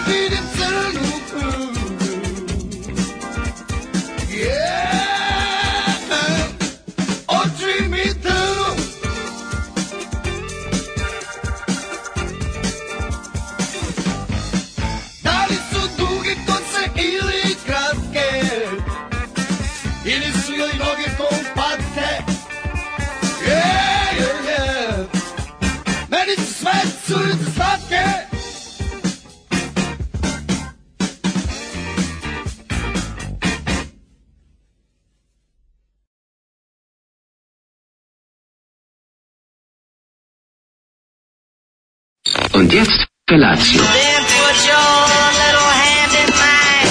vidim crnu oči mi trnu. Da li su duge kose ili kratke, ili su joj noge kompakte? Meni su sve curice slatke. Und jetzt Felatio. Then put your little hand in mine.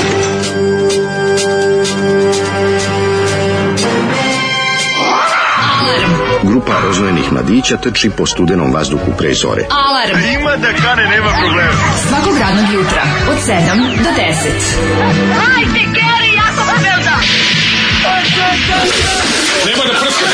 Grupa rozvojenih mladića trči po studenom vazduhu pre zore. Alarm. Ima da kane, nema problema. Svakog radnog jutra od 7 do 10. Hajde, Geri, jako se velda. Nema da prska, nema da prska.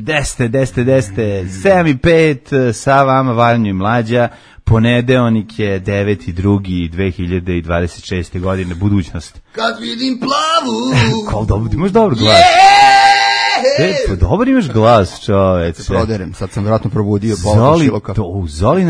Deste, 7:05, sa vama Vanja i Mlađa, ponedeonik je 9.2.2026. godine, budućnost. Kad vidim plavu. Kao dobro, imaš dobar glas. Pa dobar imaš glas, čoveče. Proderem, sad sam vjerojatno probudio Zoli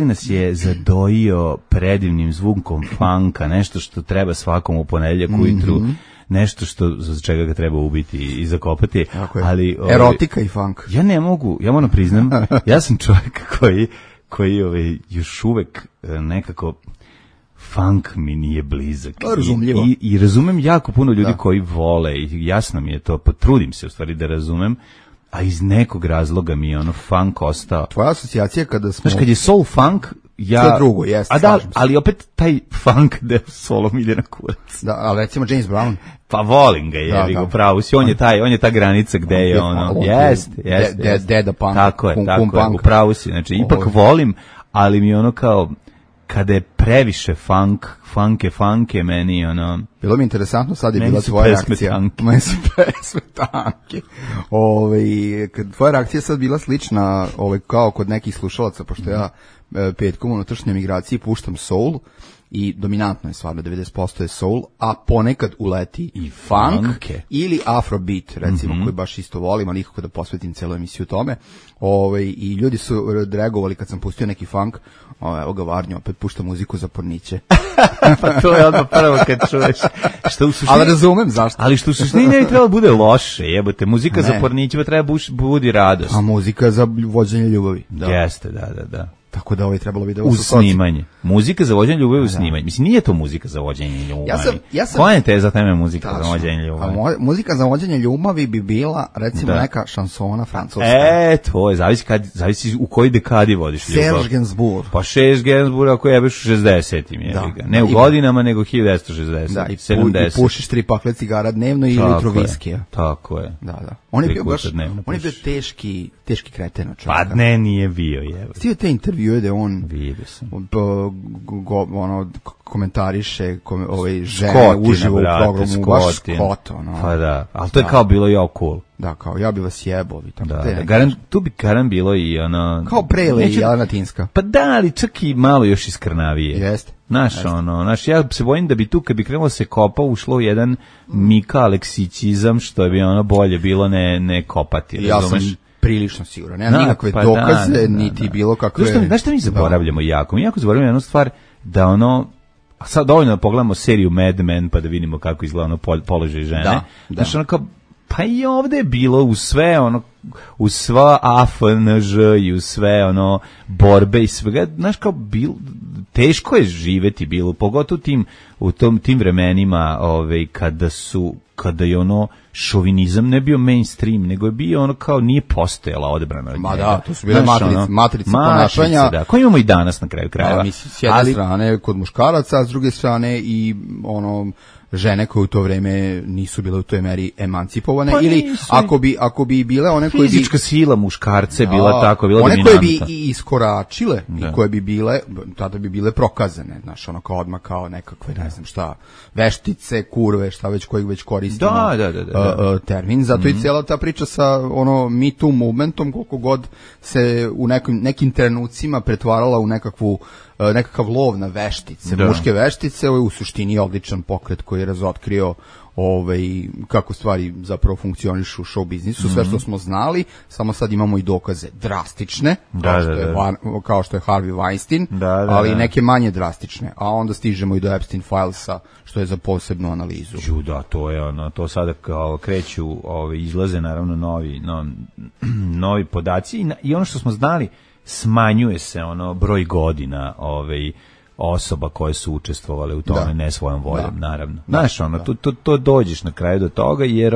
nas je zadojio predivnim zvukom funka, nešto što treba svakom u ponedjeljak ujutru, nešto što za čega ga treba ubiti i zakopati. Ali erotika i funk. Ja ne mogu, ja moram priznam, ja sam čovjek koji još uvek nekako funk mi nije blizak. I razumem jako puno ljudi koji vole i jasno mi je to, potrudim se u stvari da razumem, a iz nekog razloga mi je ono funk ostao. Tvoja asocijacija kada smo... Znaš, kad je soul funk, ja... To je drugo, jeste. A da, ali opet taj funk da solom ide na kurac. Da, ali recimo James Brown. Pa volim ga, jebi ga, pravo si, on je ta granica gde je ono, jeste. Deda punk. Tako je, upravo si, znači ipak volim, ali mi ono kao... Kada je previše funk je meni ono... Bilo mi interesantno, sad je bila tvoja reakcija. Meni su pesme tanke. Tvoja reakcija sad bila slična kao kod nekih slušalaca, pošto ja petkom u unutrašnjoj migraciji puštam soul, i dominantno je stvarno, 90% je soul, a ponekad uleti i funk ili afrobeat, recimo, koji baš isto volim, ali nikako da posvetim celu emisiju tome. I ljudi su reagovali kad sam pustio neki funk, evo ga Varnjo, opet pušta muziku za porniće. Pa to je odmah prvo kad čuješ. Ali razumem zašto. Ali što u suštini ne bi trebalo bude loše, jebote, muzika za porniće treba budi radost. A muzika za vođenje ljubavi. Jeste, da. Tako da trebalo bi da... Uz snimanje. Muzika za vođenje ljubavi uz snimanje. Mislim, nije to muzika za vođenje ljubavi. Koja je teza teme muzika za vođenje ljubavi? Muzika za vođenje ljubavi bi bila, recimo, neka šansona francuska. To je, zavisi u kojoj dekadi vodiš ljubav. Serge Gainsbourg. Pa Serge Gainsbourg ako jebeš u 60-im, ne u godinama, nego 1960. Da, i pušiš 3 pakle cigara dnevno ili litru viskija. Tako je. Da. On je bio teški kreten. Pa ne, nije bio, jevo. Stio te intervjue da on komentariše žene uživo u programu, baš Scott. Pa da, ali to je kao bilo jako cool. Da, kao ja bi vas jebao. Tu bi garan bilo i ono... Kao Prele i Jelena Tinska. Pa da, ali čak i malo još iskrnavije. Jeste. Znaš, ja se bojim da bi tu, kad bi krenulo se kopa, ušlo jedan Mika Aleksićizam, što bi ono bolje bilo ne kopati. Ja sam prilično siguran. Nema nikakve dokaze, niti bilo kakve... Znaš što mi zaboravljamo jako? Mi jako zaboravljamo jednu stvar, da ono... A sad dovoljno da pogledamo seriju Mad Men, pa da vidimo kako izgleda ono položaj žene. Znaš, ono kao... Pa i ovdje je bilo u sve ono, u sva AFNŽ i u sve ono borbe i svega, znaš kao teško je živeti bilo, pogotovo u tim vremenima kada je ono šovinizam ne bio mainstream, nego je bio ono kao nije postojala odbrana od njega. Ma da, to su bile matrice ponašanja. Da, koje imamo i danas na kraju krajeva. Mislim, s jedne strane kod muškaraca, a s druge strane i ono... žene koje u to vreme nisu bile u toj meri emancipovane, ili ako bi bile one koje bi... Fizička sila muškarce bila tako, bila one dominanta. Koje bi i iskoračile i koje bi bile, tada bi bile prokazane, znaš, ono kao odmah kao nekakve, ne znam šta, veštice, kurve, šta već kojeg već koristimo termin. Zato i cijela ta priča sa Me Too movementom, koliko god se u nekim trenucima pretvarala u nekakav lov na veštice, muške veštice, ovo je u suštini odličan pokret koji je razotkrio kako stvari zapravo funkcionišu u show biznisu, sve što smo znali, samo sad imamo i dokaze drastične, kao što je Harvey Weinstein, ali neke manje drastične, a onda stižemo i do Epstein filesa, što je za posebnu analizu. To je to sada kao kreću, izlaze naravno novi podaci i ono što smo znali, smanjuje se broj godina osoba koje su učestvovale u tome, ne svojom voljom, naravno. Znaš, to dođeš na kraju do toga, jer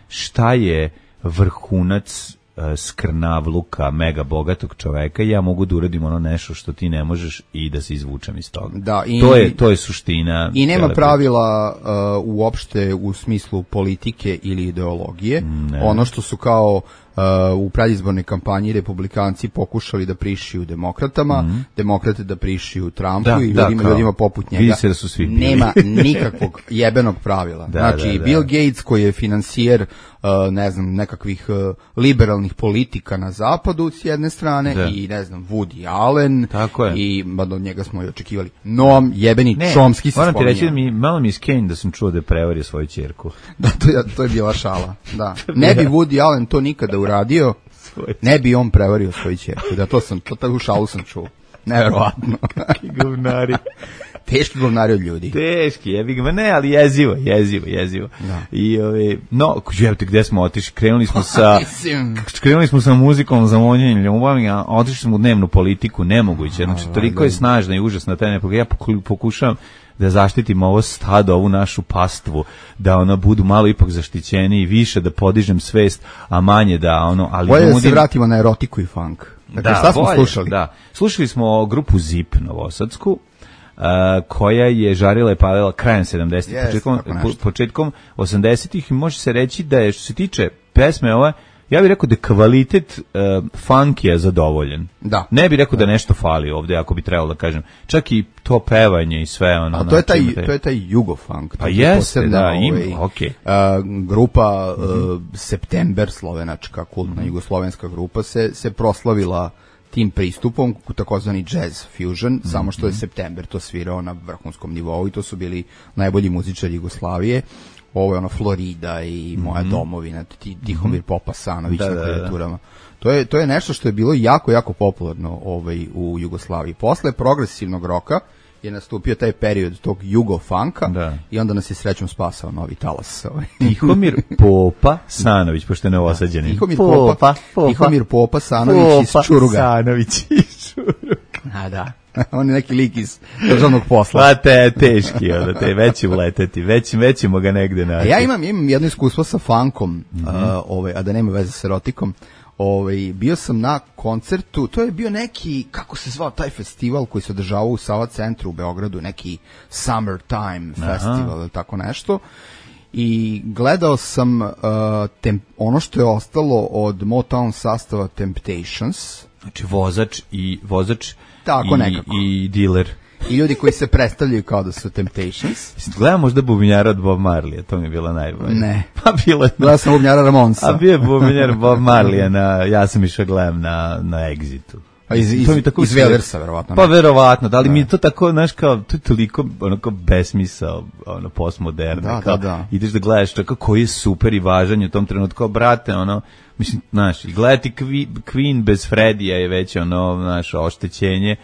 šta je vrhunac skrnavluka mega bogatog čoveka, ja mogu da uradim nešto što ti ne možeš i da se izvučem iz toga. To je suština. I nema pravila uopšte u smislu politike ili ideologije. Ono što su kao u predizbornoj kampanji republikanci pokušali da prišiju demokratama, demokrate da prišiju Trumpu i ljudima poput njega. Se da su svi bili. Nema nikakvog jebenog pravila. Bill Gates koji je financijer nekakvih liberalnih politika na zapadu s jedne strane i Woody Allen i od njega smo i očekivali. Noam jebeni Chomsky se spominje. Moram ti reći da malo mi je skenj da sam čuo da je prevario svoju ćerku. To je bila šala. Da. Ne bi Woody Allen to nikada uradio, ne bi on prevario svoju ćerku. Tu šalu sam čuo. Neverovatno. Kakvi govnari. Teški govnari od ljudi. Teški, ne, ali jezivo. Da. I gdje smo otišli? Krenuli smo sa muzikom za vonjenje ljubavi, a otišli smo u dnevnu politiku, nemoguće. Znači, toliko je snažna i užasna ta nepogleda. Ja pokušavam da zaštitim ovo stado, ovu našu pastvu, da budu malo ipak zaštićeni i više da podižem svest, a manje da ali bolje da se vratimo na erotiku i funk. Dakle, šta smo slušali? Slušali smo grupu Zip novosadsku, koja je žarila i palila krajem 70-ih, početkom 80-ih, i može se reći da je, što se tiče pesme ove, ja bih rekao da je kvalitet funk je zadovoljen. Ne bih rekao da nešto fali ovdje, ako bi trebalo da kažem. Čak i to pevanje i sve A to je taj jugofunk. Pa jeste, grupa September, slovenačka, kultna jugoslovenska grupa, se proslavila tim pristupom, takozvani jazz fusion, samo što je September to svirao na vrhunskom nivou i to su bili najbolji muzičari Jugoslavije. Ovo je Florida i Moja domovina, Tihomir Popasanović na klavijaturama. To je nešto što je bilo jako, jako popularno u Jugoslaviji. Posle progresivnog roka je nastupio taj period tog jugofunka i onda nas je srećom spasao novi talas. Tihomir Popasanović, pošto je neosađenin. Tihomir Popasanović iz Čuruga. A da. On je neki lik iz državnog posla. Pa teški, veći uleteti, većimo ga negde naći. Ja imam jedno iskustvo sa funkom, a da nema veze s erotikom. Bio sam na koncertu, to je bio neki, kako se zvao taj festival koji se održavao u Sava centru u Beogradu, neki Summertime festival ili tako nešto. I gledao sam ono što je ostalo od Motown sastava Temptations. Znači vozač tako i dealer. I ljudi koji se predstavljaju kao da su Temptations. Gledam možda bubnjara od Bob Marleya, to mi je bilo najbolje. Ne. Pa bilo je. Gledam sam bubnjara Ramonsa. A bio je bubnjar Bob Marleya, ja sam išao gledam na Exitu. Iz Velersa, verovatno. Pa verovatno, da li mi je to tako, znaš, kao, to je toliko onako besmisao, postmoderne, ideš da gledaš tako koji je super i važan u tom trenutku, brate, mislim, znaš, i gledati Queen bez Freddija je već znaš, oštećenje,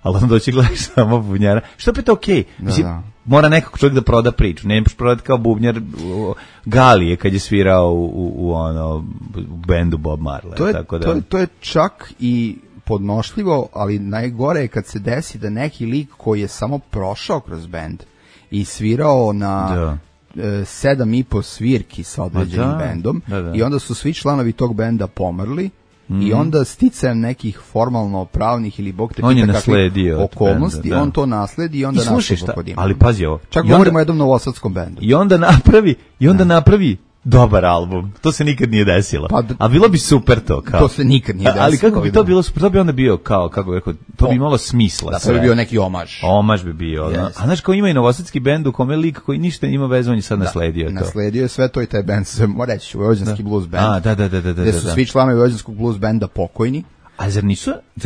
ali onda doći gledaš samo bubnjara, što opet okej, mislim, mora nekako čovjek da proda priču, ne možeš prodati kao bubnjar Galije kad je svirao u bendu Bob Marley. To je čak i podnošljivo, ali najgore je kad se desi da neki lik koji je samo prošao kroz bend i svirao na 7,5 svirki sa određenim bendom i onda su svi članovi tog benda pomrli i onda sticajem nekih formalno pravnih ili bog te pita kakvih okolnosti, on to nasledi i onda nasledi pod imenom. Ali pazi ovo. Čak govorimo o jednom novosadskom bendu. I onda napravi dobar album. To se nikad nije desilo. A bilo bi super to. Kao. To se nikad nije desilo. Ali kako bi to bilo super? To bi onda bio kao, kako bih rekao, to bi imalo smisla. Da, to bi bio neki omaž. Omaž bi bio. Yes. A znaš, kao ima i novosadski bend u kome lik koji ništa ima veze, on je sad nasledio to. Nasledio je sve to i taj bend, mora reći, Vojvođanski blues band. Da. Gde su svi članovi Vojvođanskog blues benda pokojni. A zar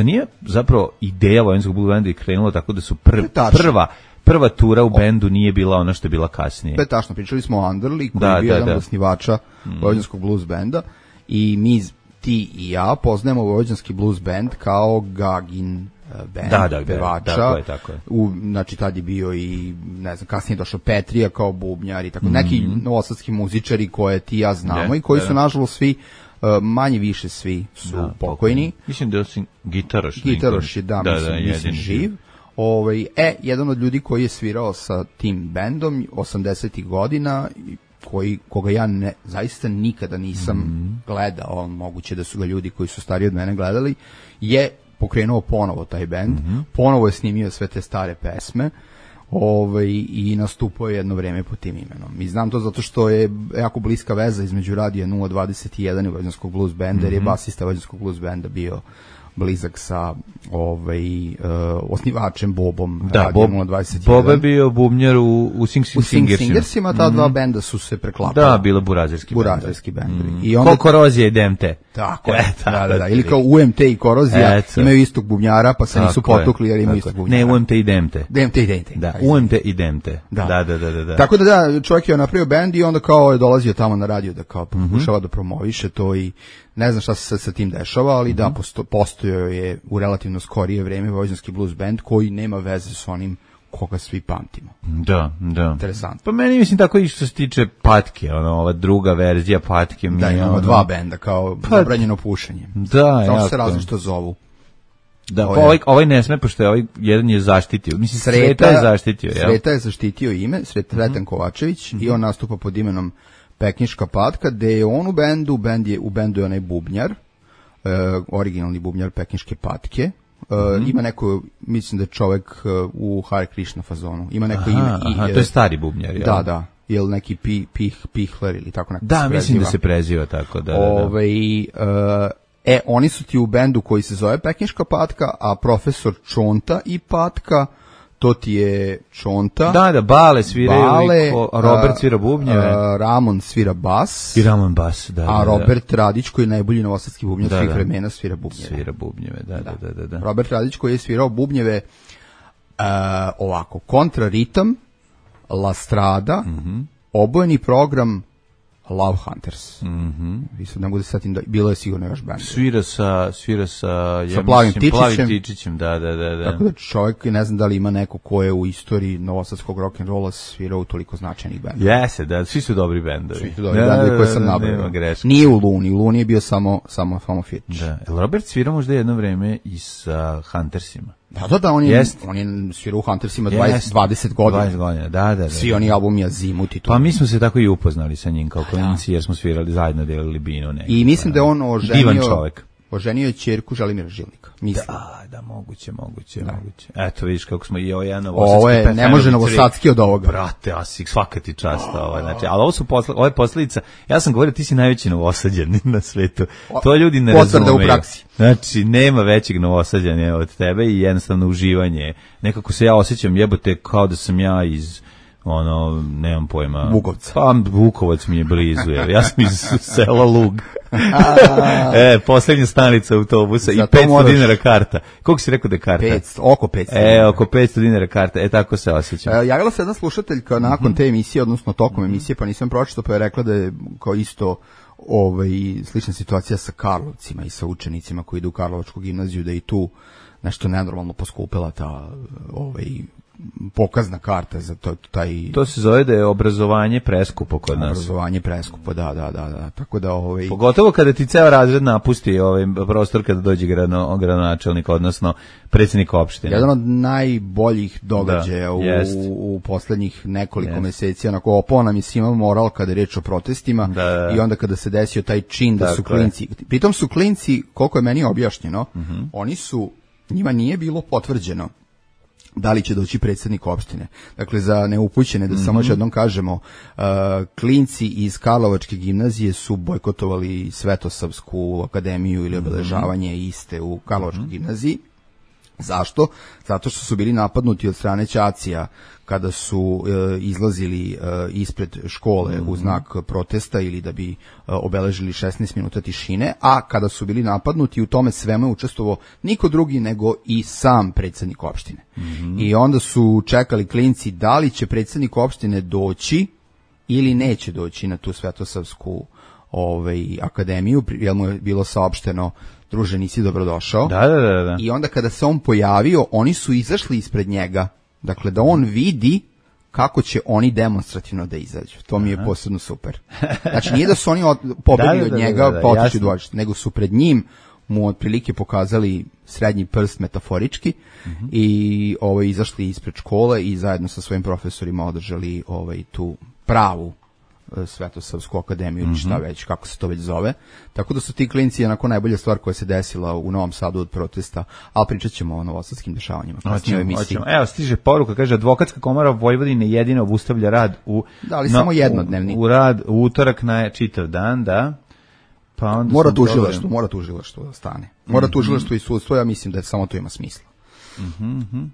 nije zapravo ideja Vojvođanskog blues benda i krenula tako da su prva tura u bendu nije bila ono što je bila kasnije. To je tačno, pričali smo o Underli, koji je bio jedan od osnivača Vojvođanskog blues benda i mi, ti i ja, poznajemo Vojvođanski blues band kao Gagin band, pevača. Tako je. Znači, tad je bio i, ne znam, kasnije došao Petrija kao bubnjar i tako, neki novosadski muzičari koje ti ja znamo i koji su, nažalost, svi manje više svi su pokojni. Mislim da je Gitaroš je, mislim živ. Jedan od ljudi koji je svirao sa tim bendom 80-ih godina, koga ja zaista nikada nisam gledao, moguće da su ga ljudi koji su stariji od mene gledali, je pokrenuo ponovo taj bend, ponovo je snimio sve te stare pesme, i nastupao je jedno vreme pod tim imenom. I znam to zato što je jako bliska veza između Radija 021 i Vojvođanskog blues benda, jer je basista Vojvođanskog blues benda bio blizak sa osnivačem Bobom. Da, Bob je bio bubnjar u Singersima. Ta dva benda su se preklapala. Da, bilo burazerski bendovi. Ko Korozija i DMT. Tako je, da. Ili kao UMT i Korozija imaju istog bubnjara, pa se nisu potukli jer imaju istog bubnjara. Ne, UMT i DMT. Da, UMT i DMT. Da. Tako da, čovjek je napravio bend i onda kao je dolazio tamo na radio da kao pokušava da promoviše to i ne znam šta se sa tim dešava, ali da, postojao je u relativno skorije vreme Vojvođanski blues band koji nema veze s onim koga svi pamtimo. Da. Interesantno. Pa meni mislim tako i što se tiče Patke, ova druga verzija Patke. Da, imamo dva benda kao zabranjeno pušenje. Da, samo se različito zovu. Da, ovaj ne sme, pošto je jedan je zaštitio. Mislim, Sreta je zaštitio. Sreta je zaštitio ime, Sretan Kovačević, i on nastupa pod imenom Pekniška patka, gde je on u bendu je onaj bubnjar, originalni bubnjar Pekniške patke. Ima neko, mislim da je čovek u Hare Krishna fazonu, ima neko ime. To je stari bubnjar, jel? Da, ili neki Pihler ili tako neko. Da, mislim da se preziva tako, da. Oni su ti u bendu koji se zove Pekniška patka, a profesor Čonta i Patka, to ti je Čonta. Da, Bale sviraju, Robert svira bubnjeve. Ramon svira bas. I Ramon bas, da. A Robert Radić, koji je najbolji novosadski bubnjar svih vremena, svira bubnjeve. Svira bubnjeve, da. Robert Radić, koji je svirao bubnjeve ovako, kontraritam, La Strada, obojeni program, Love Hunters. Ne mogu da setim, bilo je sigurno još band. Svira sa Plavim Tičićem, da. Tako da čovjek, ne znam da li ima neko ko je u istoriji novosadskog rock'n'rolla svirao u toliko značajnih bendova. Jeste, da, svi su dobri bendovi. Svi su dobri bendovi koje sam nabrao. Nije u Luni je bio samo Fitch. Da. Robert svira možda jedno vreme i sa Huntersima. Da, on je svirao u Huntersima 20 godina. 20 godina, da. Svi oni albumi Azimut i to. Pa mi smo se tako i upoznali sa njim kao klinci, jer smo svirali zajedno, delili binu. I mislim da je on divan čovek. Oženio je ćerku Želimira Žilnika. Da, moguće. Eto, vidiš kako smo i ovo jedan ovo je, ne može novosadski od ovoga. Brate, svaka ti čast. Znači, ali ovo je posljedica, ja sam govorio, ti si najveći novosađan na svetu. To ljudi ne razumeju. U praksi. Znači, nema većeg novosađanja od tebe i jednostavno uživanje. Nekako se ja osjećam, jebote, kao da sam ja iz nemam pojma. Vukovca. Pa Vukovac mi je blizu, ja sam iz sela Lug. Poslednja stanica autobusa i 500 dinara karta. Koliko si rekao da je karta? Oko 500. Oko 500 dinara karta. Tako se osjećam. Javila se jedna slušateljka nakon te emisije, odnosno tokom emisije, pa nisam pročitao, pa je rekla da je kao isto slična situacija sa Karlovcima i sa učenicima koji idu u Karlovačku gimnaziju, da i tu nešto nenormalno poskupila ta pokazna karta za taj. To se zove da je obrazovanje preskupo kod nas. Obrazovanje preskupo, da. Tako da pogotovo kada ti ceo razred napusti prostor kada dođe gradonačelnik, odnosno predsjednik opštine. Jedan od najboljih događaja u poslednjih nekoliko meseci, onako opao nam je svima moral kada je reč o protestima i onda kada se desio taj čin da su klinci. Pritom su klinci, koliko je meni objašnjeno, njima nije bilo potvrđeno da li će doći predsjednik opštine. Dakle, za neupućene, da samo još jednom kažemo, klinci iz Karlovačke gimnazije su bojkotovali Svetosavsku akademiju ili obeležavanje iste u Karlovačkoj gimnaziji. Zašto? Zato što su bili napadnuti od strane ćacija kada su izlazili ispred škole u znak protesta ili da bi obeležili 16 minuta tišine, a kada su bili napadnuti u tome svemu je učestvovao niko drugi nego i sam predsjednik opštine. I onda su čekali klinci da li će predsjednik opštine doći ili neće doći na tu Svetosavsku akademiju, jer mu je bilo saopšteno: druže, nisi dobrodošao. Da. I onda kada se on pojavio, oni su izašli ispred njega, dakle da on vidi kako će oni demonstrativno da izađu. To mi je posebno super. Znači nije da su oni pobegli od njega pa otišli dvorište, nego su pred njim mu otprilike pokazali srednji prst metaforički i izašli ispred škole i zajedno sa svojim profesorima održali tu pravu Svetosavsku akademiju ili šta već, kako se to već zove. Tako da su ti klinci onako najbolja stvar koja se desila u Novom Sadu od protesta, ali pričat ćemo o novosadskim dešavanjima. Evo, stiže poruka, kaže: Advokatska komora Vojvodine jedino obustavlja rad samo jednodnevni. U rad u utorak na čitav dan, da. Pa onda mora tužilaštvo da stane. Mora tužilaštvo i sudstvo, ja mislim da samo to ima smisla.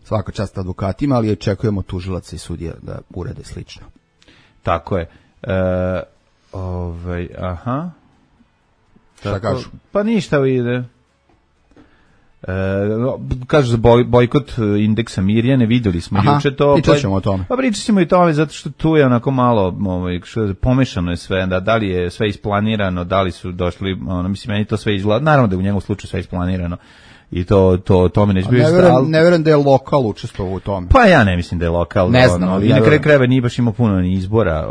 Svaka čast advokatima, ali očekujemo tužilaca i sudija da urede slično. Tako je. Šta kažu? Pa ništa ide. Kažu za bojkot indeksa Mirjane, vidjeli smo juče to. Pričat ćemo o tome. Pa pričat ćemo i tome, zato što tu je onako malo pomešano je sve, da li je sve isplanirano, da li su došli, mislim, meni to sve izgleda, naravno da je u njemu slučaju sve isplanirano. I to mi neće biti. Ne vjerujem da je lokal učestvovao u tome. Pa ja ne mislim da je lokal. Ne znam. I na kraju krajeva nije baš imao puno ni izbora,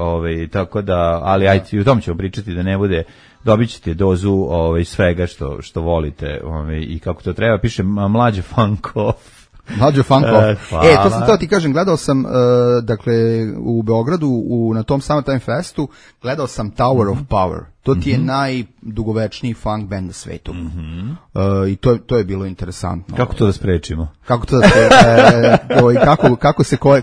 tako da, ali ajde, u tom ćemo pričati da ne bude, dobit ćete dozu svega što volite i kako to treba. Piše Mlađe Fankov. Mlađo Fankov. To sam ti kažem, gledao sam, dakle, u Beogradu, na tom Summertime Festu, gledao sam Tower of Power. To ti je najdugovečniji funk band na svetu. I to je bilo interesantno. Kako to da sprečimo?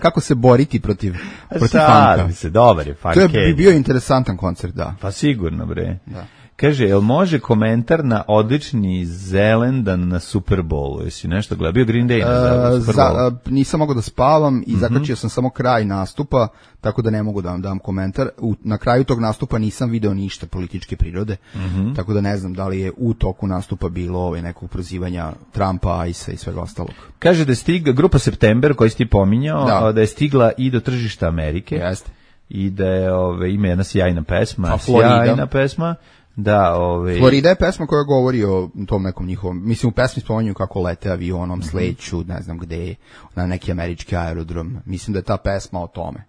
Kako se boriti protiv funka? Dobar je funk. To je bio interesantan koncert, da. Pa sigurno, bre. Da. Kaže, jel može komentar na odlični Zelendan na Super Bowlu? Jesi nešto gledao? Bio Green Day na Super Bowlu? Nisam mogao da spavam i zakačio sam samo kraj nastupa, tako da ne mogu da vam dam komentar. Na kraju tog nastupa nisam video ništa političke prirode, tako da ne znam da li je u toku nastupa bilo nekog prozivanja Trumpa, ICE i svega ostalog. Kaže da je stigla grupa September, koji si ti pominjao, da je stigla i do tržišta Amerike. Jeste. I da je ima jedna sjajna pesma. Da, Florida je pesma koja govori o tom nekom njihovom, mislim u pesmi spominju kako lete avionom, sleću, ne znam gde, na neki američki aerodrom. Mislim da je ta pesma o tome,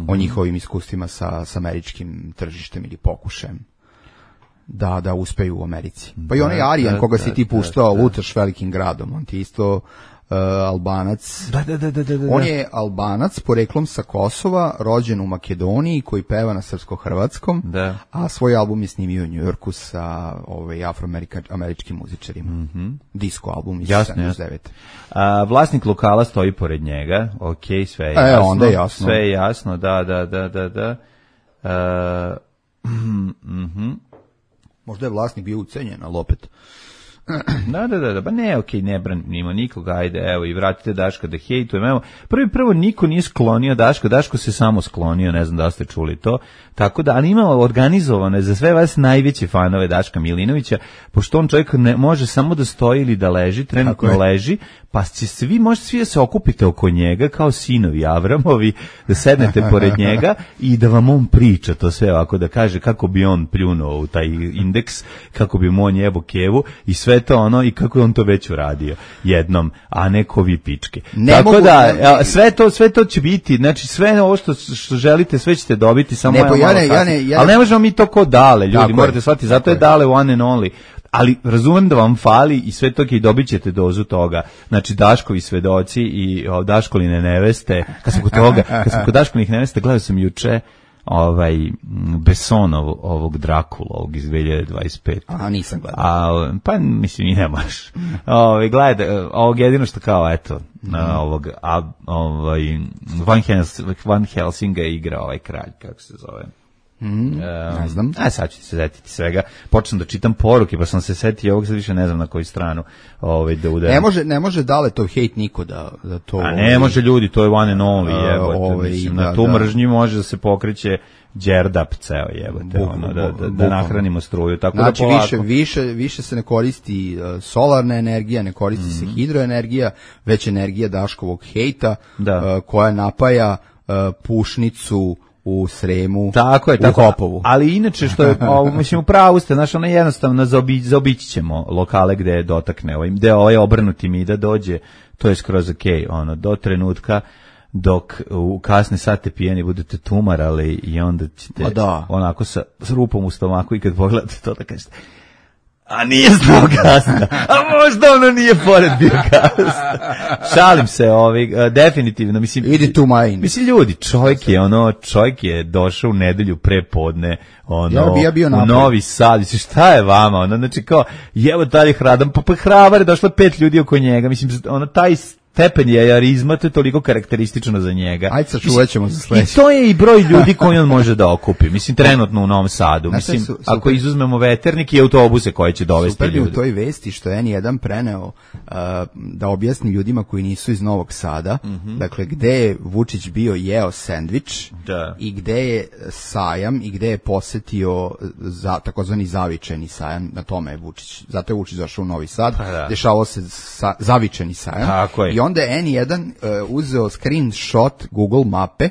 o njihovim iskustvima sa američkim tržištem ili pokušajem da uspeju u Americi. Pa i onaj Arijan koga si ti puštao, Lutaš velikim gradom, on ti isto Albanac. Da. On je Albanac poreklom sa Kosova, rođen u Makedoniji, koji peva na srpsko-hrvatskom, a svoj album je snimio u Njujorku sa afroameričkim muzičarima. Disco album iz 79. Vlasnik lokala stoji pored njega. Ok, sve je jasno. Onda je jasno. Sve je jasno, da. Možda je vlasnik bio ucenjen, ali opet. Da, pa ne, okej, ne branimo nikoga, ajde, evo, i vratite Daška da hejtujem, evo, prvo niko nije sklonio Daško se samo sklonio, ne znam da ste čuli to, tako da, ali imamo organizovano za sve vas najveće fanove Daška Milinovića, pošto on čovjek ne može samo da stoji ili da leži, trenutno leži, pa će možete svi da se okupite oko njega, kao sinovi Avramovi, da sednete pored njega i da vam on priča to sve ovako, da kaže kako bi on pljunuo u taj indeks, kako bi mu on jebo kevu i sve to i kako je on to već uradio jednom, a neko vi pičke. Tako da, sve to će biti, znači sve ovo što želite, sve ćete dobiti, samo ali ne možemo mi to ko Dale, ljudi, morate shvatiti, zato je Dale one and only. Ali razumem da vam fali i sve to i dobit ćete dozu toga. Znači Daškovi svedoci i Daškoline neveste. Kad sam kod Daškolinih neveste, gledao sam juče Bessonov ovog Drakula, ovog iz 2025. A, nisam gledao. Pa, mislim, i ne možeš. Gledaj, ovog jedino što kao, eto, Van Helsinga je igra ovaj kralj, kako se zove. Ne znam. Sad ću ti se setiti svega. Počnem da čitam poruke, pa sam se setio ovog, sad više ne znam na koju stranu da udajem. Ne može Daletov hejt niko da to... A ne može ljudi, to je one and only, jebote. Mislim, na tu mržnji može da se pokreće Đerdap ceo, jebote, da nahranimo struju. Tako znači, da više se ne koristi solarna energija, ne koristi se hidroenergija, već energija Daškovog hejta, koja napaja Pušnicu u Sremu, tako je, u Hopovu. Ali inače što je, mislim, u pravu ste, znaš, ono jednostavno zaobići ćemo lokale gde dotakne, gde obrnuti mi da dođe, to je skroz okej, do trenutka dok u kasne sate pijeni budete tumarali i onda ćete onako sa rupom u stomaku i kad pogledate to da kažete, a nije znao gasna, a možda ono nije pored bio gasna. Šalim se, definitivno, mislim, idi tu majin. Mislim, ljudi, čovjek je došao u nedelju pre podne, u Novi Sad, mislim, šta je vama, znači kao, jevo taj hradan, pa hrabar je došlo 5 ljudi oko njega, mislim, taj stepen jajarizma, to je toliko karakteristično za njega. Ajde, sačuvat ćemo za sledeće. I to je i broj ljudi koji on može da okupi. Mislim, trenutno u Novom Sadu. Mislim, ako izuzmemo veternik i autobuse koje će dovesti ljudi. Super u toj vesti što je N1 preneo da objasni ljudima koji nisu iz Novog Sada, dakle, gde je Vučić bio jeo sendvič i gde je sajam i gde je posetio takozvani zavičajni sajam, na tome je Vučić. Zato je Vučić došao u Novi Sad, dešavao se zavičajni sajam. Tako je. I onda je N1 uzeo screenshot Google mape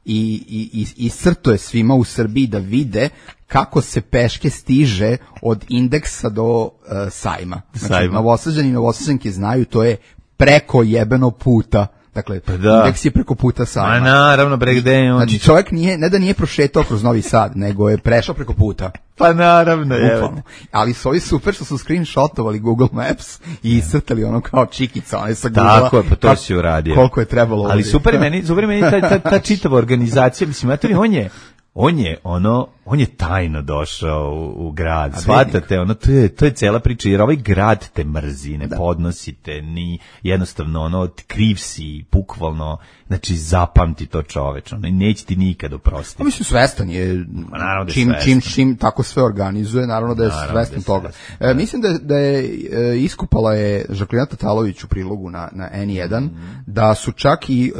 i iscrto je svima u Srbiji da vide kako se peške stiže od Indeksa do sajma. Znači, Novosađani i Novosađanke znaju, to je preko jebeno puta. Dakle, Indeks je preko puta sajma. A naravno, gde je on? Znači, čovjek ne da nije prošetao kroz Novi Sad, nego je prešao preko puta. Pa naravno, je. Ali su ovi super što su screenshotovali Google Maps i iscrtali ono kao čikica, one sa Google. Tako je, pa to si uradio. Koliko je trebalo. Ali super meni ta čitava organizacija, mislim, on je tajno došao u grad, shvatate, to je cela priča, jer ovaj grad te mrzi, ne podnosite, ni jednostavno, kriv si, bukvalno, znači zapamti to čoveč, neće ti nikad oprostiti. Mislim, svestan je, čim tako sve organizuje, naravno da je svestan toga. Mislim da je iskupala je Žaklina Tatalović u prilogu na N1, da su čak i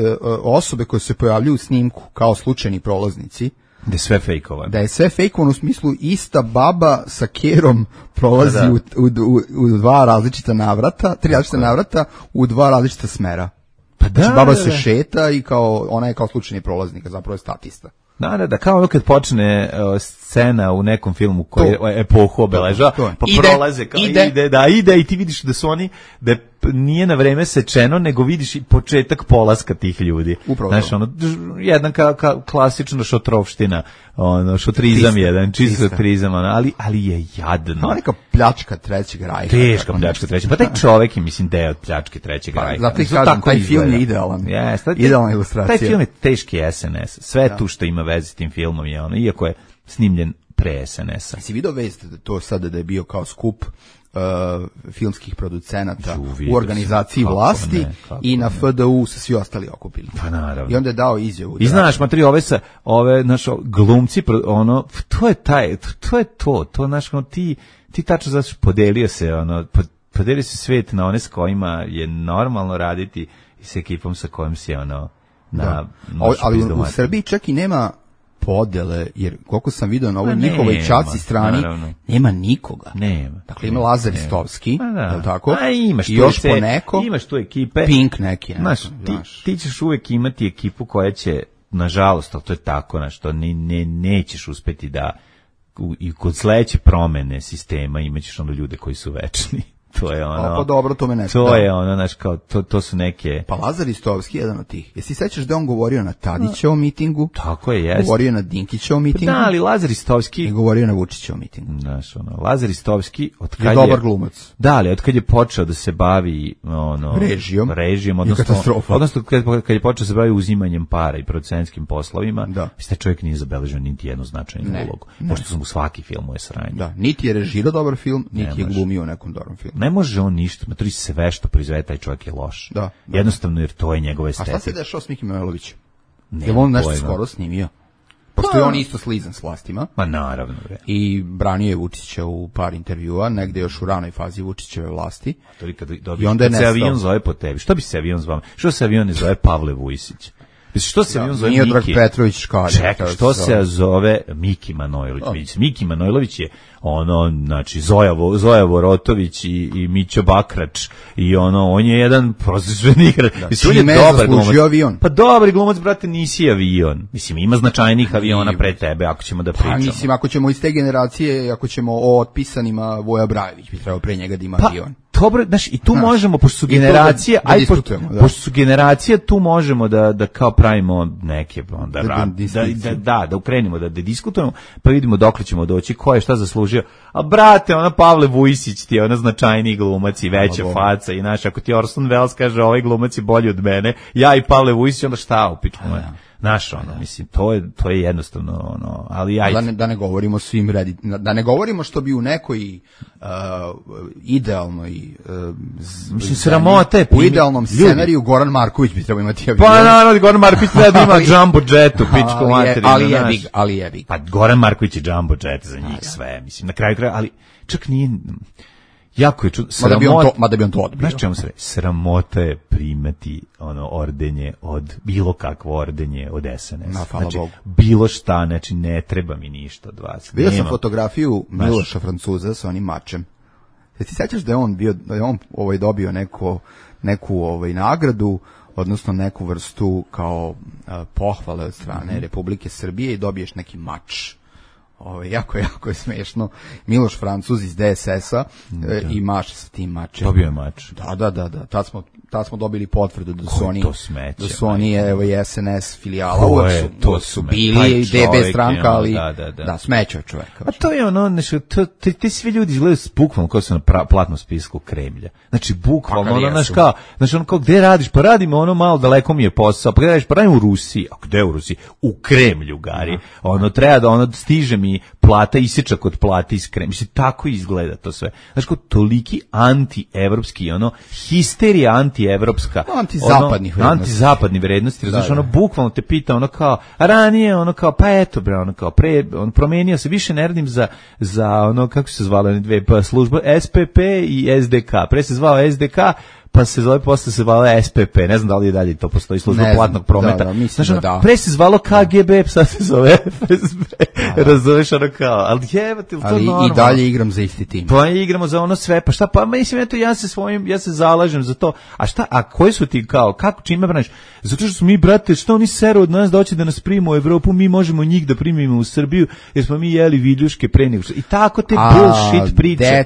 osobe koje se pojavljuju u snimku kao slučajni prolaznici, da je sve fejkovan. Da je sve fejkovan u smislu ista baba sa kerom prolazi u dva različita navrata, 3 različita navrata u 2 različita smera. Pa znači, baba se šeta i ona je kao slučajni prolaznik, a zapravo je statista. Da, kao kad počne scena u nekom filmu koji je epohu obeležava, pa prolaze kao ide i ti vidiš da su oni, da nije na vreme sečeno, nego vidiš i početak polaska tih ljudi. Upravo. Znaš, jedan klasična šotrovština, šotrizam jedan, čist šotrizam, ali je jadno. Kao neka pljačka Trećeg rajha. Teška pljačka Trećeg, pa taj čovjek je, mislim, deo od pljačke Trećeg rajha. Zato ih kažem, taj film je idealan. Idealna ilustracija. Taj film je teški SNS. Sve tu što ima veze s tim filmom je iako je snimljen pre SNS-a. Si vidio vest to sada da je bio kao skup filmskih producenata u organizaciji vlasti i na FDU se svi ostali okupili. Pa naravno. I onda je dao izjavu. I znaš, ove naš glumci, to je to naš, ti tačno znaš, podelio se svet na one s kojima je normalno raditi i s ekipom sa kojim si ali u Srbiji čak i nema podele, jer koliko sam vidio na ovoj njihovoj čaci strani, nema nikoga. Nema. Dakle, ima Lazar Istovski, je li tako? A imaš i još po neko. Imaš tu ekipe. Pink neki. Ti ćeš uvek imati ekipu koja će, nažalost, ali to je tako, to nećeš uspeti da i kod sledeće promene sistema imaćeš ljude koji su večni. To je ono. Pa dobro, to me ne. To je ono, znaš, kao, to su neke... Pa Lazar Istovski je jedan od tih. Jesi sećaš da on govorio na Tadićevom mitingu? Tako je, jeste. Govorio na Dinkićevom mitingu? Da, ali Lazar Istovski... I govorio na Vučićevom mitingu. Znaš, ono, Lazar Istovski, od kad je dobar glumac. Da, ali od kad je počeo da se bavi, ono... Režijom, odnosno kad je počeo da se bavi uzimanjem para i producentskim poslovima, taj čovjek nije zabeležio niti jednu značajnu ulogu. Pošto su mu svaki film je sranje. Da, niti je režirao dobar film, niti je glumio u nekom dobrom filmu. Ne može on ništa, maturi sve što proizvede taj čovjek je loš. Da. Jednostavno jer to je njegova estetika. A šta se dešao s Mikim Manojlovićem? Je on nešto skoro snimio? Pošto je on isto slizan s vlastima. Ma naravno. I branio je Vučića u par intervjua, negde još u ranoj fazi Vučićeve vlasti. I onda je nestao. Se avion zove po tebi. Što bi se avion zvao? Što se avion ne zove Pavle Vujsić? Što se avion zove Miki? Miodrag Petrović Škalja. Čekaj, što se zove Miki Manojlović? Miki Manojlović je ono, znači, Zoja Vorotović i Mićo Bakrač i ono, on je jedan prosječni igrač. Čime je zaslužio avion? Pa dobri glumac, brate, nisi avion. Mislim, ima značajnih aviona pre tebe, ako ćemo da pričamo. Pa mislim, ako ćemo iz te generacije, ako ćemo o otpisanima, Voja Brajević bi trebao pre njega da ima avion. Dobro, znaš, i tu možemo, pošto su generacije, pošto su generacije, tu možemo da kao pravimo neke, da ukrenimo, da diskutujemo, pa vidimo dokle ćemo doći, ko je šta zaslužio. A brate, ona Pavle Vujsić ti je ona značajniji glumac i veća faca i naš, ako ti Orson Welles kaže ovaj glumac je bolji od mene, ja i Pavle Vujsić, onda šta upiču mu je? Znaš, ono, mislim, to je jednostavno, ono, ali ajde. Da ne govorimo svim da ne govorimo što bi u nekoj idealnoj mislim, sramote. U idealnom scenariju Goran Marković bi trebao imati avion. Pa naravno, Goran Marković treba da ima jumbo jetu, pičko materinu. Ali jebi. Pa Goran Marković je jumbo jet za njih sve, mislim, na kraju kraja, ali čak nije... Jako je mada bi on to odbio. Znaš čemu se sramota je primati ono ordenje od bilo kakvo ordenje od SNS. Znači, bilo šta, znači ne treba mi ništa od vas. Vidio sam fotografiju Miloša Francuza sa onim mačem. Jesi ti sećaš da je on dobio neku nagradu, odnosno neku vrstu kao pohvale od strane Republike Srbije i dobiješ neki mač. Jako je smešno. Miloš Francuz iz DSS-a i mače sa tim mačem. Dobio je mač. Da. Tad smo dobili potvrdu da su oni SNS filijala. To su bili DB stranka, ali da, smećao čoveka. A to je ono, ti svi ljudi izgledaju bukvalno kao su na platnom spisku Kremlja. Znači, bukvalno, ono kao, gde radiš? Pa radimo ono malo, daleko mi je posao. Pa gde radiš? Pa radim u Rusiji. A gde u Rusiji? U Kremlju, Gari. Ono, treba da stiže mi plata isječa kod plate iz Kremlja. Mislim, tako izgleda to sve. Znači, kao toliki anti-evropski, histerija anti-evropska. Antizapadni vrednosti. Znači, bukvalno te pita, ranije, pa eto, bre, promenio se, više ne radim za kako se zvala dve službe, SPP i SDK. Pre se zvao SDK, pa se zove, posle se zvala SPP, ne znam da li je dalje to postoji, služba platnog prometa. Pre se zvalo KGB, sad se zove FSB, razumeš, ali jebate, to normalno. I dalje igram za isti tim. Pa igramo za ono sve, pa šta, pa mislim, eto, ja se zalažem za to, a koji su ti kako, čime braniš? Zato što smo mi, brate, što oni seru od nas da hoće da nas primimo u Evropu, mi možemo njih da primimo u Srbiju, jer smo mi jeli viljuške pre nego. I tako te bullshit priče.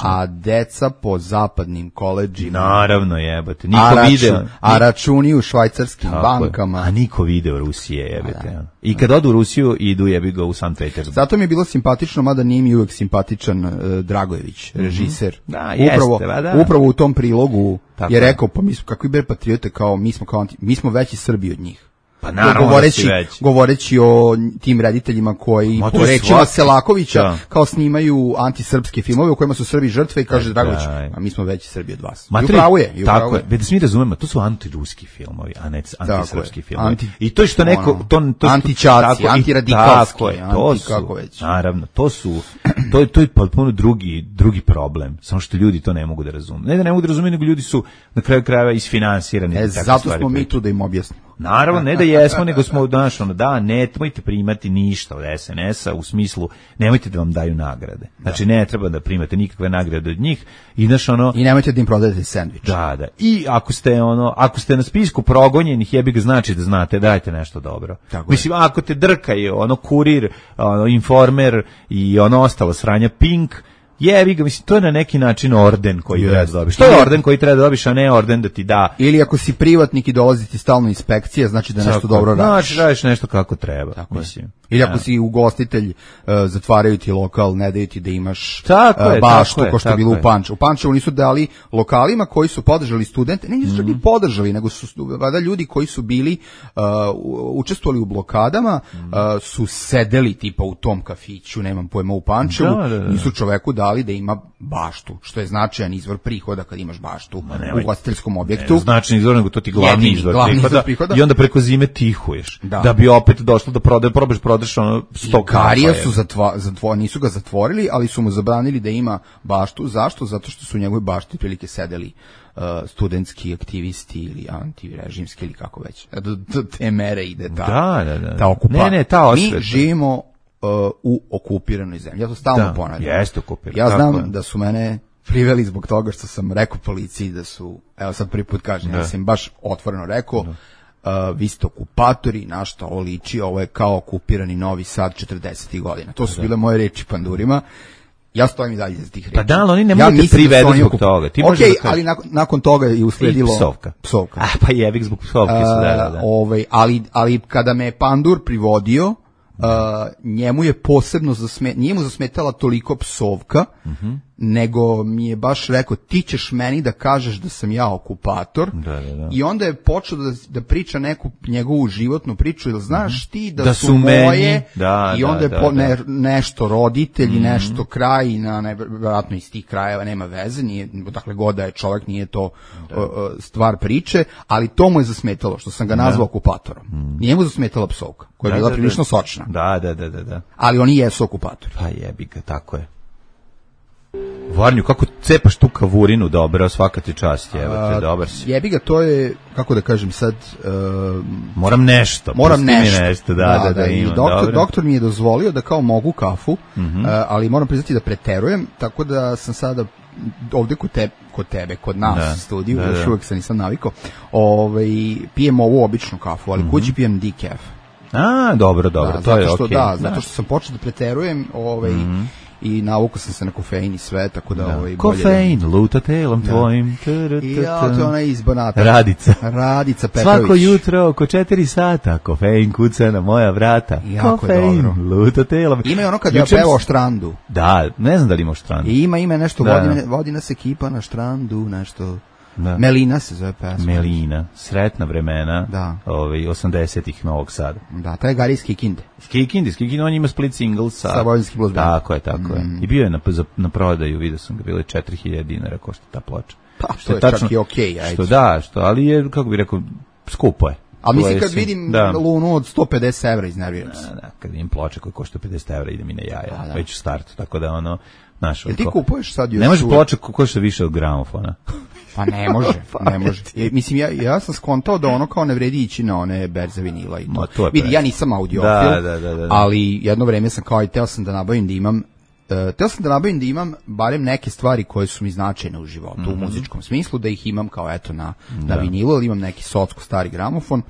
A deca po zapadnim koledžima. Naravno, jebate. Niko video. A računi u švajcarskim bankama. A niko video Rusije, jebate. I kad odu u Rusiju, idu jebi ga u Sankt Petersburg. Zato mi je bilo simpatično, mada nije mi uvek simpatičan Dragojević, režiser. Da, upravo u tom prilogu je rekao, pa mi smo kakvi bre patriote, kao mi smo veći Srbi od njih. Pa naravno govoreći o tim rediteljima koji po rečima Selakovića kao snimaju antisrpske filmove u kojima su Srbi žrtve i kaže Dragović, a mi smo veći Srbi od vas. I upravo je. Tako je, da se mi razumemo, to su antiruski filmovi, a ne antisrpski filmovi. I to je što neko... Antičaci, antiradikalski, kako već. Naravno, to je potpuno drugi problem, samo što ljudi to ne mogu da razume. Ne da ne mogu da razume, nego ljudi su na kraju krajeva isfinansirani. Zato smo mi tu da im objasnimo. Naravno, ne da jesmo, nego smo nemojte primati ništa od SNS-a, u smislu, nemojte da vam daju nagrade. Znači, ne treba da primate nikakve nagrade od njih. I nemojte da im prodajete sendvič. Da. I ako ste na spisku progonjenih, jebi ga, znači da znate, dajte nešto dobro. Mislim, ako te drkaju, Kurir, Informer i ostalo sranja Pink, jebi ga, mislim, to je na neki način orden koji treba da dobiš. To je orden koji treba da dobiš, a ne orden da ti da. Ili ako si privatnik i dolazi ti stalno inspekcija, znači da nešto dobro radiš. Znači, radiš nešto kako treba, tako mislim. Ili ako si ugostitelj, zatvaraju ti lokal, ne daju ti da imaš baštu, ko što je bilo u Pančevu. U Pančevu nisu dali lokalima koji su podržali studente, ne nisu čak i podržali, nego su vada ljudi koji su bili, učestvovali u blokadama, su sedeli tipa u tom kafiću, nemam pojma, u Pančevu, nisu čoveku dali da ima baštu, što je značajan izvor prihoda kad imaš baštu u ugostiteljskom objektu. Ne, značajan izvor, nego to ti glavni izvor prihoda. I onda preko zime tihuješ. Da bi opet došlo da prodaš ono 100 Garija su nisu ga zatvorili, ali su mu zabranili da ima baštu. Zašto? Zato što su u njegovoj bašti prilike sedeli studentski aktivisti ili antirežimski ili kako već. Do te mere ide ta okupacija. Mi živimo u okupiranoj zemlji. Ja to stalno ponavljam. Jeste okupirano. Ja znam da su mene priveli zbog toga što sam rekao policiji da su, evo sad prvi put kažem, ja sam baš otvoreno rekao, vi ste okupatori, na što ovo liči, ovo je kao okupirani Novi Sad 40. godina. To su bile moje reči pandurima. Ja stojim i dalje za tih reči. Pa da, ali oni ne mogu te privedu zbog toga. Ti ok, ali nakon toga je usledilo psovka. Pa jebik zbog psovke. Ali kada me je pandur privodio, njemu je posebno nije mu zasmetala toliko psovka, nego mi je baš rekao, ti ćeš meni da kažeš da sam ja okupator. I onda je počeo da priča neku njegovu životnu priču, ili znaš ti da su moje, i onda je nešto roditelji, nešto kraj, vjerojatno iz tih krajeva, nema veze, nije, dakle god da je čovjek, nije to stvar priče, ali to mu je zasmetalo, što sam ga nazvao okupatorom. Nije mu zasmetala psovka, koja je bila prilično sočna. Da. Ali oni jesu okupatori. Pa jebi ga, tako je. Varnju, kako cepaš tu kavurinu, dobro, svaka ti čast, evo te, dobar si. Jebi ga, to je, kako da kažem sad... Moram nešto. Da, imam, doktor mi je dozvolio da kao mogu kafu, ali moram priznati da preterujem, tako da sam sada ovde kod nas u studiju, još uvijek se nisam navikao, pijem ovu običnu kafu, ali kući pijem decaf. Dobro, to je okej. Zato što sam počeo da preterujem, i navukao sam se na kofein i sve, tako da kofein, luta telom tvojim. Ja, to je ona iz Banata. Radica Petrović. Svako jutro oko 4 sata kofein kuca na moja vrata. Kofein, luta telom. Ima je ono kad ja pevao o štrandu. Da, ne znam da li ima o štrandu. Ima nešto, vodi nas ekipa na štrandu, nešto... Melina se zove pesma. Melina, sretna vremena, 80-ih Novog Sada. Da, to je Gari iz Kikinde. Kikinde, on ima split single sa Vojvodinski blues band. Tako je. I bio je na prodaju, vidio sam ga, bilo je 4000 dinara košta ta ploča. Pa, što je čak i okej. Ali je, kako bih rekao, skupo je. A mislim kad vidim Lunu od 150 evra iznerviram se. Kad vidim ploče koje košta 50 evra, ide mi na jaja, već u startu, tako da Jel ti kupuješ sad još... Ne može ploča košta više od gramofona. Pa ne može. Mislim, ja sam skontao da ono kao ne vredi ići na one berze vinila i to. Vidi, ja nisam audiofil, ali jedno vreme sam kao i teo sam da nabavim da imam barem neke stvari koje su mi značajne u životu, u muzičkom smislu, da ih imam kao eto na vinilu, ali imam neki socko stari gramofon.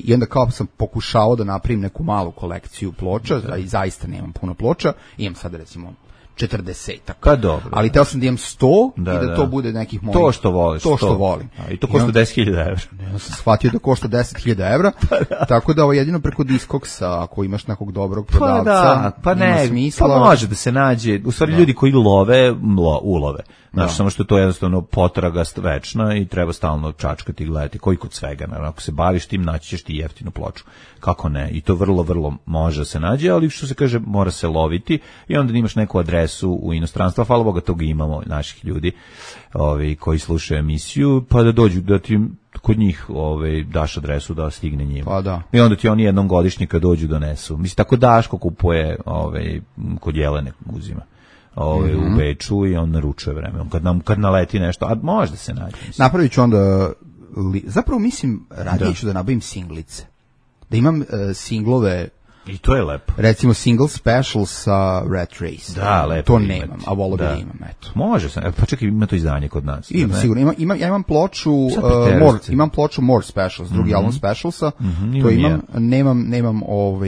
I onda kao sam pokušao da napravim neku malu kolekciju ploča, i zaista nemam puno ploča, imam sad recimo 40-ak. Pa dobro. Ali teo sam da imam 100 i da to bude nekih mojih... To što voliš. To što volim. I to košta 10.000 evra. Ja sam shvatio da košta 10.000 evra, tako da ovo jedino preko Discogsa, ako imaš nekog dobrog prodavca, ima smisla. Pa može da se nađe, u stvari ljudi koji love, ulove. Znači, samo što je to jednostavno potraga večna i treba stalno čačkati i gledati, koji kod svega. Ako se baviš tim, naći ćeš ti jeftinu ploču. Kako ne? I to vrlo, vrlo može da se nađe, ali što se kaže, mora se loviti i onda imaš neku adresu u inostranstvu, hvala Boga, toga imamo naših ljudi koji slušaju emisiju, pa da dođu, da ti kod njih daš adresu da stigne njima. Pa da. I onda ti oni jednom godišnje kad dođu donesu. Mislim, tako Daško kupuje kod Jelene uzima. U Beču i on naručuje vreme. Kad naleti nešto, a možda se nađe. Napravit ću onda, zapravo mislim, radije ću da nabavim singlice. Da imam singlove I to je lepo. Recimo single special sa Rat Race. Da, lepo. To nemam, a volio bi imam, eto. Može se, pa čekaj, ima to izdanje kod nas. Ima, sigurno. Ja imam ploču, imam ploču More Specials, drugi album Specialsa, to imam,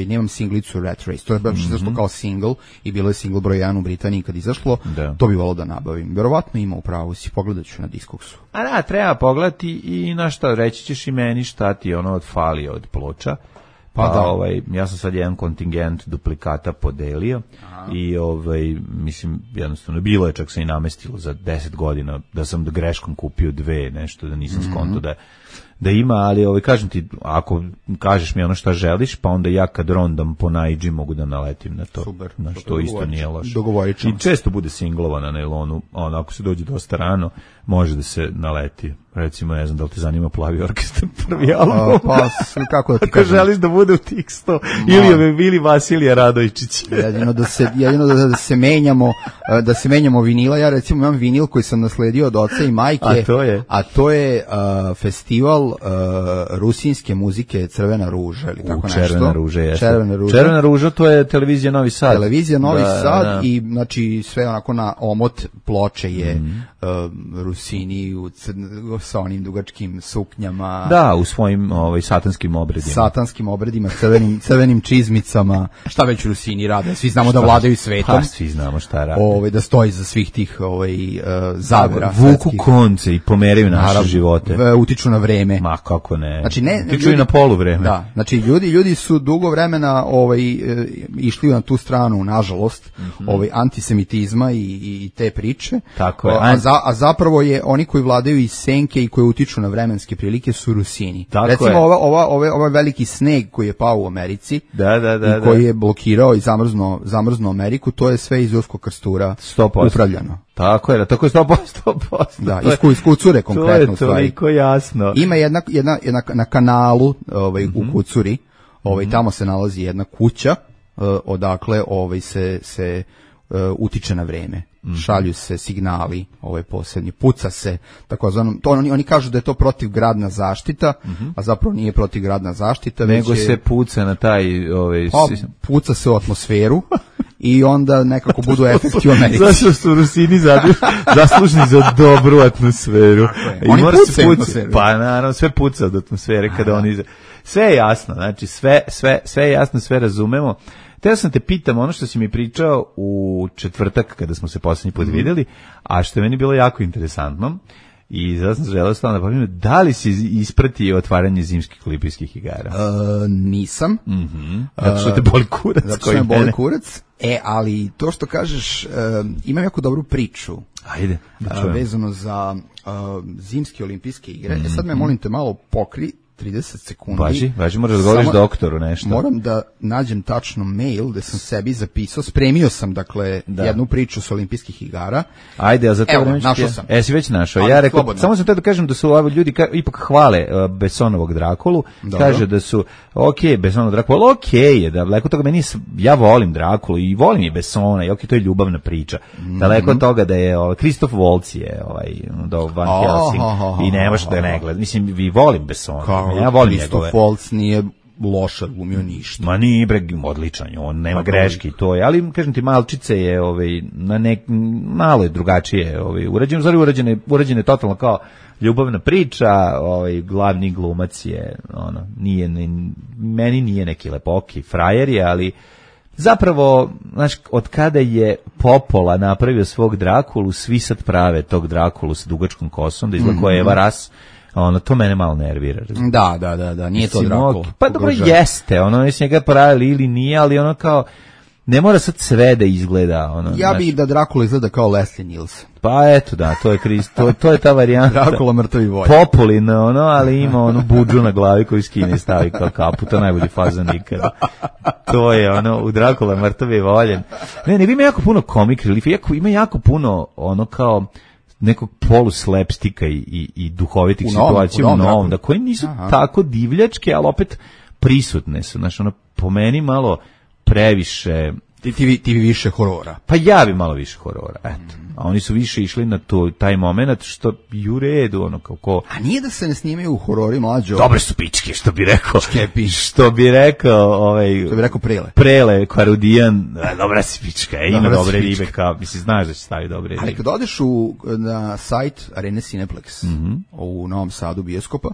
nemam singlicu Rat Race, to je baš izašlo kao single i bilo je single broj 1 u Britaniji kad izašlo, to bi volio da nabavim. Verovatno ima u pravu, si pogledat ću na Discogsu. A da, treba pogledati i na šta, reći ćeš i meni šta ti ono odfalio od ploča. Pa da. Ja sam sad jedan kontingent duplikata podelio. Aha. I mislim, jednostavno bilo je, čak se i namestilo za 10 godina da sam greškom kupio 2, nešto da nisam skonto da ima, ali kažem ti, ako kažeš mi ono šta želiš, pa onda ja kad rondam po Naidži mogu da naletim na to. Super. Znači, to isto nije loše. Dogovorit ćemo. I često bude singlova na nailonu, ako se dođe dosta rano, može da se naleti. Recimo, ne znam da li te zanima Plavi orkestar, prvi album. Pa, kako da ti kažem? Ako želiš da bude u tih 100, ili Vasilija Radojčić. Jedino da se menjamo vinila. Ja recimo imam vinil koji sam nasledio od oca i majke. A to je festival rusinske muzike Crvena ruža ili tako nešto. Červena ruža, jeste. Červena ruža, to je televizija Novi Sad. Televizija Novi Sad i znači sve onako na omot ploče je Rusini sa onim dugačkim suknjama. Da, u svojim satanskim obredima. Satanskim obredima, crvenim čizmicama. Šta već Rusini rade? Svi znamo da vladaju svetom. Pa, svi znamo šta rade. Da stoji za svih tih zavera. Vuku konce i pomeraju naše živote. Utiču na vreme. Ma kako ne. Znači, utiču i na polu vreme. Da, znači ljudi su dugo vremena išli na tu stranu, nažalost, antisemitizma i te priče. Tako je. A zapravo je oni koji vladaju i senke i koji utiču na vremenske prilike su Rusini. Tako recimo je. Ovaj veliki sneg koji je pao u Americi i koji je blokirao i zamrznuo Ameriku, to je sve iz Urskog krstura 100%. upravljano. Tako je 100%. Da, iz Kucure konkretno. To je toliko jasno. Ima jedna na kanalu u Kucuri, tamo se nalazi jedna kuća odakle se utiče na vreme. Šalju se signali, posebni, puca se, takozvano, to oni kažu da je to protivgradna zaštita, a zapravo nije protivgradna zaštita, nego se puca na taj puca se u atmosferu i onda nekako budu efekti u Americi. Zašto su Rusini zaslužni za dobru atmosferu? Oni pucaju atmosferu. Pa naravno, sve puca od atmosfere kada oni... Sve je jasno, znači sve je jasno, sve razumemo. Teo sam te pitam ono što si mi pričao u četvrtak kada smo se posljednji put vidjeli, a što je meni bilo jako interesantno i zato sam želeo stvarno da povijem, da li si ispratio otvaranje zimskih olimpijskih igara? Nisam. Zato što te boli kurac. Zato što me boli kurac. Ali to što kažeš, imam jako dobru priču. Ajde, vezano za zimske olimpijske igre. Sad me molim te malo pokri 30 sekundi. Važi, moraš da govoriš doktoru nešto. Moram da nađem tačno mail gde sam sebi zapisao, spremio sam jednu priču s olimpijskih igara. Ajde, a za to vreme našao sam. Si već našao. Ja rekao, samo sam te da kažem da su ovi ljudi ipak hvale Bessonovog Drakulu. Dobro. Kaže da su Bessonov Drakula, je, da daleko toga meni, ja volim Drakulu i volim je Bessona i to je ljubavna priča. Daleko od toga da je Kristof Waltz je do Van Helsing i ne može da ne gleda. Mislim, vi volim Bessona. Ja volim njegove. Kristof Waltz nije loša glumio ništa. Ma nije odličan, on nema greški, to je, ali kažem ti, Malčice je malo je drugačije urađeno je totalno kao ljubavna priča, glavni glumac je meni nije neki lepoki frajer je, ali zapravo, znaš, od kada je Popola napravio svog Drakulu, svi sad prave tog Drakulu sa dugačkom kosom, da izgleda koja je Eva Ras. To mene malo nervira. Da, nije to Drakula. Pa dobro jeste, jesi njega pravili ili nije, ali kao, ne mora sad sve da izgleda. Ja bih da Drakula izgleda kao Leslie Nielsen. Pa eto da, to je ta varijanta. Drakula mrtavi volje. Populin, ali ima budžu na glavi koju skine i stavi kao kapu, to najbolji fazon nikada. To je u Drakula mrtavi voljen. Ne, ima jako puno comic relief, ima jako puno kao nekog poluslapstika i duhovitih situacija u novom, da koji nisu tako divljačke, ali opet prisutne su. Znaš, po meni malo previše Ti bi više horora. Pa ja bi malo više horora, eto. A oni su više išli na taj moment, što i u redu, ono kao ko... A nije da se ne snimaju horori, mlađo? Dobre su pičke, što bi rekao. Škepi. Što bi rekao Prele. Prele, Kvarudijan, dobra si pička, ima dobre ribe, kao, mislim, znaš da će staviti dobre ribe. Ali kad odeš na sajt Arene Cineplex u Novom Sadu bioskopa,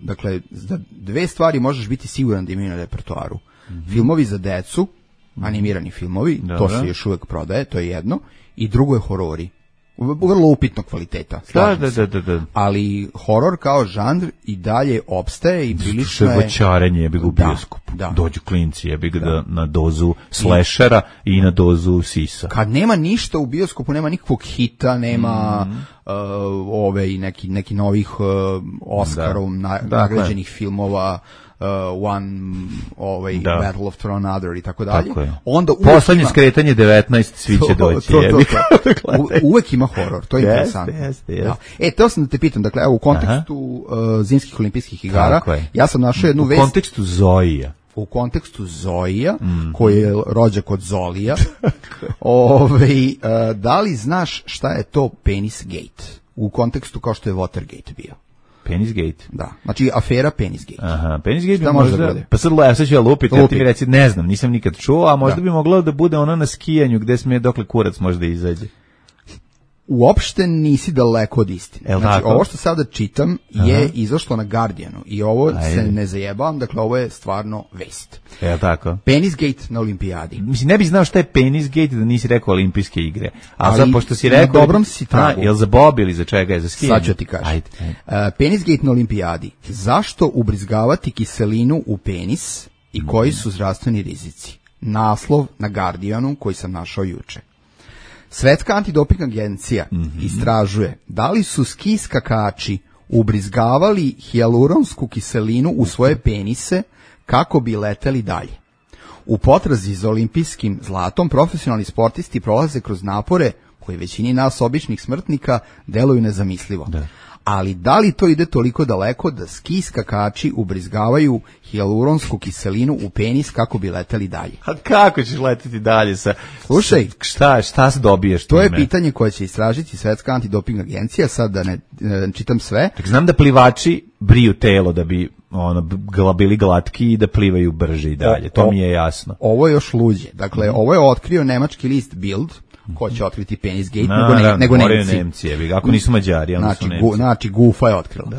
dakle, za dve stvari možeš biti siguran da imaju na repertoaru. Filmovi za decu, animirani filmovi, to se još uvek prodaje, to je jedno, i drugo je horori. Vrlo upitnog kvaliteta. Da. Ali horor kao žanr i dalje opstaje i prilično je... Voćarenje je u bioskopu. Dođu klinci je na dozu slashera i na dozu sisa. Kad nema ništa u bioskopu, nema nikakvog hita, nema neki novih Oscarom nagrađenih filmova, Battle of Tronador i tako dalje. Onda poslednje skretanje 19 svi će doći. Uvek ima horor, to je interesantno. Teo sam da te pitam, dakle, evo u kontekstu zimskih olimpijskih igara, ja sam našao jednu vest. U kontekstu Zojija. U kontekstu Zojija, koji je rođak od Zolija. Da li znaš šta je to Penis Gate? U kontekstu kao što je Watergate bio. Penisgate? Da, znači afera Penisgate. Aha, Penisgate bi možda... Pa sad ću ja lupiti, ja ti mi reci, ne znam, nisam nikad čuo, a možda bi moglo da bude ono na skijanju gde smije dokle kurac možda izađe. Uopšte nisi daleko od istine. Znači, ovo što sada čitam je izašlo na Guardianu i ovo se ne zajebavam, dakle ovo je stvarno vest. Je tako? Penisgate na olimpijadi. Mislim, ne bih znao šta je Penisgate da nisi rekao olimpijske igre. Ali pošto si rekao... Na dobrom si tragu. Jel za bob ili za čega je, za skijanje? Sad ću ti kažem. Penisgate na olimpijadi. Zašto ubrizgavati kiselinu u penis i koji su zdravstveni rizici? Naslov na Guardianu koji sam našao juče. Svetska antidoping agencija istražuje da li su ski skakači ubrizgavali hijaluronsku kiselinu u svoje penise kako bi leteli dalje. U potrazi za olimpijskim zlatom profesionalni sportisti prolaze kroz napore koji većini nas običnih smrtnika deluju nezamislivo. Da. Ali da li to ide toliko daleko da ski skakači ubrizgavaju hijaluronsku kiselinu u penis kako bi leteli dalje? A kako ćeš leteti dalje sa... Slušaj, šta se dobiješ? To je pitanje koje će istražiti Svetska antidoping agencija, sad da ne čitam sve. Tak znam da plivači briju telo da bi bili glatki i da plivaju brže i dalje, to mi je jasno. Ovo je još luđe. Dakle, ovo je otkrio nemački list Bild, ko će otkriti Penisgate, nego Nemci. Ako nisu Mađari, onda su Nemci. Znači, Gufa je otkrila.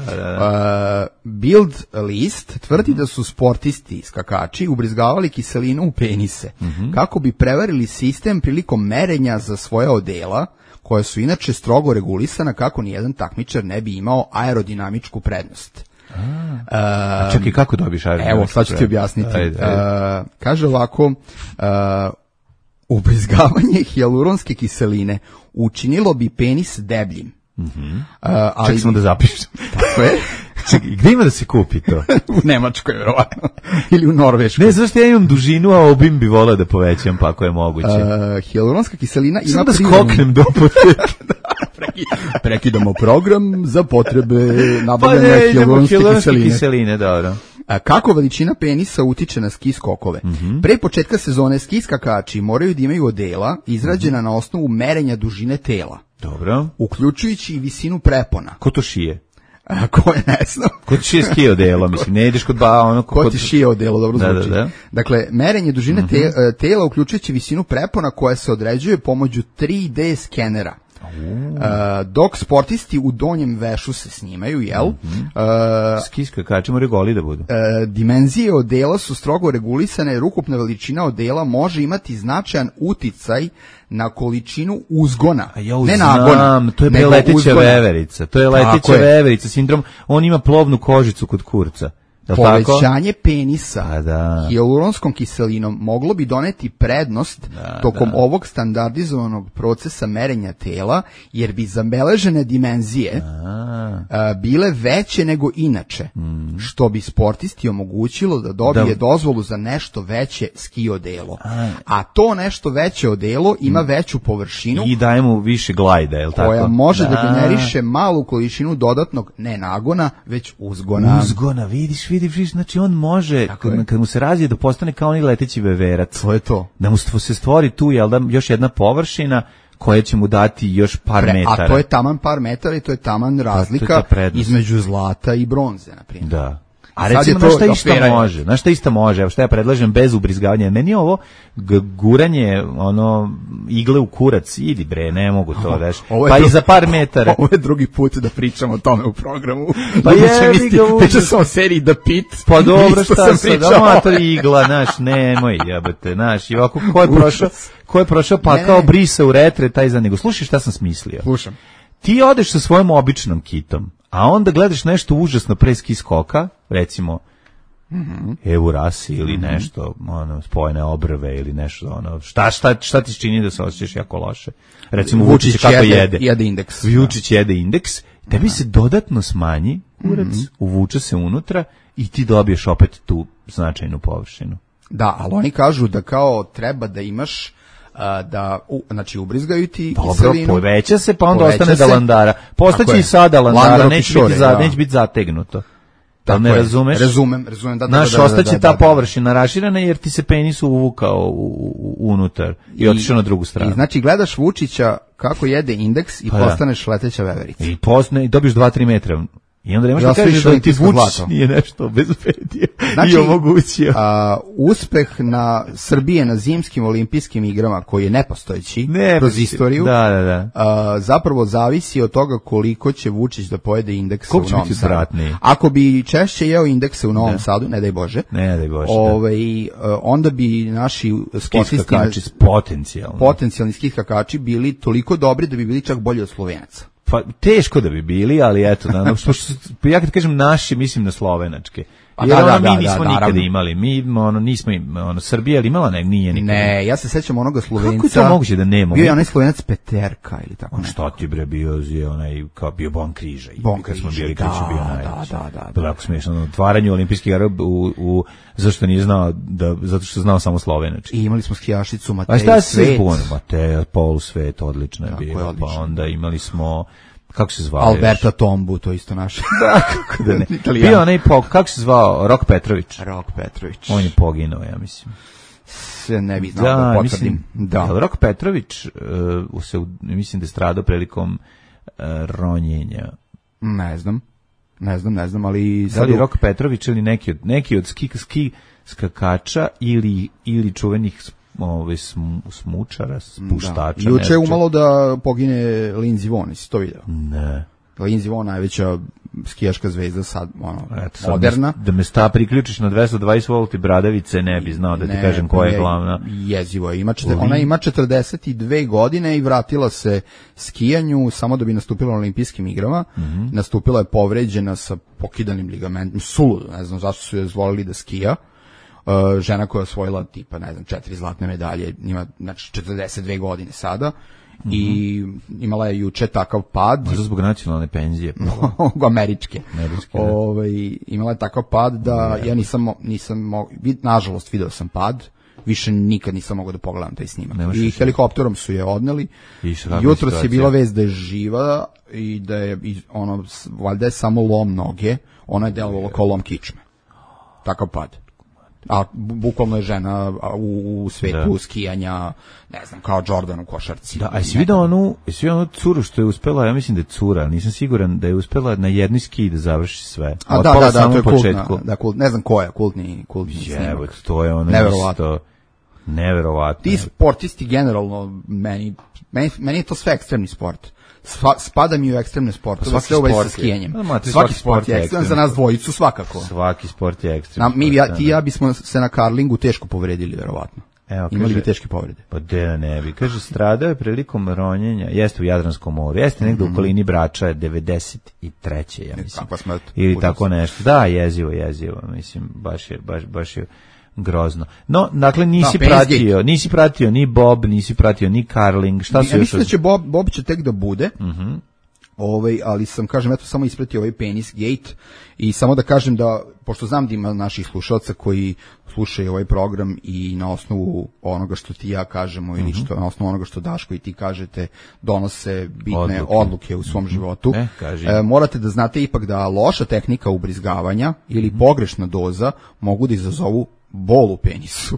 Bild list tvrdi da su sportisti, skakači, ubrizgavali kiselinu u penise, kako bi prevarili sistem prilikom merenja za svoja odela, koja su inače strogo regulisana kako nijedan takmičar ne bi imao aerodinamičku prednost. Čekaj, kako dobiš aerodinamičku prednost? Evo, sad ću ti objasniti. Kaže ovako... ubrizgavanje hijaluronske kiseline učinilo bi penis debljim. Ček samo da zapišem. Tako je. Čekaj, gde ima da se kupi to? U Nemačkoj, verovatno. Ili u Norveškoj. Ne, zašto ja imam dužinu, a obim bi volao da povećam, pa ako je moguće. Hijaluronska kiselina ima... Samo da skoknem do apoteke. Prekidamo program za potrebe nabavljanja hijaluronske kiseline. Dobro. Kako veličina penisa utiče na ski skokove? Pre početka sezone ski skakači moraju da imaju odela izrađena na osnovu merenja dužine tela. Dobro. Uključujući i visinu prepona. Ko to šije? Ko je, ne znam. Ko ti šije ski odelo, mislim, ne ideš kod Ko ti šije odelo, dobro zvuči. Da. Dakle, merenje dužine tela uključujući visinu prepona koja se određuje pomoću 3D skenera. Dok sportisti u donjem vešu se snimaju, jel? Ski skakači moraju goli da budu. Dimenzije odela su strogo regulisane jer ukupna veličina odela može imati značajan uticaj na količinu uzgona. Ne nagona. To je leteća veverica. To je leteća veverica, sindrom. On ima plovnu kožicu kod kurca. Povećanje penisa hijaluronskom kiselinom moglo bi doneti prednost tokom ovog standardizovanog procesa merenja tela, jer bi zabeležene dimenzije bile veće nego inače, što bi sportisti omogućilo da dobije dozvolu za nešto veće ski odelo. A to nešto veće odelo ima veću površinu i daje mu više glajda, je li tako? Koja može da generiše malu količinu dodatnog ne nagona, već uzgona. Uzgona, vidiš, znači on može, kad mu se razvije, da postane kao onaj leteći veverac. To je to. Da mu se stvori tu, jel da, još jedna površina koja će mu dati još par metara. A to je taman par metara i to je taman razlika između zlata i bronze, na primjer. Da. A recimo, znaš šta isto može? Znaš šta isto može? Evo šta ja predlažem bez ubrizgavanja. Meni je ovo guranje, igle u kurac, idi bre, ne mogu to, veš. Pa i za par metara. Ovo je drugi put da pričamo o tome u programu. Pa pričao sam o seriji The Pit. Pa dobro, šta sad, amator igla, znaš, nemoj, jebate, znaš, i ovako, ko je prošao pa kao brisa u retre, taj za nego. Slušaj šta sam smislio. Slušam. Ti odeš sa svojom običnom kitom, a onda gledaš nešto užasno pre ski skoka, recimo Eurasi ili nešto, spojene obrve ili nešto, šta ti čini da se osjećaš jako loše? Recimo Vučić kako jede indeks. Vučić jede indeks, tebi se dodatno smanji kurac, uvuče se unutra i ti dobiješ opet tu značajnu površinu. Da, ali oni kažu da kao treba da imaš znači ubrizgaju ti kiselinu. Dobro, poveća se, pa onda ostane dalandara. Postaće i sada dalandara, neće biti zategnuto. Da ne razumeš? Razumem. Naš ostaće ta površina raširena jer ti se penis uvukao unutar i otišao na drugu stranu. I znači gledaš Vučića kako jede indeks i postaneš leteća veverica. I dobiješ 2-3 metra. I onda nemaš da kažeš da ti Vučić nije nešto obezbedio i omogućio. Uspeh na Srbije na zimskim olimpijskim igrama, koji je nepostojeći kroz istoriju, zapravo zavisi od toga koliko će Vučić da pojede indeksa u Novom Sadu. Ako bi češće jeo indekse u Novom Sadu, ne daj Bože, onda bi naši sportisti, potencijalni ski skakači bili toliko dobri da bi bili čak bolji od Slovenaca. Pa teško da bi bili, ali eto, ja kad kažem naši, mislim na slovenačke. Jer mi nismo nikada imali, mi nismo Srbija ali imala nije nikada. Ne, ja se sećam onoga Slovenca. Kako je to moguće da nema? Bio je onaj Slovenac Peterka ili tako nešto. Šta ti bre bio bio Bon Križa. Kad smo bili Križ bio najveći. Da. Tako smiješno, na otvaranju olimpijskih igara zašto nije znao zato što znao samo slovenački. I imali smo skijašicu Matej Svet. A šta se zbunio? Matej Polusvet, odlično je bio. Pa onda imali smo kako se zvao? Alberta Tombu, to isto naše. Da, kako da ne. Bio onaj, kako se zvao? Rok Petrović. On je poginuo, ja mislim. Se ne bi znao da potvrdim. Da. Rok Petrović mislim da je stradao prilikom ronjenja. Ne znam, ali... Da li Rok Petrović ili neki od ski skakača ili čuvenih smučara, spuštača. Juče je umalo da pogine Lindsey Vonn, jesi to vidio? Ne. Lindsey Vonn, najveća skijaška zvezda sad, moderna. Da me priključiš na 220 volti bradavice, ne bi znao da ti kažem koja je glavna. Jezivo je. Ona ima 42 godine i vratila se skijanju samo da bi nastupila na olimpijskim igrama. Nastupila je povređena sa pokidanim ligamentom, suludo, ne znam zašto su je dozvolili da skija. Žena koja je osvojila tipa, 4 zlatne medalje, ima 42 godine sada i imala je juče takav pad. Možda zbog nacionalne penzije. Američke. Imala je takav pad da ja nažalost video sam pad, više nikad nisam mogao da pogledam taj snimak. I helikopterom su je odneli. Jutros je bila vest da je živa i da je valjda je samo lom noge, ona je delovala kao lom kičme. Takav pad. A bukvalno je žena u svetu skijanja, ne znam, kao Jordan u košarci. Da, a jesi vidio onu curu što je uspela, ja mislim da je cura, nisam siguran da je uspela na jednoj ski da završi sve. A da, to je kultna, ne znam ko je, kultni snimak. To je ono isto neverovatno. Ti sportisti generalno, meni je to sve ekstremni sport. Spada mi u ekstremne sportove, sve uvezi sa skijanjem. Svaki sport je ekstreman, za nas dvojicu svakako. Svaki sport je ekstreman. Ti i ja bismo se na karlingu teško povredili, verovatno. Imali bi teške povrede. Pa ne bi. Kaže, stradao je prilikom ronjenja, jeste u Jadranskom moru, jeste negde u okolini Brača, 93. ja mislim. Ili tako nešto. Da, jezivo, mislim, baš je grozno. No, dakle, nisi pratio ni Bob, nisi pratio ni Carling, šta su još... Ja mislim da će Bob će tek da bude, Ali sam, kažem, eto, samo ispratio ovaj penis gate i samo da kažem da, pošto znam da ima naših slušalca koji slušaju ovaj program i na osnovu onoga što ti ja kažemo ili što na osnovu onoga što Daško i ti kažete donose bitne odluke u svom životu, morate da znate ipak da loša tehnika ubrizgavanja ili pogrešna doza mogu da izazovu bol u penisu.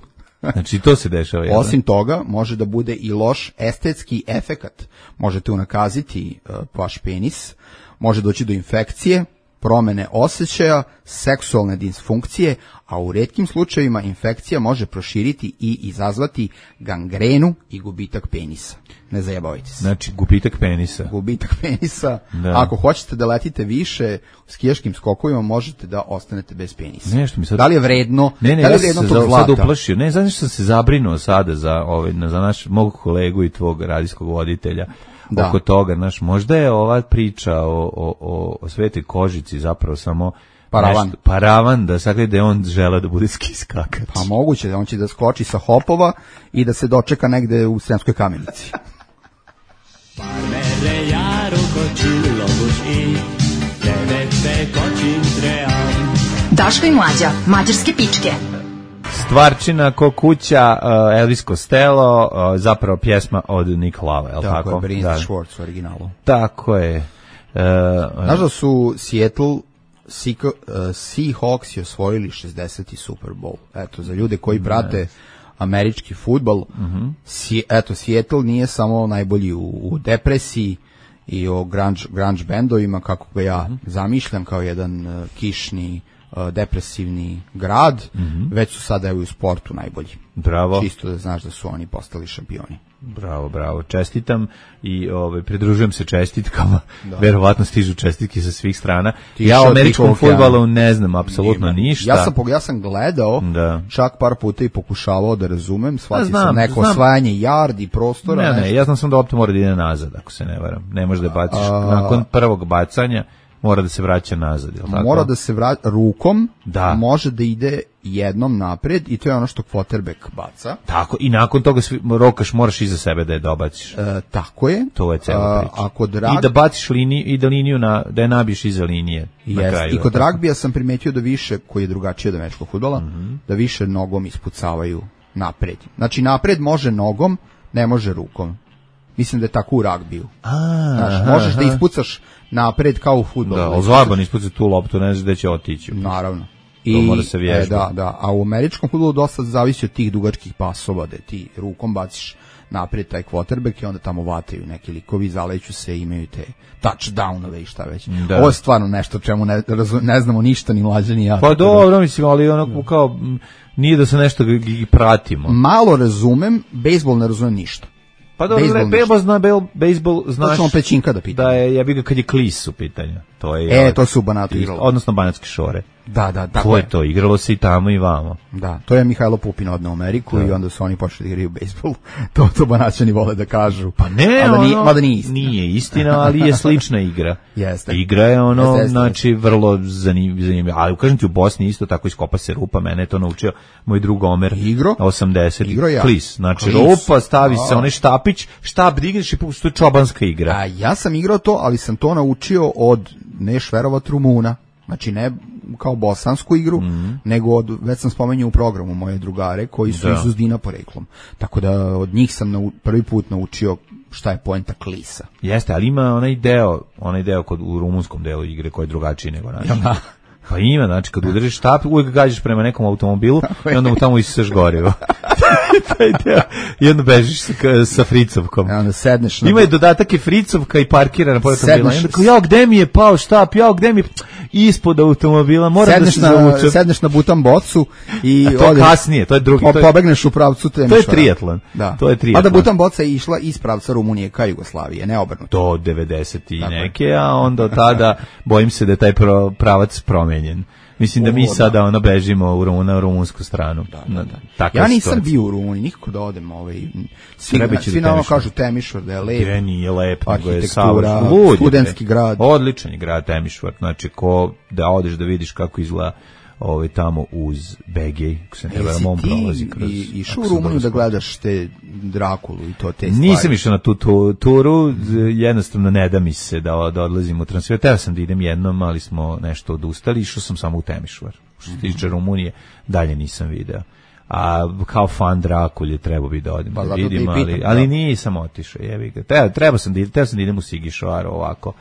Znači to se dešava. Osim toga, može da bude i loš estetski efekat. Možete unakaziti vaš penis, može doći do infekcije, promene osjećaja, seksualne disfunkcije, a u retkim slučajevima infekcija može proširiti i izazvati gangrenu i gubitak penisa. Ne zajebavajte se. Znači, gubitak penisa. Gubitak penisa. Da. Ako hoćete da letite više u skijaškim skokovima, možete da ostanete bez penisa. Nešto mi sad... Da li je vredno? Ne, ja sam se sad uplašio. Ne, znaš što sam se zabrinuo sada za mog kolegu i tvog radijskog voditelja. Da. Oko toga, znaš, možda je ova priča o Svetoj Kožici zapravo samo paravan da sakrije da je on žele da bude ski skakač. Pa moguće da on će da skoči sa hopova i da se dočeka negde u Sremskoj Kamenici. Daško i Mlađa, mađarske pičke. Stvarčina ko kuća, Elvis Costello, zapravo pjesma od Nick Love, je li tako? Tako je, Brins Schwartz u originalu. Tako je. Znaš da su Seattle Seahawks osvojili 60. Super Bowl. Eto, za ljude koji prate američki fudbal, Seattle nije samo najbolji u depresiji i o grunge bendovima, kako ga ja zamišljam, kao jedan kišni depresivni grad, već su sada u sportu najbolji. Bravo. Čisto da znaš da su oni postali šampioni. Bravo. Čestitam i pridružujem se čestitkama. Da. Verovatno stižu čestitke sa svih strana. Ja o američkom fudbalu ne znam apsolutno ništa. Ja sam gledao, čak par puta i pokušavao da razumem, shvatio sam neko osvajanje yardi prostora. Ne, ja znam da lopta mora da ide nazad, ako se ne varam. Ne može da baciš nakon prvog bacanja. Mora da se vraća nazad, je li tako? Mora da se vraća rukom, može da ide jednom napred i to je ono što quarterback baca. Tako, i nakon toga rokaš moraš iza sebe da je dobaciš. Tako je. To je cela priča. I da baciš liniju, i da liniju da je nabiješ iza linije. I kod ragbija sam primetio da više, koji je drugačije od američkog fudbala, da više nogom ispucavaju napred. Znači napred može nogom, ne može rukom. Mislim da je tako u ragbiju. Možeš da ispucaš napred kao u fudbalu. Da, ali zajeban ispucati tu loptu, ne znaš gde će otići. Naravno. To mora se vježbati. A u američkom fudbalu dosta zavisi od tih dugačkih pasova, da ti rukom baciš napred taj quarterback i onda tamo vataju neki likovi, zaleću se, imaju te touchdownove i šta već. Da. Ovo je stvarno nešto čemu ne znamo ništa, ni Mlađa ni ja. Pa dobro, mislim, ali onako kao nije da se nešto pratimo. Malo razumem, bejsbol ne razumem ništa. Pa dobro, bejsbol znaš. Točno pećinka da pitam. Da je, ja bih ga kad je Klis u pitanju. To je. To su u Banatu igralo. Odnosno Banatske šore. Da. To je to, igralo se i tamo i vamo. Da, to je Mihajlo Pupin odneo u Ameriku i onda su oni počeli da igraju bejsbol. To Banaćani vole da kažu. Pa ne, mada nije istina. Nije istina, ali je slična igra. Jeste. Igra je znači vrlo zanimljiva. Ali kažem ti, u Bosni isto tako iskopa se rupa, mene je to naučio moj drug Omer. 80. Klis. Znači rupa, stavi se onaj štap digneš i pustiš, to je čobanska igra. A ja sam igrao to, ali sam to naučio od Neš verovat Rumuna. Znači ne kao bosansku igru, nego već sam spomenuo u programu moje drugare koji su iz Uzdina poreklom. Tako da od njih sam prvi put naučio šta je poenta klisa. Jeste, ali ima onaj deo u rumunskom delu igre koji je drugačiji nego naš. Pa ima, znači kad udariš štap, uvijek gađaš prema nekom automobilu i onda mu tamo isiseš gorivo. Taj deo. I onda bežiš sa fricovkom. Ima je dodatak je fricovka i parkirana po automobila. I onda kao, gde mi je pao štap, gde mi je ispod automobila, moram da se zavučem. Sedneš na butan bocu i to kasnije, to je drugi. Pobegneš u pravcu Temišvara. To je triatlon. To je triatlon. A da butan boca je išla iz pravca Rumunije ka Jugoslavije, ne obrnuto. To 90 i neke, a onda tada bojim se da je taj pravac promenjen. Mislim da mi sada bežimo na rumunsku stranu. Da. Ja nisam bio u Rumuniji, nikako da odem. Svi na ono kažu Temišvar, da je lep. Nije lep, nego je studentski grad. Odličan je grad Temišvar, znači ko da odeš da vidiš kako izgleda tamo uz Begej, ko se ne vera, on prolazi kroz... I išao u Rumuniju da gledaš te Drakulu i to te stvari? Nisam išao na tu turu, jednostavno ne da mi se da odlazim u transfer. Teo sam da idem jednom, ali smo nešto odustali, išao sam samo u Temišvar. Što se tiče Rumunije, dalje nisam video. A kao fan Drakulje trebao bi da odem da vidim, ali nisam otišao, jebi ga. Trebao sam da idem u Sigišoaro ovako,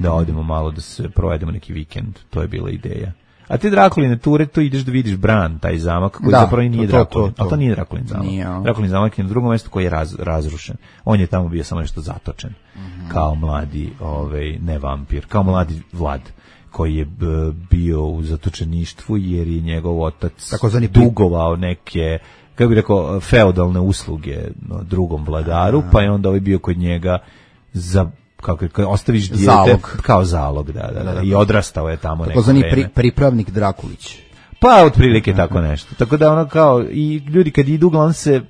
da odemo malo, da se provedemo neki vikend, to je bila ideja. A te Drakuline ture, to ideš da vidiš Bran, taj zamak, koji zapravo nije Drakulin. Ali to nije Drakulin zamak. Drakulin zamak je na drugom mjestu koji je razrušen. On je tamo bio samo nešto zatočen, kao mladi, ne vampir, kao mladi Vlad, koji je bio u zatočeništvu jer je njegov otac dugovao neke, kako bih rekao, feudalne usluge drugom vladaru, pa je onda bio kod njega za, kako ostaviš dijete kao zalog, da, i odrastao je tamo neko vreme. Takozvani pripravnik Drakulić. Pa otprilike tako nešto. Tako da ono kao, i ljudi kad idu, uglavnom se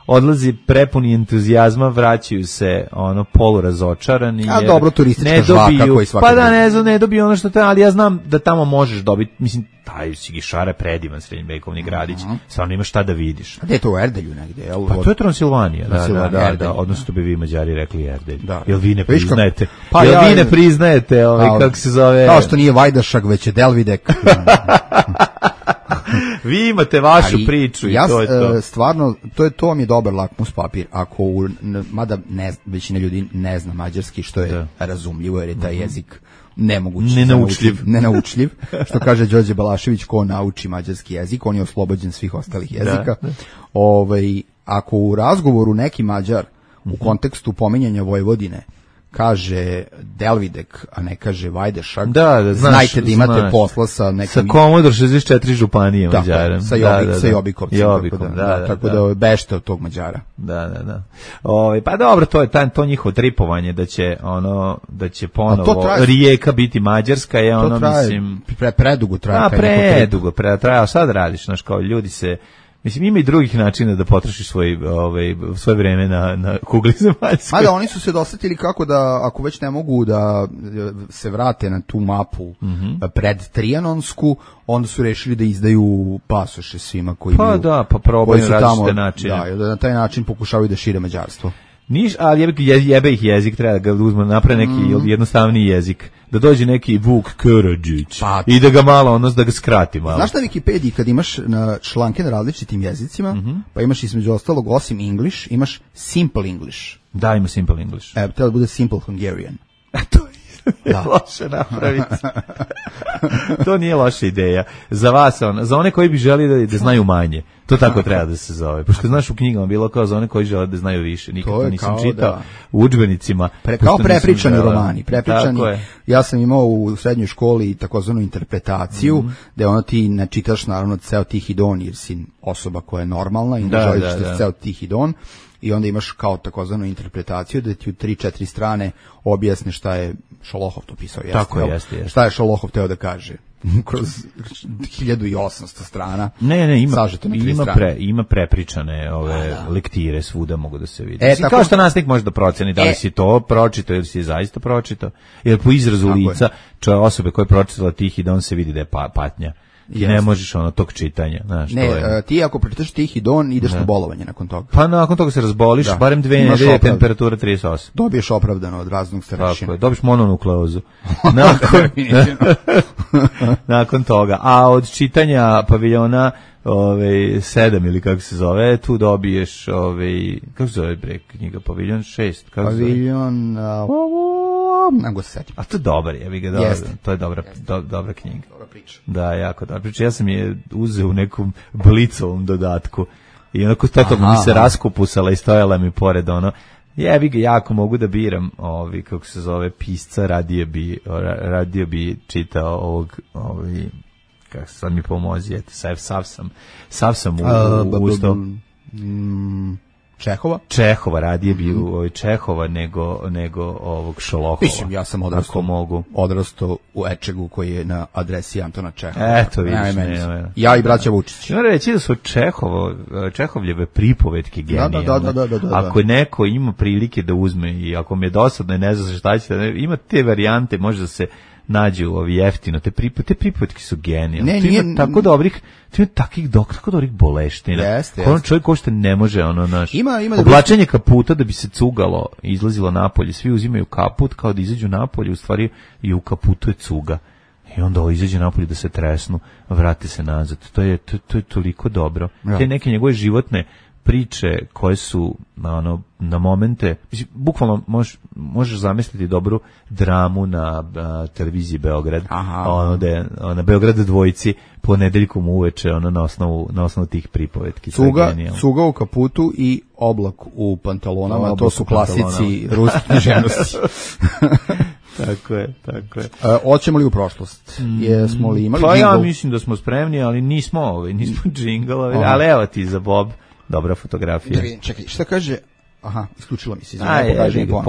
odlazi prepuni entuzijazma, vraćaju se polurazočarani. A dobro, turistička žvaka koji svaki. Pa da, ne dobiju ono što treba, ali ja znam da tamo možeš dobiti, mislim, taj Sigišara je predivan srednjevekovni gradić, stvarno imaš šta da vidiš. A gde je to u Erdelju negde? Pa to je Transilvanija, da, odnosno bi vi Mađari rekli Erdelj. Jel vi ne priznajete? Vi ne priznajete, kako se zove? Kao što nije Vajdašak, već je Delvidek. Vi imate vašu priču i to je to. Stvarno, to vam je dobar lakmus papir. Ako, većina ljudi ne zna mađarski, što je razumljivo, jer je taj jezik nenaučljiv. Što kaže Đorđe Balašević, ko nauči mađarski jezik, on je oslobođen svih ostalih jezika. Ako u razgovoru neki Mađar u kontekstu pominjanja Vojvodine kaže Delvidek, a ne kaže Vajdešak, znajte da imate posla sa nekim... Sa Komodor 64 županije Mađara. Sa Jobikovcem. Tako da bešte od tog Mađara. Da. Pa dobro, to njihovo tripovanje da će ponovo Rijeka biti mađarska je ono, mislim... Predugo traje. Predugo traje, a sad radiš, znaš, kao ljudi se... Mislim, ima i drugih načina da potrošiš svoje vreme na kugli zemaljskoj. Mada oni su se dosetili kako da, ako već ne mogu da se vrate na tu mapu pred Trijanonsku, onda su rešili da izdaju pasoše svima koji probaju različite načine. Da na taj način pokušavaju da šire mađarstvo. Ali jebe ih jezik, treba da ga uzme, napravi neki jednostavniji jezik, da dođe neki Vuk Karadžić i da ga malo, da ga skrati malo. Znaš na Wikipediji kad imaš članke na različitim jezicima, pa imaš između ostalog, osim English, imaš Simple English. Da, ima Simple English. Treba da bude Simple Hungarian. To je loše napraviti. To nije loša ideja. Za vas, za one koji bi želi da znaju manje. To tako treba da se zove. Pošto znaš u knjigama bilo kao za one koji žele da znaju više. Nikako nisam čitao u udžbenicima. Kao prepričani romani. Ja sam imao u srednjoj školi takozvanu interpretaciju, gde ti ne čitaš naravno ceo Tihi Don, jer si osoba koja je normalna i ne želiš ceo Tihi Don. I onda imaš kao takozvanu interpretaciju da ti u 3-4 strane objasne šta je Šolohov to pisao. Tako jeste. Šta je Šolohov teo da kaže kroz 1800 strana. Ne, ima prepričane lektire svuda mogu da se vidi. Kao što nastavnik može da proceni da li si to pročitao ili si je zaista pročitao. Jer po izrazu lica osobe koje je pročitala Tihi Don se vidi da je patnja. I ne možeš tog čitanja. Znaš, ti ako pročitaš Tihi Don ideš na bolovanje nakon toga. Pa nakon toga se razboliš, barem 2 nedelje, temperatura 38. Dobiješ opravdano od raznog starešina. Tako je, dobiješ mononukleozu. Nakon toga. A od čitanja paviljona 7 ili kako se zove, tu dobiješ kako se zove knjiga, paviljon 6. Paviljon nego se setim. A to je dobar, to je dobra knjiga. Dobra priča. Da, jako dobra priča. Ja sam je uzeo u nekom blicovom dodatku i onako totalno mi se raskupusala i stojala mi pored jako mogu da biram kako se zove pisca, radije bi čitao ovog kako sad mi pomozi, sav sam ustao. Čehova, radije bi Čehova nego ovog Šolohova. Mislim, ja sam odrastao u Ečegu koji je na adresi Antona Čehova. Eto, vidiš. Ja i braća Vučić. Moram reći da su Čehovljeve pripovetke genijalne. Da. Ako neko ima prilike da uzme i ako mi je dosadno i ne zna šta će, ima te varijante, može da se nađu ovi jeftino, te pripovetke su genijalne. Ne, tu nije- ima tako dobrih boleština. Jeste, Ono jeste. čovjek ko što ne može, ono, naš, Ima da oblačenje kaputa da bi se cugalo i izlazilo napolje, svi uzimaju kaput kao da izađu napolje, u stvari i u kaputu je cuga. I onda ovo izađe napolje da se tresnu, vrate se nazad. To je toliko dobro. Ja. Te neke njegove životne priče koje su na momente, mislim, bukvalno možeš zamisliti dobru dramu na televiziji Beograd. Aha. Na Beograd dvojici ponedeljkom uveče na osnovu tih pripovetki. Cuga u kaputu i oblak u pantalonama, Oblak to su u klasici ruske književnosti. Tako je. Hoćemo li u prošlost? Jesmo li imali Pa ja džingl? mislim da smo spremni, ali nismo džinglovi, ali evo ti za Bob dobra fotografija. Da vidim, čekaj, šta kaže? Aha, isključilo mi se. Pokaži mi ponovno.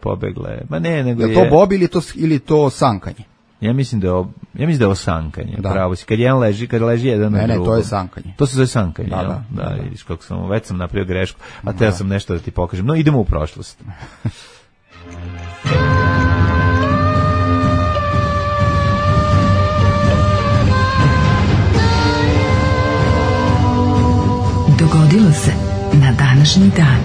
Pobegla je. Ma ne, nego Je to Bob ili to sankanje? Ja mislim da je ovo sankanje. Da. Pravo si. Kad leži jedan na drugom. Ne, to je sankanje. To se zove sankanje. Da. Vidiš kako već sam napravio grešku, a teo sam nešto da ti pokažem. No, idemo u prošlost. Dogodilo se na današnji dan.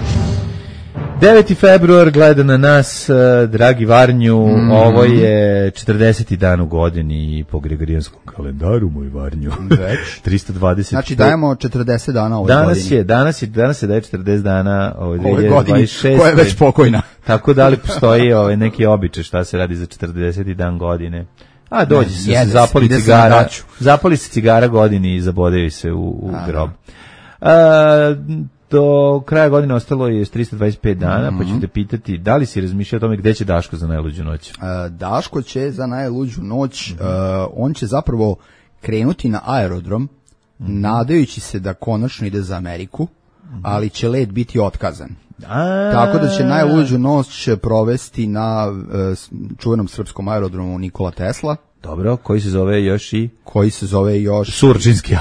9. februar gleda na nas, dragi Varnju, ovo je 40. dan u godini po gregorijanskom kalendaru, moj Varnju. Već. 320. Znači dajemo 40 dana ovoj godini. Danas se daje 40 dana Ove godini, 2026. koja je već pokojna. Tako da li postoji neki običaj šta se radi za 40. dan godine? A dođe se, zapali se cigara godini i zabodaju se u grob. Do kraja godine ostalo je 325 dana, pa ću te pitati da li si razmišljao o tome gde će Daško za najluđu noć? Daško će za najluđu noć, on će zapravo krenuti na aerodrom, nadajući se da konačno ide za Ameriku, ali će let biti otkazan. Tako da će najluđu noć provesti na čuvenom srpskom aerodromu Nikola Tesla. Dobro, koji se zove još Surčinski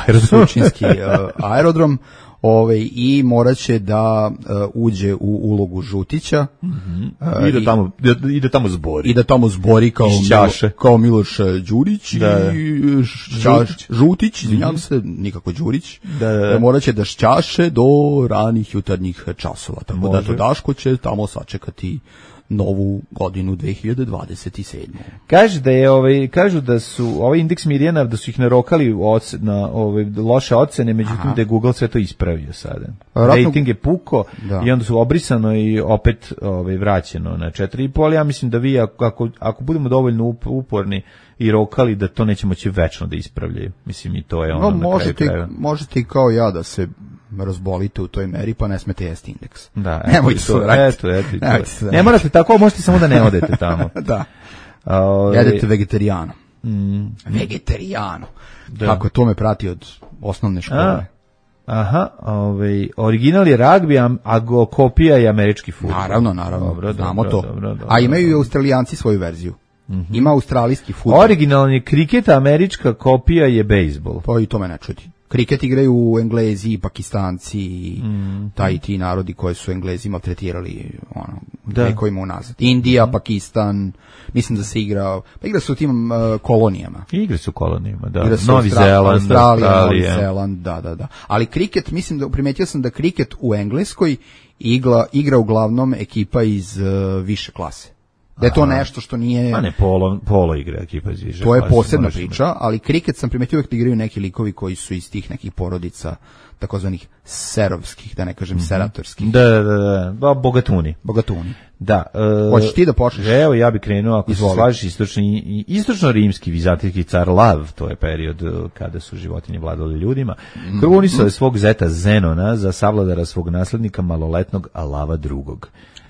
aerodrom. I morat će da uđe u ulogu žutića. I da tamo zbori. I da tamo zbori kao Miloš Đurić i Žutić, izvinjam se, nikako Đurić. Morat će da šćaše do ranih jutarnjih časova. Tako da to Daško će tamo sačekati novu godinu 2027. Kažu da su ovaj indeks Mirjana, da su ih narokali na loše ocene, međutim da je Google sve to ispravio sada. Rating je puko i onda su obrisano i opet vraćeno na 4,5, ali ja mislim da vi ako budemo dovoljno uporni i rokali, da to neće moći večno da ispravljaju. Mislim, i to je ono na kraju krajeva. Možete i kao ja da se razbolite u toj meri, pa ne smete jesti indeks. Da, nemojte se vratiti. Ne morate tako, možete samo da ne odete tamo. Da. Jedete vegetarijano. Vegetarijano. Kako to me prati od osnovne škole. Aha, original je ragbi, a kopija je američki fudbal. Naravno, znamo to. A imaju i Australijanci svoju verziju. Ima australijski fudbal. Originalni kriket, američka kopija je bejsbol. Pa i to me ne čudi. Kriket igraju Englezi, Pakistanci, taj ti narodi koji su Englezi maltretirali vekovima unazad. Indija, Pakistan, mislim da se igra su u tim kolonijama. Igra su kolonijama, da. Novi Zeland, Australija, Novi Zeland, da. Ali kriket, mislim da primetio sam da kriket u Engleskoj igra uglavnom ekipa iz više klase. Da je to nešto što nije... A ne, polo igra ekipa iz više. To je posebna priča, ali kriket sam primetio uvijek da igraju neki likovi koji su iz tih nekih porodica takozvanih serovskih, da ne kažem seratorskih. Da, bogatuni. Da. Hoćeš ti da počneš? Evo, ja bih krenuo, ako se slažiš, istočno-rimski vizantijski car Lav, to je period kada su životinje vladali ljudima, krunisao je svog zeta Zenona za savladara svog naslednika maloletnog Lava II.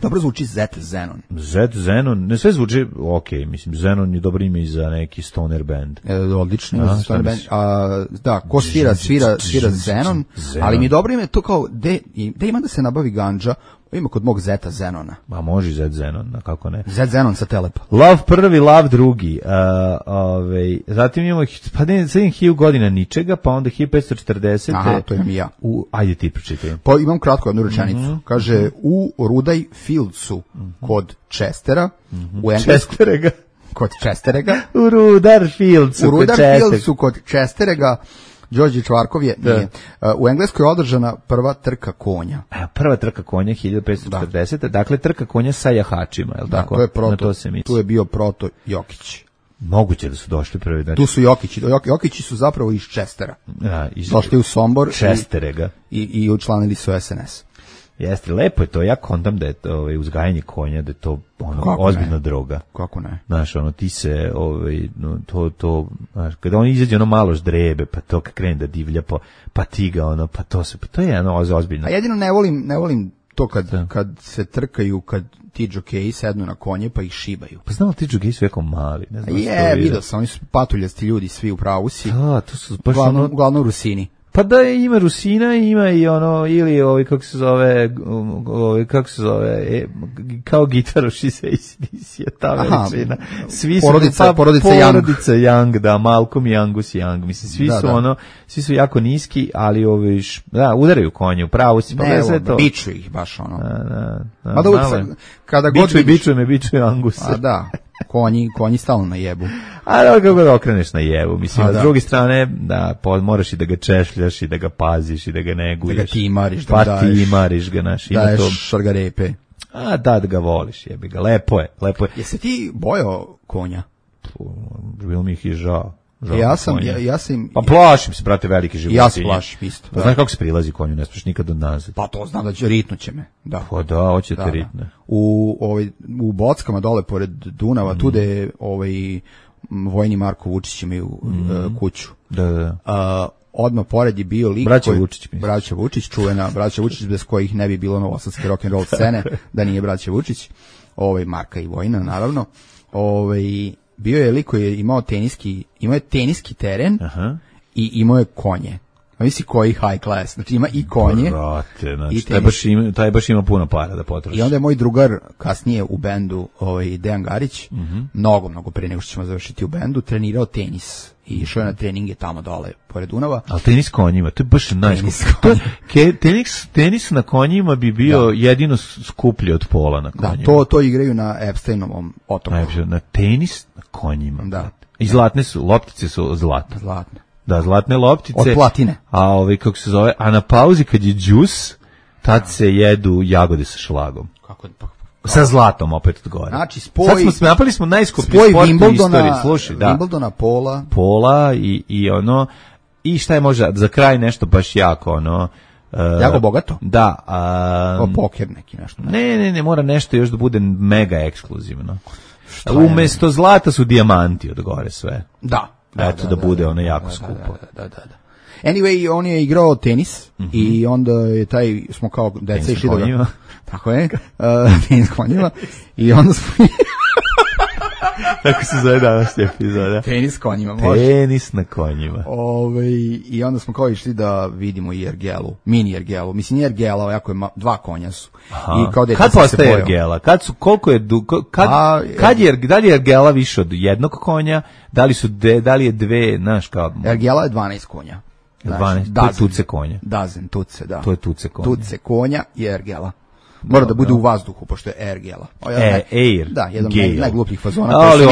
Dobro zvuči Zet Zenon. Zet Zenon, ne sve zvuči, mislim, Zenon je dobro ime i za neki stoner band. Odlično, za stoner band. Da, ko svira Zenon, ali mi je dobro ime to kao, gde ima da se nabavi ganđa, ima kod mog Zeta Zenona. Ma može Zet Zenon, kako ne. Zet Zenon sa Telepa. Lav prvi, Lav drugi. Zatim imamo, pa ne, 1000 godina ničega, pa onda 1540. Aha, to imam i ja. Ajde ti pročitaj. Pa imam kratko jednu rečenicu. Kaže, u Rudaj Fieldsu kod Chestera, kod Česterega. U Rudarfieldsu kod Česterega. Đorđe Čvarkov je, nije. U Engleskoj je održana prva trka konja. Prva trka konja 1540. Dakle, trka konja sa jahačima, je li tako? To je proto, tu je bio proto Jokić. Moguće da su došli prvi. Tu su Jokići. Jokići su zapravo iz Čestera. Došli u Sombor. Česterega. I učlanili su SNS. Jeste, lepo je to. Ja kontam da je to, uzgajanje konja, da je to ozbiljna droga. Kako ne? Znaš, ti se, znaš, kada on izađe malo ždrebe, pa to krene da divlja, pa ti ga, to je ozbiljno. A jedino ne volim to kad se trkaju, kad ti džokeji sednu na konje pa ih šibaju. Pa znam li ti džokeji su jako mali? Ne znam vidio sam, oni su patuljasti ljudi, svi u pravu si. Da, to su baš uglavnom Rusini. Pa da, ima Rusina, ima i ili kako se zove, kao gitaroši se je ta veličina. Svi su, porodica Young, da, Malcolm i Angus Young, mislim, svi su jako niski, ali udaraju konje, u pravu si, pa sve to. Biču ih baš, Mada kada god bičuje Angus. A da, konji stalno na jebu. A da, kako da okreneš na jebu, mislim, s druge strane, da, moraš i da ga češljaš i da ga paziš i da ga neguješ. Da ga timariš, da daješ. Timariš ga, daješ šargarepe. A da ga voliš, jebi ga, lepo je. Jesi ti bojao konja? Bilo mi ih i žao. Ja sam... Pa plašim se, brate, velike životinje. Ja se plašim isto. Pa znaš kako se prilazi konju, ne smiješ nikad od nazad. Pa to znam da će, ritnuće me. Da. Pa da, hoće te ritne. U Bockama dole pored Dunava, tu je vojni Marko Vučić imaju kuću. Da. Odmah pored je bio lik braća Vučić, čuvena braća Vučić, bez kojih ne bi bilo novosadske rock'n'roll scene, da nije braća Vučić, Marka i Vojina, naravno. Bio je lik koji je imao teniski teren. Aha. I imao je konje. A misli koji high class, znači ima i konje. Brate, znači, taj baš ima puno para da potroši. I onda je moj drugar kasnije u bendu, Dejan Garić, mnogo pre nego što ćemo završiti u bendu, trenirao tenis. I išao je na treninge tamo dole, pored Dunava. Ali tenis konjima, to je baš tenis na konjima bi bio jedino skuplji od pola na konjima. Da, to igraju na Epsteinovom otoku. Na tenis na konjima. Da. I zlatne su, loptice su zlatne. Zlatne. Da, zlatne loptice. Od platine. Kako se zove, a na pauzi kad je džus, tad se jedu jagode sa šlagom. Kako? Sa zlatom opet od gore. Znači, napali smo najskuplji sport u istoriji. Slušaj, da. Wimbledona, Pola i šta je možda za kraj nešto baš jako, jako bogato? Da. Poker neki nešto. Ne, mora nešto još da bude mega ekskluzivno. Umesto zlata su dijamanti od gore sve. Da. Eto da bude ono jako skupo. Da. Anyway, on je igrao tenis i onda je smo kao deca išli da ga... Tako je, tenis konjima. I onda smo... Tako se zove danas epizoda. Tenis konjima, može. Tenis na konjima. I onda smo kao išli da vidimo i ergelu, mini ergelu. Mislim, nije ergela, jako je dva konja su. I kao kad postaje ergela? Koliko je da li je ergela više od jednog konja? Da li je dve, znaš kao... Ergela je 12 konja. 12, to je tuce konja. Tuce, da. To je tuce konja. Tuce konja je ergela. Mora da bude u vazduhu, pošto je ergela. Air. Da, jedan od najglupljih fazona. Ali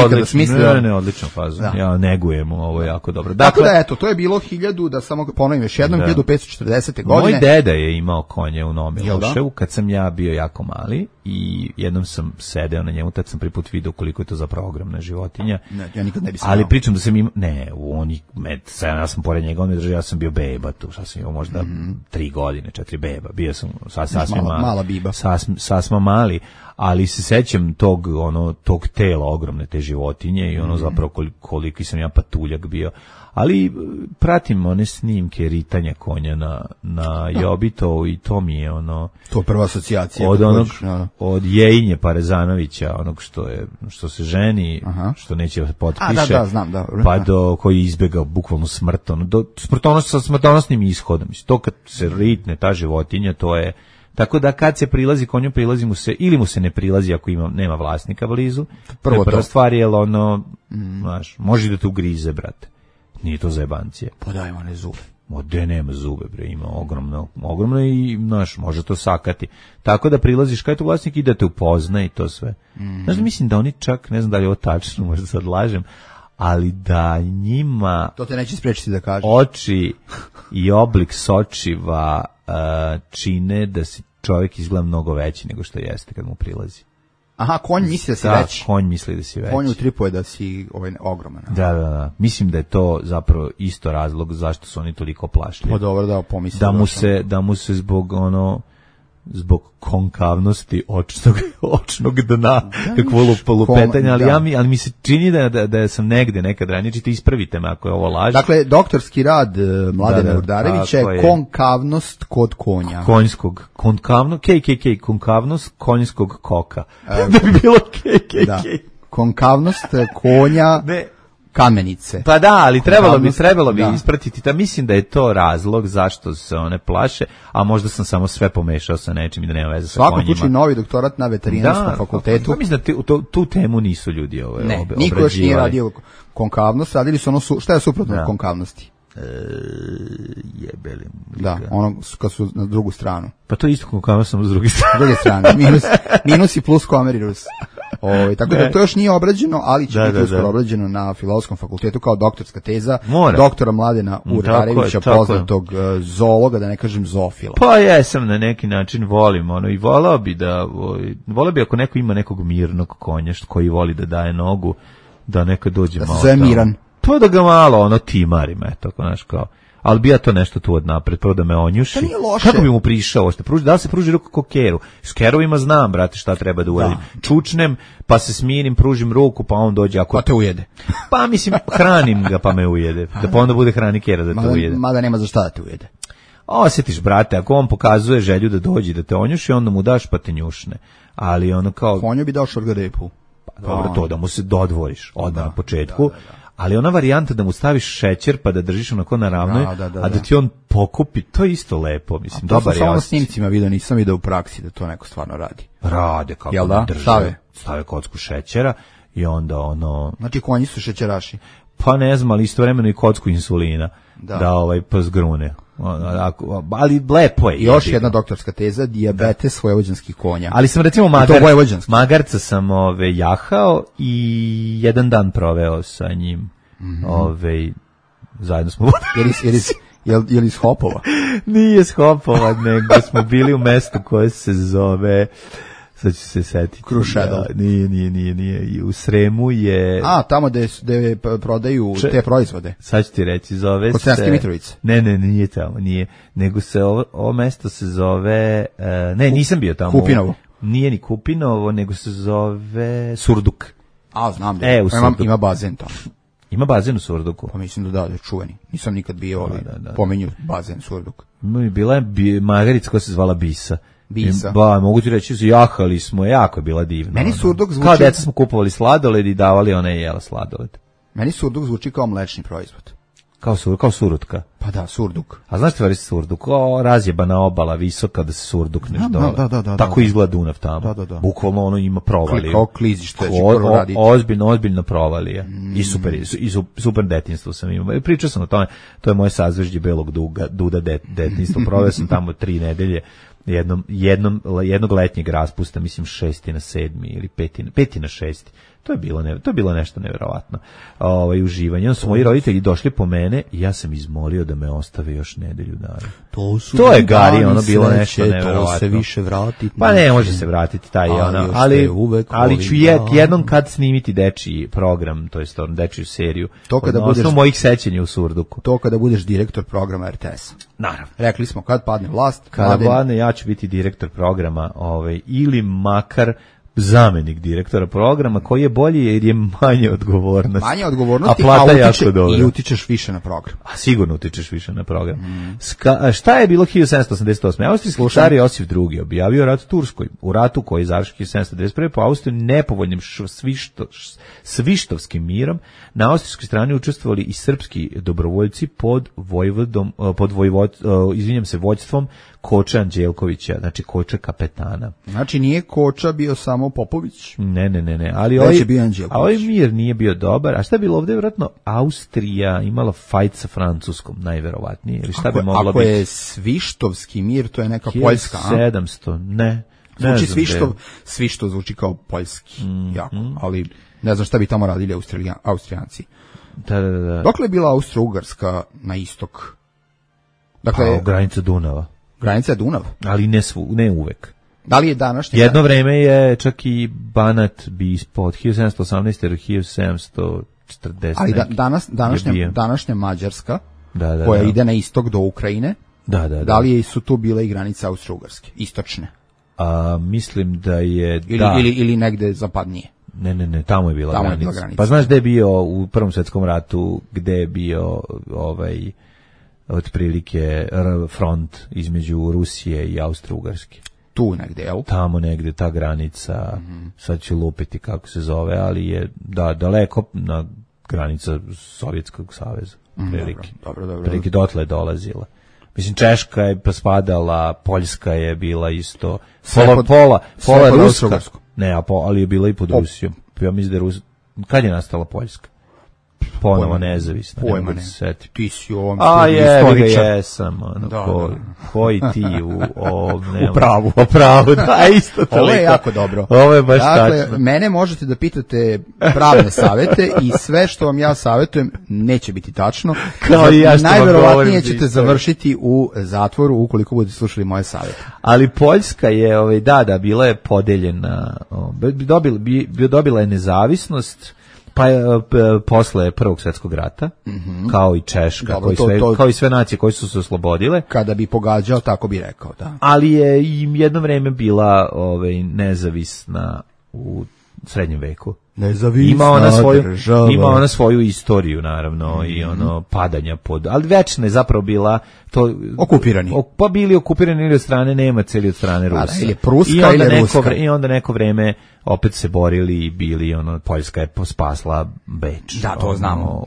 odličan fazon. Ja negujem, ovo je jako dobro. Tako da, eto, to je bilo da samo ponovim još jednom, 1540. godine. Moj deda je imao konje u Nome Loševu, kad sam ja bio jako mali i jednom sam sedeo na njemu, tad sam prvi put vidio koliko je to zapravo ogromna životinja. Ja nikad ne bi ali pričam da sam imao, ja sam pored njega, ja sam bio beba tu, sad sam imao možda 3 godine, 4 beba, bio sam sasvim mala biba. Sasma mali, ali se sećam tog tela ogromne te životinje i zapravo koliki sam ja patuljak bio. Ali pratim one snimke ritanja konja na Jobitovu i to mi je to je prva asocijacija od Jejinje Parezanovića, onog što se ženi, što neće potpiše, znam, pa do koji izbjegao bukvalno smrt, sa smrtonosnim ishodom. To kad se ritne ta životinja, to je. Tako da kad se prilazi konju, prilazi mu se, ili mu se ne prilazi ako nema vlasnika blizu. Prva stvar je, znaš, može da te ugrize, brate. Nije to zajebancije. Podajmo one zube. Ode nema zube, bre, ima ogromno i, znaš, može to sakati. Tako da prilaziš, kaj to vlasnik ide te upozna i to sve. Znaš, mislim da oni čak, ne znam da li je ovo tačno, možda sad lažem, ali da njima... To te neće sprečiti da kažeš. Oči i oblik sočiva čine da si čovjek izgleda mnogo veći nego što jeste kad mu prilazi. Aha, konj misli da si veći. Konj misli da si veći. Konj utripuje da si ogroman. Da. Mislim da je to zapravo isto razlog zašto su oni toliko plašljivi. Pa dobro, da, pomislim. Da mu se zbog konkavnosti očnog dna, kakvo lupetanja, ali mi se čini da sam negde nekad ranije, čite, ispravite me ako je ovo laž. Dakle, doktorski rad Mladena Urdarevića je konkavnost kod konja. Konjskog, konkavnost konjskog koka. Da bi bilo KKK. Da. Konkavnost konja... Ne. Kamenice. Pa da, ali trebalo bi ispratiti. Mislim da je to razlog zašto se one plaše, a možda sam samo sve pomešao sa nečim i da nema veze sa konjima. Svako slučaj novi doktorat na veterinarskom fakultetu. Da, mislim da tu temu nisu ljudi obrađivali. Ne, niko još nije radio konkavnost, radili su ono, šta je suprotno od konkavnosti? Jebeli. Da, ono kad su na drugu stranu. Pa to je isto konkavnost, samo s druge strane. S druge strane, minus i plus komerirus. Tako da to još nije obrađeno, ali će biti uskoro obrađeno na Filozofskom fakultetu kao doktorska teza doktora Mladena Urdarevića, poznatog zoologa, da ne kažem zoofila. Pa jesam, na neki način volim i volao bi ako neko ima nekog mirnog konja koji voli da daje nogu, da nekad dođe malo. Da se zove Miran. Pa da ga malo timarim, znaš kao. Ali bi ja to nešto tu od napred, prvo da me onjuši. To nije loše. Kako bi mu prišao? Da li se pruži ruku ko keru? S kerovima znam, brate, šta treba da uradim. Čučnem, pa se smirim, pružim ruku, pa on dođe. Pa te ujede. Pa mislim, hranim ga pa me ujede. Da pa onda bude hrani kera da te ujede. Mada nema za šta da te ujede. Osjetiš, brate, ako on pokazuje želju da dođe da te onjuši, onda mu daš pa te njušne. Ali ono kao... Konju bi dao šorgarepu. Pa dobro, to da mu se dodvoriš odmah na početku. Da. Ali ona varijanta da mu staviš šećer pa da držiš onako na ravnoj, a da ti on pokupi, to je isto lepo, mislim, dobar je. To sam samo na snimcima vidio, nisam vidio u praksi da to neko stvarno radi. Rade, kako da drže. Stave kocku šećera i onda ono... Znači konji su šećeraši. Pa ne znam, ali istovremeno i kocku insulina da pa zgrune. Ali lepo je. Još jedna doktorska teza, dijabetes vojvođanskih konja. Ali sam recimo magarca sam jahao i jedan dan proveo sa njim. Zajedno smo... Je li iz Hopova? Nije iz Hopova, nego smo bili u mestu koje se zove... Sad ću se setiti. Krušedol. Nije. U Sremu je... tamo gde prodaju te proizvode. Sad ću ti reći, zove se... Kod Sremske Mitrovice. Ne, nije tamo, nije. Nego se ovo mesto se zove... nisam bio tamo. Kupinovo. Nije ni Kupinovo, nego se zove Surduk. Znam da ima bazen tamo. Ima bazen u Surduku? Pa mislim da je čuveni. Nisam nikad bio, ali pomenju bazen Surduk. Bila je magarica koja se zvala Bisa. Bisa. Mogu ti reći, jahali smo, jako je bila divna. Meni Surduk zvuči... Kao deca smo kupovali sladoled i davali ona je jela sladoled. Meni Surduk zvuči kao mlečni proizvod. Kao surutka. Pa da, Surduk. A znaš ti Surduk? razjebana obala visoka da se surdukneš dole. Da. Tako izgleda Dunav tamo. Da. Bukvalno ono ima provaliju. Kao klizište. Ozbiljna provalija. I super detinjstvo sam imao. Pričao sam o tome, to je moje sazvežđe belog duda detinjstvo. Proveo sam tamo 3 nedelje. Jednog letnjeg raspusta, mislim 6. na 7. ili 5. na 6. To je bilo nešto neverovatno. Uživanje. Onda su moji roditelji došli po mene i ja sam izmolio da me ostave još nedelju dana. To je Gari, ono bilo nešto neverovatno. To se više vratiti. Pa ne može se vratiti taj ali ću jednom kad snimiti dečiji program, to jest dečiju seriju. To kada budeš mojih sećanja u Surduku. To kada budeš direktor programa RTS. Naravno. Rekli smo kad padne vlast, kada padne ja ću biti direktor programa, ili makar zamenik direktora programa, koji je bolji jer je manje odgovornosti. Manje odgovornosti, a plata jako dobra. I utičeš više na program. A sigurno utičeš više na program. Šta je bilo 1788. Austrijski car Josif II. Objavio rat Turskoj. U ratu koji je završio 1791. po Austriji nepovoljnim svištovskim mirom na austrijskoj strani učestvovali i srpski dobrovoljci pod vođstvom Koče Anđelkovića, znači Koče kapetana. Znači nije Koča bio samo samo Popović. Ne. Ali Već je bio Anđelković. A ovaj mir nije bio dobar. A šta je bilo ovde? Vjerojatno Austrija imala fajt sa Francuskom, najverovatnije. Ili šta bi moglo biti? Ako je Svištovski mir, to je neka Poljska, a? 1700, ne. Zvuči Svištov zvuči kao poljski, jako, ali ne znam šta bi tamo radili Austrijanci. Da. Dokle je bila Austro-Ugarska na istok? Dakle, Pa, granica Dunava. Granica je Dunav? Ali ne uvek. Da li je današnji? Jedno vreme je čak i Banat bi ispod 1718 ili 1740. Ali današnja Mađarska, da, koja ide na istok do Ukrajine, da li su tu bile i granice Austro-Ugarske, istočne? Mislim da je... Ili negde zapadnije. Ne, tamo je bila granica. Pa znaš gde je bio u Prvom svjetskom ratu, gde je bio otprilike front između Rusije i Austro-Ugarske? Tu negde, jel? Tamo negde, ta granica, sad ću lupiti kako se zove, ali je daleko na granica Sovjetskog saveza. Dobro. Prilike dotle je dolazila. Mislim, Češka je spadala, Poljska je bila isto, pola Ruska. Ne, ali je bila i pod Rusijom. Ja mislim da je kad je nastala Poljska? Ponovo nezavisna. Pojma ne. Ti si u ovom istoričar. Jesam. Koji ti u pravu. U pravu, da, isto toliko. Ovo je jako dobro. Ovo je baš tačno. Dakle, mene možete da pitate pravne savete i sve što vam ja savetujem neće biti tačno. Kao i ja što vam govorim. Najverovatnije ćete završiti u zatvoru ukoliko budete slušali moje savete. Ali Poljska je, bila je podeljena, dobila je nezavisnost, pa posle Prvog svjetskog rata, kao i Češka, kao i sve nacije koje su se oslobodile. Kada bi pogađao, tako bi rekao, da. Ali je i jedno vreme bila nezavisna u srednjem veku. Ima ona svoju istoriju, naravno, i padanja ali večna je zapravo bila to okupirani. Pa bili okupirani ili od strane Nemaca ili od strane Rusa. Ili Pruska ili Ruska. I onda neko vreme opet se borili i bili, Poljska je spasla Beč. Da, to znamo. U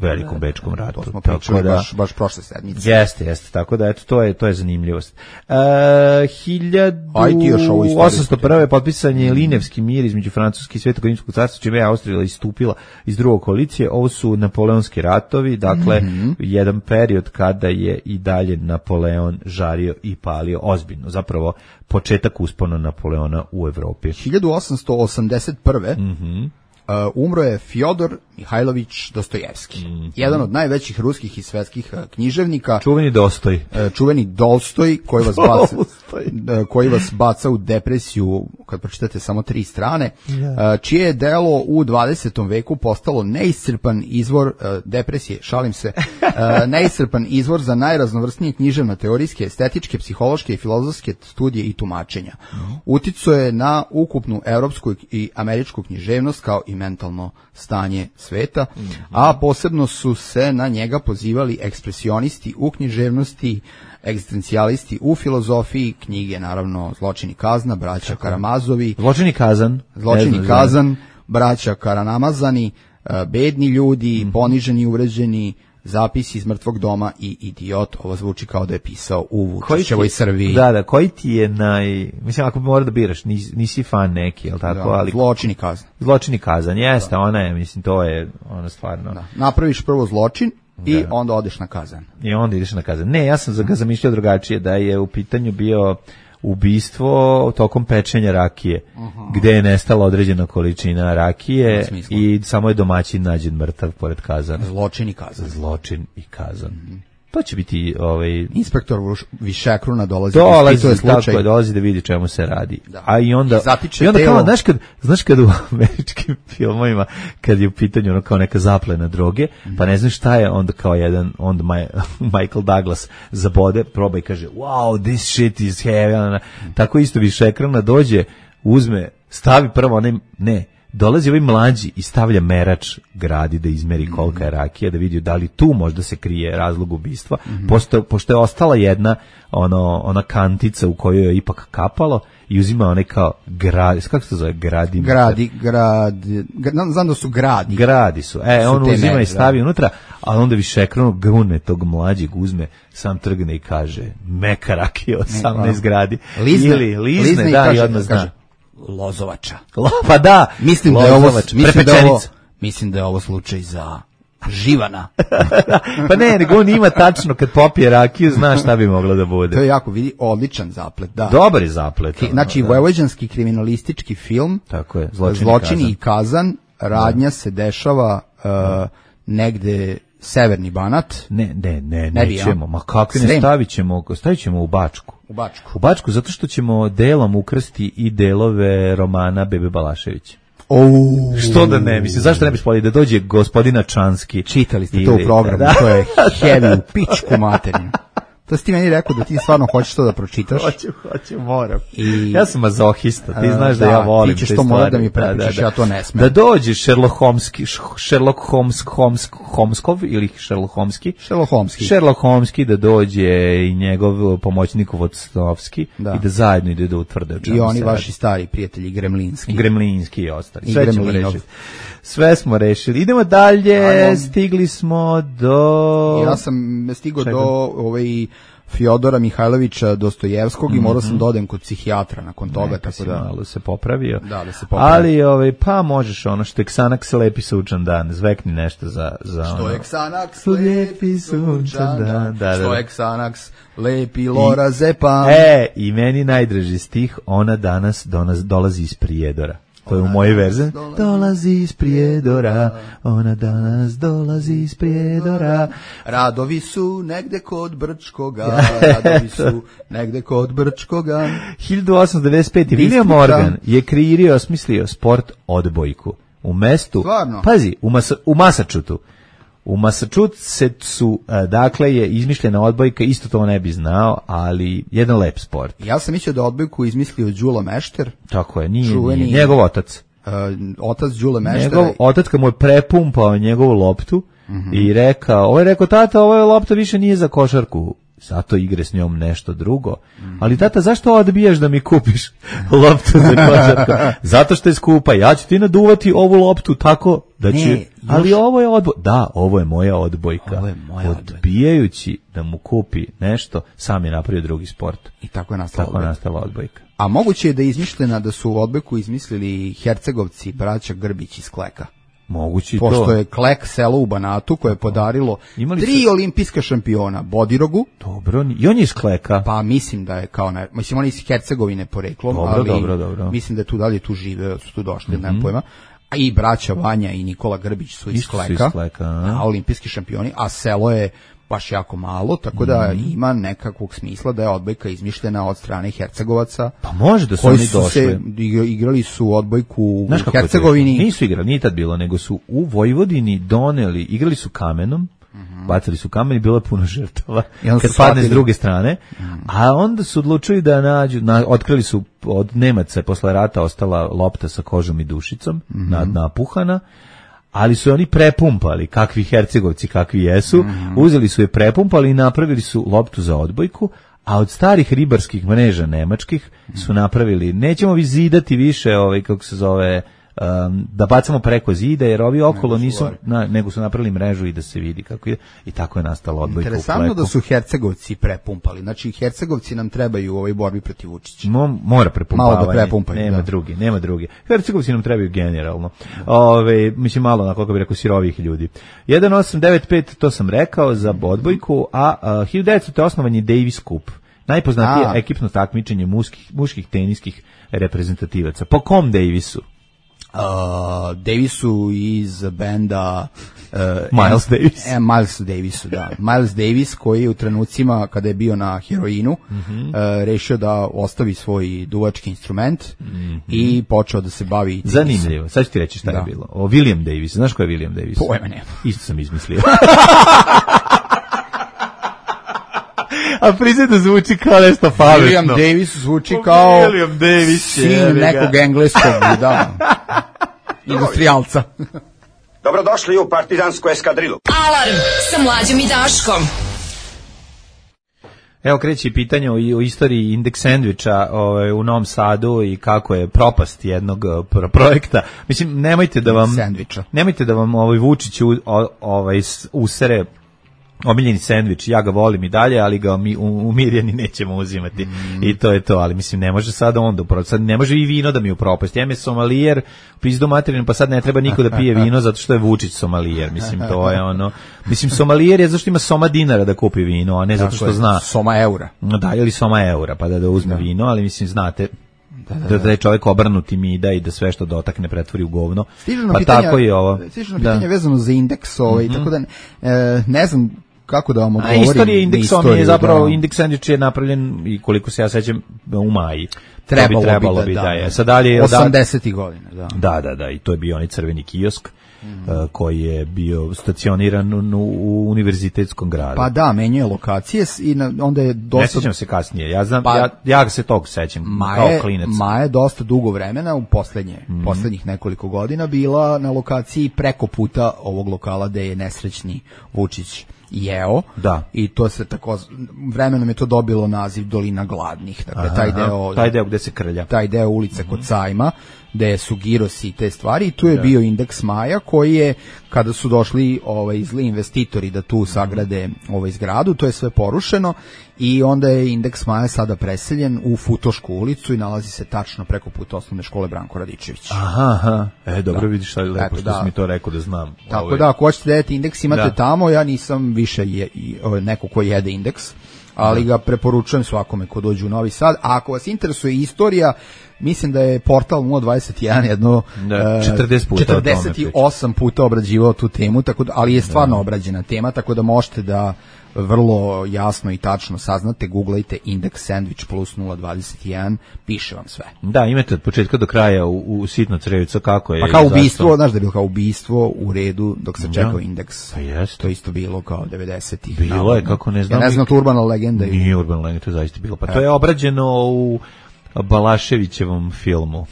Velikom Bečkom ratu. To smo pričali baš prošle sedmice. Jeste, tako da, eto, to je zanimljivost. 1801. potpisan je Linevski mir između Francuske i Svetog rimskog carstva, čime je Austrija istupila iz drugog koalicije. Ovo su napoleonski ratovi, dakle, jedan period kada je i dalje Napoleon žario i palio ozbiljno. Zapravo, početak uspona Napoleona u Evropi. 1881. Umro je Fjodor Mihajlović Dostojevski. Jedan od najvećih ruskih i svetskih književnika. Čuveni Dolstoj, koji vas baca u depresiju kad pročitate samo 3 strane, čije je delo u 20. veku postalo neiscrpan izvor depresije, šalim se, neiscrpan izvor za najraznovrsnije književno-teorijske, estetičke, psihološke i filozofske studije i tumačenja. Uticao je na ukupnu evropsku i američku književnost kao i mentalno stanje sveta, a posebno su se na njega pozivali ekspresionisti u književnosti, egzistencijalisti u filozofiji, knjige naravno Zločin i kazna, braća Karamazovi, Zločin i kazan, braća Karamazani, bedni ljudi, poniženi i uvređeni, Zapisi iz mrtvog doma i Idiot. Ovo zvuči kao da je pisao u Vučićevoj Srbiji. Da, koji ti je mislim, ako bi morao da biraš, nisi fan neki, jel tako? Da, ali Zločin i kazan. Zločin i kazan, jeste, ona je, mislim, to je ona stvarno. Da. Napraviš prvo zločin i onda odeš na kazan. I onda ideš na kazan. Ne, ja sam ga zamišljao drugačije, da je u pitanju bio ubistvo tokom pečenja rakije, gde je nestala određena količina rakije i samo je domaćin nađen mrtav pored kazana. Zločin i kazan. To će biti inspektor Višekruna dolazi da vidi čemu se radi. Da. A i onda kao, znaš kad u američkim filmovima kad je u pitanju kao neka zaplena droge, pa ne znaš šta je, onda kao onda Michael Douglas zabode, proba i kaže wow, this shit is heavy. Tako isto Višekruna dođe, uzme, stavi prvo dolazi ovaj mlađi i stavlja merač gradi da izmeri kolika je rakija, da vidi da li tu možda se krije razlog ubistva, pošto je ostala jedna ona kantica u kojoj je ipak kapalo i uzima onaj kao kako se to zove, znam da su gradi. Gradi su, on uzima i stavi unutra, a onda Višekrunu grune tog mlađeg, uzme, sam trgne i kaže meka rakija od 18 gradi. Lizne da, i odmah zna. Lozovača. Pa da, Mislim da je ovo slučaj za Živana. Pa ne, nego on ima tačno kad popije rakiju, znaš šta bi moglo da bude. To je jako, vidi, odličan zaplet, da. Dobar je zaplet. Znači, vojvođanski kriminalistički film, tako je, Zločini i kazan, radnja se dešava negde Severni Banat. Nećemo, ma kako ne stavit ćemo u Bačku. U Bačku, zato što ćemo delom ukrasti i delove romana Bebe Balaševića. Što da ne, mislim, zašto ne bi spolili da dođe gospodina Čanski? Čitali ste to u programu, to je heavy u pičku materinu. To si ti meni rekao da ti stvarno hoćeš to da pročitaš. Hoću, moram. Ja sam mazohista, ti znaš da ja volim te stvari. Ti ćeš to morat da mi prepričaš, ja to ne smem. Da dođe Sherlock Holmeski, da dođe i njegov pomoćnik Vodstovski i da zajedno ide da utvrde. I oni vaši stari prijatelji Gremlinski i ostali. Sve smo rešili. Idemo dalje, stigli smo do... Ja sam stigao do Fjodora Mihajlovića Dostojevskog i morao sam da odem kod psihijatra nakon toga, tako da malo se popravio. Da se popravio. Ali pa možeš ono što je Xanax lepi sunčan dan, zvekni nešto za što je Xanax lepi sunčan dan. Što je Xanax lepi lorazepam. I meni najdraži stih, ona danas dolazi iz Prijedora. To je u mojoj verziji. Dolazi iz Prijedora, ona danas dolazi iz Prijedora. Radovi su negde kod Brčkoga, 1895. William Morgan je kreirao, osmislio sport odbojku. U mestu, stvarno? Pazi, u Massachusettsu. U Massachusettsu, dakle, je izmišljena odbojka, isto to ne bi znao, ali jedan lep sport. Ja sam mislio da odbojku izmislio Đula Mešter. Tako je, nije njegov otac. Otac Đule Meštera. Njegov otac kad mu je prepumpao njegovu loptu i rekao, tata, ova lopta više nije za košarku, zato igre s njom nešto drugo. Ali tata, zašto odbijaš da mi kupiš loptu za košarku? Zato što je skupa, ja ću ti naduvati ovu loptu tako da će... Ali ovo je ovo je moja odbojka. Odbijajući da mu kupi nešto, sam je napravio drugi sport. I tako je nastala odbojka. A moguće je da je izmišljena da su odbojku izmislili Hercegovci, braća Grbić iz Kleka. Moguće pošto to. Pošto je Klek selo u Banatu koje je podarilo 3 olimpijska šampiona, Bodirogu. Dobro, i on je iz Kleka. Pa mislim da je kao, mislim on je iz Hercegovine poreklom, dobro. Mislim da je tu dalje tu žive, su tu došli, nemam pojma. A i braća Vanja i Nikola Grbić su iz Kleka, a olimpijski šampioni, a selo je baš jako malo, tako da ima nekakvog smisla da je odbojka izmišljena od strane Hercegovaca. Pa može da su oni došli. Igrali su odbojku u Hercegovini. Nisu igrali, nije tad bilo, nego su u Vojvodini doneli, igrali su kamenom, bacili su kamen i bilo je puno žrtava kad padne s druge strane, a onda su odlučili da nađu, otkrili su od Nemaca posle rata ostala lopta sa kožom i dušicom, napuhana, ali su oni prepumpali, kakvi Hercegovci, kakvi jesu, uzeli su je prepumpali i napravili su loptu za odbojku, a od starih ribarskih mreža nemačkih su napravili, nećemo vi zidati više, kako se zove, da bacamo preko zida, jer ovi okolo nisu, nego su napravili mrežu i da se vidi kako je, i tako je nastala odbojka u Kleku. Interesantno da su Hercegovci prepumpali, znači Hercegovci nam trebaju u ovoj borbi protiv Vučića. Mora prepumpavanje. Malo da prepumpaju. Nema drugi. Hercegovci nam trebaju generalno. Mislim malo, kako bi rekao, sirovih ljudi. 1895, to sam rekao za odbojku, a 1900. osnovan je Davis Cup, najpoznatije ekipno takmičenje muških teniskih reprezentativaca. Po kom Davisu? Davisu iz benda Miles Davis. Miles Davisu, da. Miles Davis koji je u trenucima kada je bio na heroinu rešio da ostavi svoj duvački instrument i počeo da se bavi tenisom. Zanimljivo, sad ću ti reći šta je bilo. William Davis, znaš ko je William Davis? Pojma nema. Isto sam izmislio. A priznaj da zvuči kao nešto pametno. William Davis zvuči kao sin nekog engleskog, industrijalca. Dobrodošli u partizansku eskadrilu. Alarm sa Mlađom i Daškom. Evo kreće pitanje o istoriji indeks sendviča u Novom Sadu i kako je propast jednog projekta. Mislim, nemojte da vam Vučić usere omiljeni sendvič, ja ga volim i dalje, ali ga u Mirjani nećemo uzimati. I to je to, ali mislim, ne može sada onda sad ne može i vino da mi upropasti. Ja me somalijer, pizdu materinu, pa sad ne treba niko da pije vino zato što je Vučić somalijer. Mislim, to je ono... Mislim, somalijer je zašto ima soma dinara da kupi vino, a ne zato što zna... Soma eura. Da, ili soma eura, pa da uzme vino, ali mislim, znate... Da je čovjek obrnuti mida i da sve što dotakne pretvori u govno. Pa tako i ovo. Stižu na pitanje vezano za indeks, tako da ne znam kako da vam odgovorim. Istorija indeksom je zapravo, indeks sandvič je napravljen, i koliko se ja sećam, u Maji. Trebalo bi da je. Sad dalje 80. godina, da. Da, i to je bio onaj crveni kiosk koji je bio stacioniran u univerzitetskom gradu. Pa da, menjuje lokacije i onda je dosta... Ne sećam se kasnije, ja znam, ja se tog sećam kao klinac. Maja je dosta dugo vremena, u poslednjih nekoliko godina bila na lokaciji preko puta ovog lokala gde je nesrećni Vučić jeo. Da. I to se tako vremenom je to dobilo naziv Dolina gladnih. Dakle, taj deo gde se krlja. Taj deo ulice kod Sajma, gde su girosi i te stvari, i tu je bio indeks Maja koji je, kada su došli zli investitori da tu sagrade zgradu, to je sve porušeno i onda je indeks Maja sada preseljen u Futošku ulicu i nalazi se tačno preko puta osnovne škole Branko Radičević. Aha. Dobro, vidiš šta je lepo što si mi to rekao da znam. Tako da, ako hoćete da jedete indeks, imate tamo, ja nisam više neko ko jede indeks, ali ga preporučujem svakome ko dođe u Novi Sad. A ako vas interesuje istorija, mislim da je portal 021 jedno 48 puta obrađivao tu temu, ali je stvarno obrađena tema, tako da možete da vrlo jasno i tačno saznate, googlajte indeks sandvič plus 021, piše vam sve. Da, imate od početka do kraja u sitno crevico kako je. Pa kao ubistvo, znaš da je bilo kao ubistvo u redu dok se čekao indeks. Pa jest. To isto bilo kao 90-ih. Bilo je, kako ne znam. Ja ne znam, to urbana legenda. Nije urbana legenda, to je zaista bilo. Pa to je obrađeno u Balaševićevom filmu.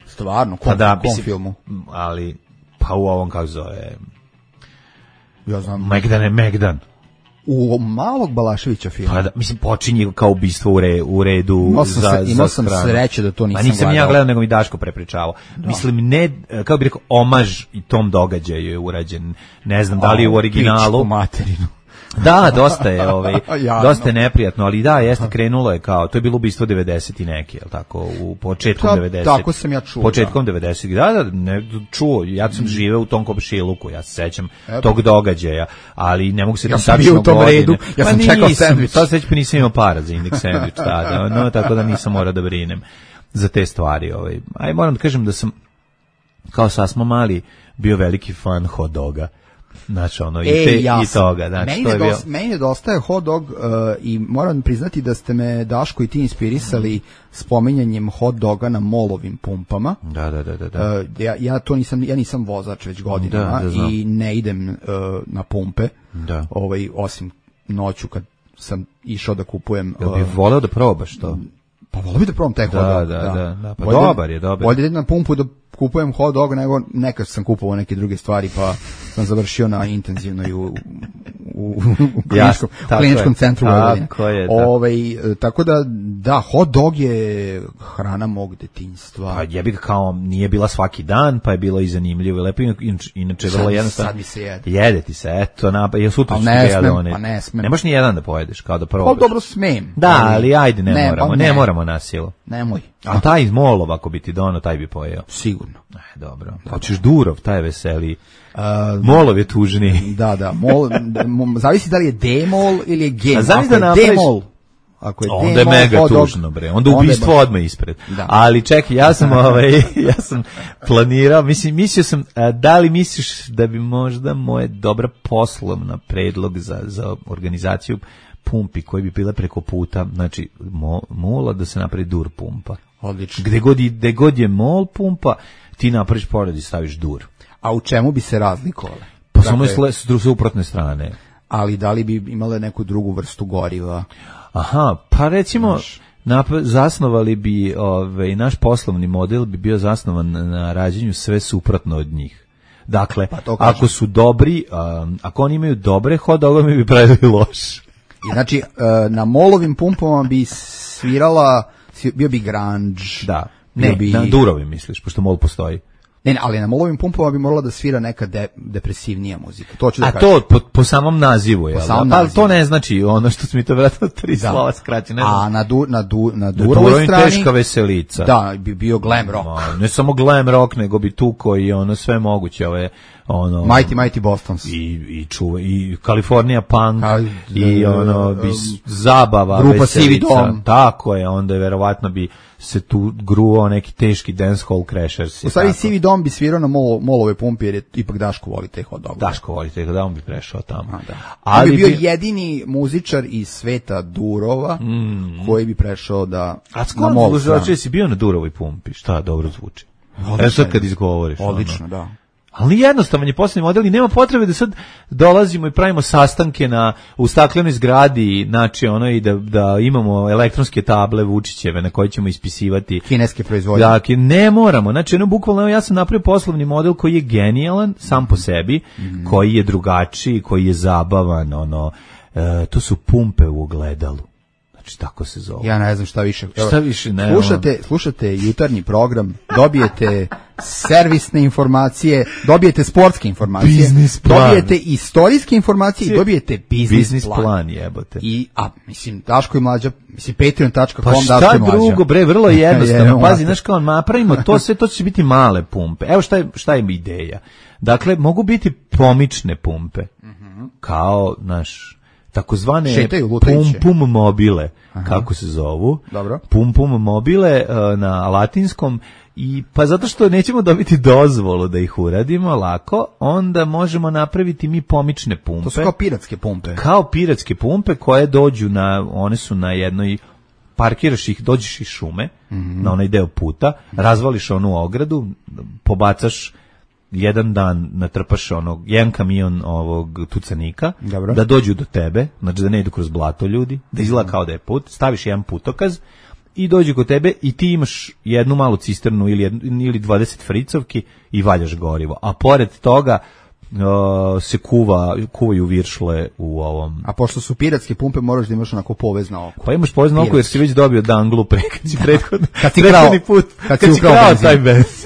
Stvarno? Kom filmu? Ali, pa u ovom kako zove... Ja znam. Megdan. U malog Balaševića filma. Pa da, mislim, počinje kao ubistvo u redu imao sam sreće da to nisam gledao. Nisam ja gledao, nego mi Daško prepričavao. Mislim, ne, kao bih rekao, omaž i tom događaju je urađen. Ne znam da li je u originalu. Pičku materinu. Da, dosta je, dosta je neprijatno, ali da, jeste, krenulo je kao, to je bilo ubistvo 90 i neki, je li tako, u početkom 90. Tako sam ja čuo. Početkom 90. Da, ne čuo, ja sam živeo u tom komšiluku, ja se sećam tog događaja, ali ne mogu se tačno godine. Ja sam bio u tom redu, ja sam čekao sandvič. Sad već nisam imao para za indeks sandvič tada, tako da nisam morao da brinem za te stvari. Aj, moram da kažem da sam, kao sasma mali, bio veliki fan hot doga. Znači i toga, znači to je bio. Meni nedostaje hot dog i moram priznati da ste me, Daško, i ti inspirisali spominjanjem hot doga na molovim pumpama. Da. Ja to nisam vozač već godinama i ne idem na pumpe. Da. Osim noću kad sam išao da kupujem. Jel bih voleo da probaš to? Pa volio bih da probam taj hot dog. Da. Pa dobar je. Bolje idem na pumpu da kupujem hot dog, nego nekad sam kupovao neke druge stvari, pa sam završio na intenzivnoj u kliničkom centru Vojvodine. Tako da, hot dog je hrana mog detinjstva. Pa jebi ga, kao nije bila svaki dan, pa je bilo i zanimljivo i lepo, inače vrlo jednostavno. Sad mi se jede. Jede ti se, eto, sutra ću ne smem. Ne možeš ni jedan da pojedeš, kao da probaš. Pa dobro, smem. Da, ali ajde, ne moramo na silu. Nemoj. A taj iz Molova, ako bi ti dono, taj bi pojeo. Sigurno. Dobro. Hoćeš Durov, taj je veseli. Molov je tužniji. Da. Zavisi da li je D-mol ili je G. Ako je D-mol, onda je mega tužno, bre. Onda ubistvo odmah ispred. Da. Ali čekaj, ja sam planirao, mislio sam, da li misliš da bi možda moje dobra poslovna predlog za organizaciju pumpi koji bi bile preko puta, znači mola da se napravi dur pumpa. Odlično. Gde god je mol pumpa, ti napraviš pored i staviš dur. A u čemu bi se razlikovale? Pa samo s suprotne strane. Ali da li bi imale neku drugu vrstu goriva? Aha, pa recimo zasnovali bi, naš poslovni model bi bio zasnovan na rađenju sve suprotno od njih. Dakle, ako su dobri, ako oni imaju dobre hot dogove, mi bi pravili loš. I znači, na molovim pumpama bi svirala, bio bi grunge. Da, na Durovi misliš, pošto mol postoji. Ne, ali na molovim pumpama bi morala da svira neka depresivnija muzika. To ću da kažem. A to po samom nazivu, je. Ali to ne znači ono što mi to vratno 3 slova skraći, ne znam. A na Durovoj strani teška veselica. Da, bi bio glam rock. Ne samo glam rock, nego bi tu koji ono sve moguće, ove ono Mighty Bostons i California Punk i ono bi zabava grupa veselica. Sivi dom. Tako je, onda je verovatno bi se tu gruo neki teški dancehall crashers. U stvari Sivi dom bi svirao na molove pumpi jer je ipak Daško voli te hot dogove. Daško voli te, da on bi prešao tamo. Ali bi bio jedini muzičar iz sveta Durova koji bi prešao da na mol. A si bio na Durovoj pumpi, šta dobro zvuči. Evo sad kad izgovoriš. Odlično, da. Ali jednostavan je poslovni model i nema potrebe da sad dolazimo i pravimo sastanke u staklenoj zgradi, znači ono i da imamo elektronske table Vučićeve na koje ćemo ispisivati kineske proizvodnje. Dakle, ne moramo. Znači, ono bukvalno ja sam napravio poslovni model koji je genijalan sam po sebi, koji je drugačiji, koji je zabavan, to su pumpe u ogledalu. Znači, tako se zove. Ja ne znam šta više. Šta više, ne. Slušate jutarnji program, dobijete servisne informacije, dobijete sportske informacije, dobijete istorijske informacije i dobijete biznis plan. Jebote. Mislim, Daško i Mlađa, patreon.com, pa šta drugo, bre, vrlo jednostavno. Pazi, znaš kao, napravimo to sve, to će biti male pumpe. Evo šta je ideja. Dakle, mogu biti pomične pumpe. Kao, takozvane pum mobile, kako se zovu. Dobro. Pum mobile na latinskom i pa zato što nećemo dobiti dozvolu da ih uradimo lako, onda možemo napraviti mi pomične pumpe. To su kao piratske pumpe. Kao piratske pumpe koje dođu one su na jednoj, parkiraš ih, dođeš iz šume, na onaj deo puta, razvališ onu ogradu, pobacaš jedan dan, natrpaš jedan kamion ovog tucanika, dobro, da dođu do tebe, znači da ne idu kroz blato ljudi, da izgleda kao da je put, staviš jedan putokaz i dođu kod tebe i ti imaš jednu malu cisternu ili 20 fricovki i valjaš gorivo. A pored toga se kuvaju viršle u ovom. A pošto su piratske pumpe, moraš da imaš onako povezno oko. Pa imaš povezno oko jer si već dobio danglu prethodni put. Kad si ukrao taj bez.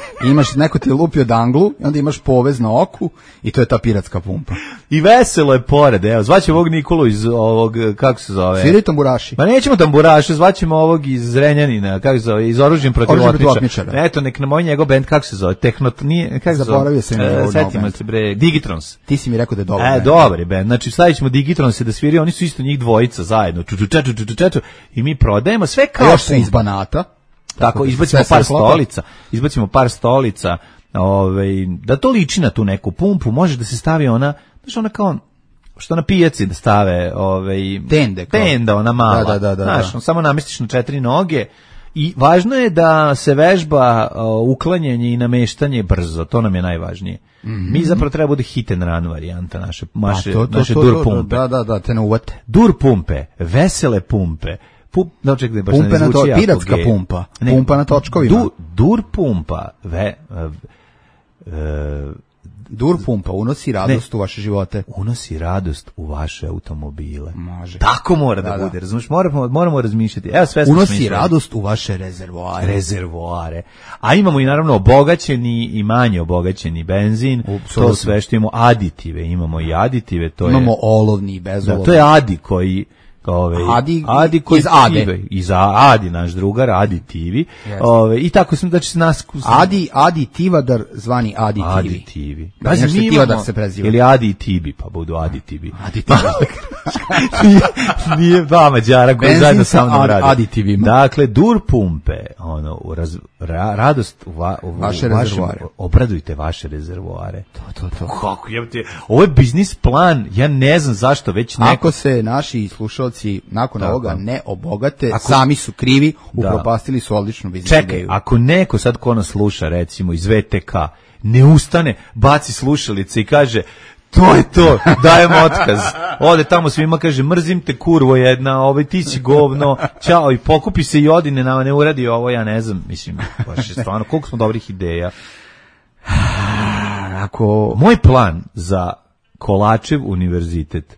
Neko ti je lupio danglu i onda imaš povezno oku i to je ta piratska pumpa. I veselo je pored, evo, zvaćemo ovog Nikolu iz ovog, kako se zove? Sviri tamburaši. Pa nećemo tamburaše, zvaćemo ovog iz Zrenjanina, kako se zove, iz Oružjem protiv otmičara. Eto, nek na moj njegov band, kako se zove, zaboravio sam setimo se bre, Digitrons. Ti si mi rekao da je dobar band. Dobar je band, znači stavit ćemo Digitronse da sviri, oni su isto njih dvojica zajedno, i mi prodajemo sve kao još su iz Banata. Tako, izbacimo par stolica, da to liči na tu neku pumpu, može da se stavi ona kao, što na pijaci da stave, tenda, ona mala, znaš, samo namestiš na 4 noge i važno je da se vežba uklanjanje i nameštanje brzo, to nam je najvažnije. Mi zapravo treba bude hit and run varijanta naše dur pumpe. Da, te ne uvate. Dur pumpe, vesele pumpe, pumpe na to, piratska pumpa, pumpa na točkovima. Dur pumpa, dur pumpa unosi radost u vaše živote. Unosi radost u vaše automobile. Može. Tako mora da bude, razumiješ, moramo razmišljati. Evo, sve unosi radost u vaše rezervoare. A imamo i naravno obogaćeni i manje obogaćeni benzin, to sve što imamo imamo i aditive, to imamo olovni i bezolovni. To je adi koji Adi koji iz Ade. Iz Adi, naš drugar, Adi TV. I tako smo, znači nas... Adi Tivadar, zvani Adi TV. Adi TV. Znači mi Tivadar se preziva. Ili Adi TV, pa budu Adi TV. Nije dva Mađara koji zajedno sa mnom radi. Adi TV. Dakle, dur pumpe, radost u vaše rezervoare. Obradujte vaše rezervoare. To. Kako jebate? Ovo je biznis plan, ja ne znam zašto već neko... Ako se naši slušalci nakon ovoga ne obogate, sami su krivi, upropastili su odličnu biznis ideju. Čekaj, ako neko sad ko nas sluša, recimo iz VTK, ne ustane, baci slušalice i kaže, to je to, dajem otkaz. Ode tamo svima, kaže, mrzim te kurvo jedna, ti si govno, ćao, i pokupi se i odi, ne uradi ovo, ja ne znam, mislim, baš je stvarno, koliko smo dobrih ideja. Moj plan za Kolačev univerzitet,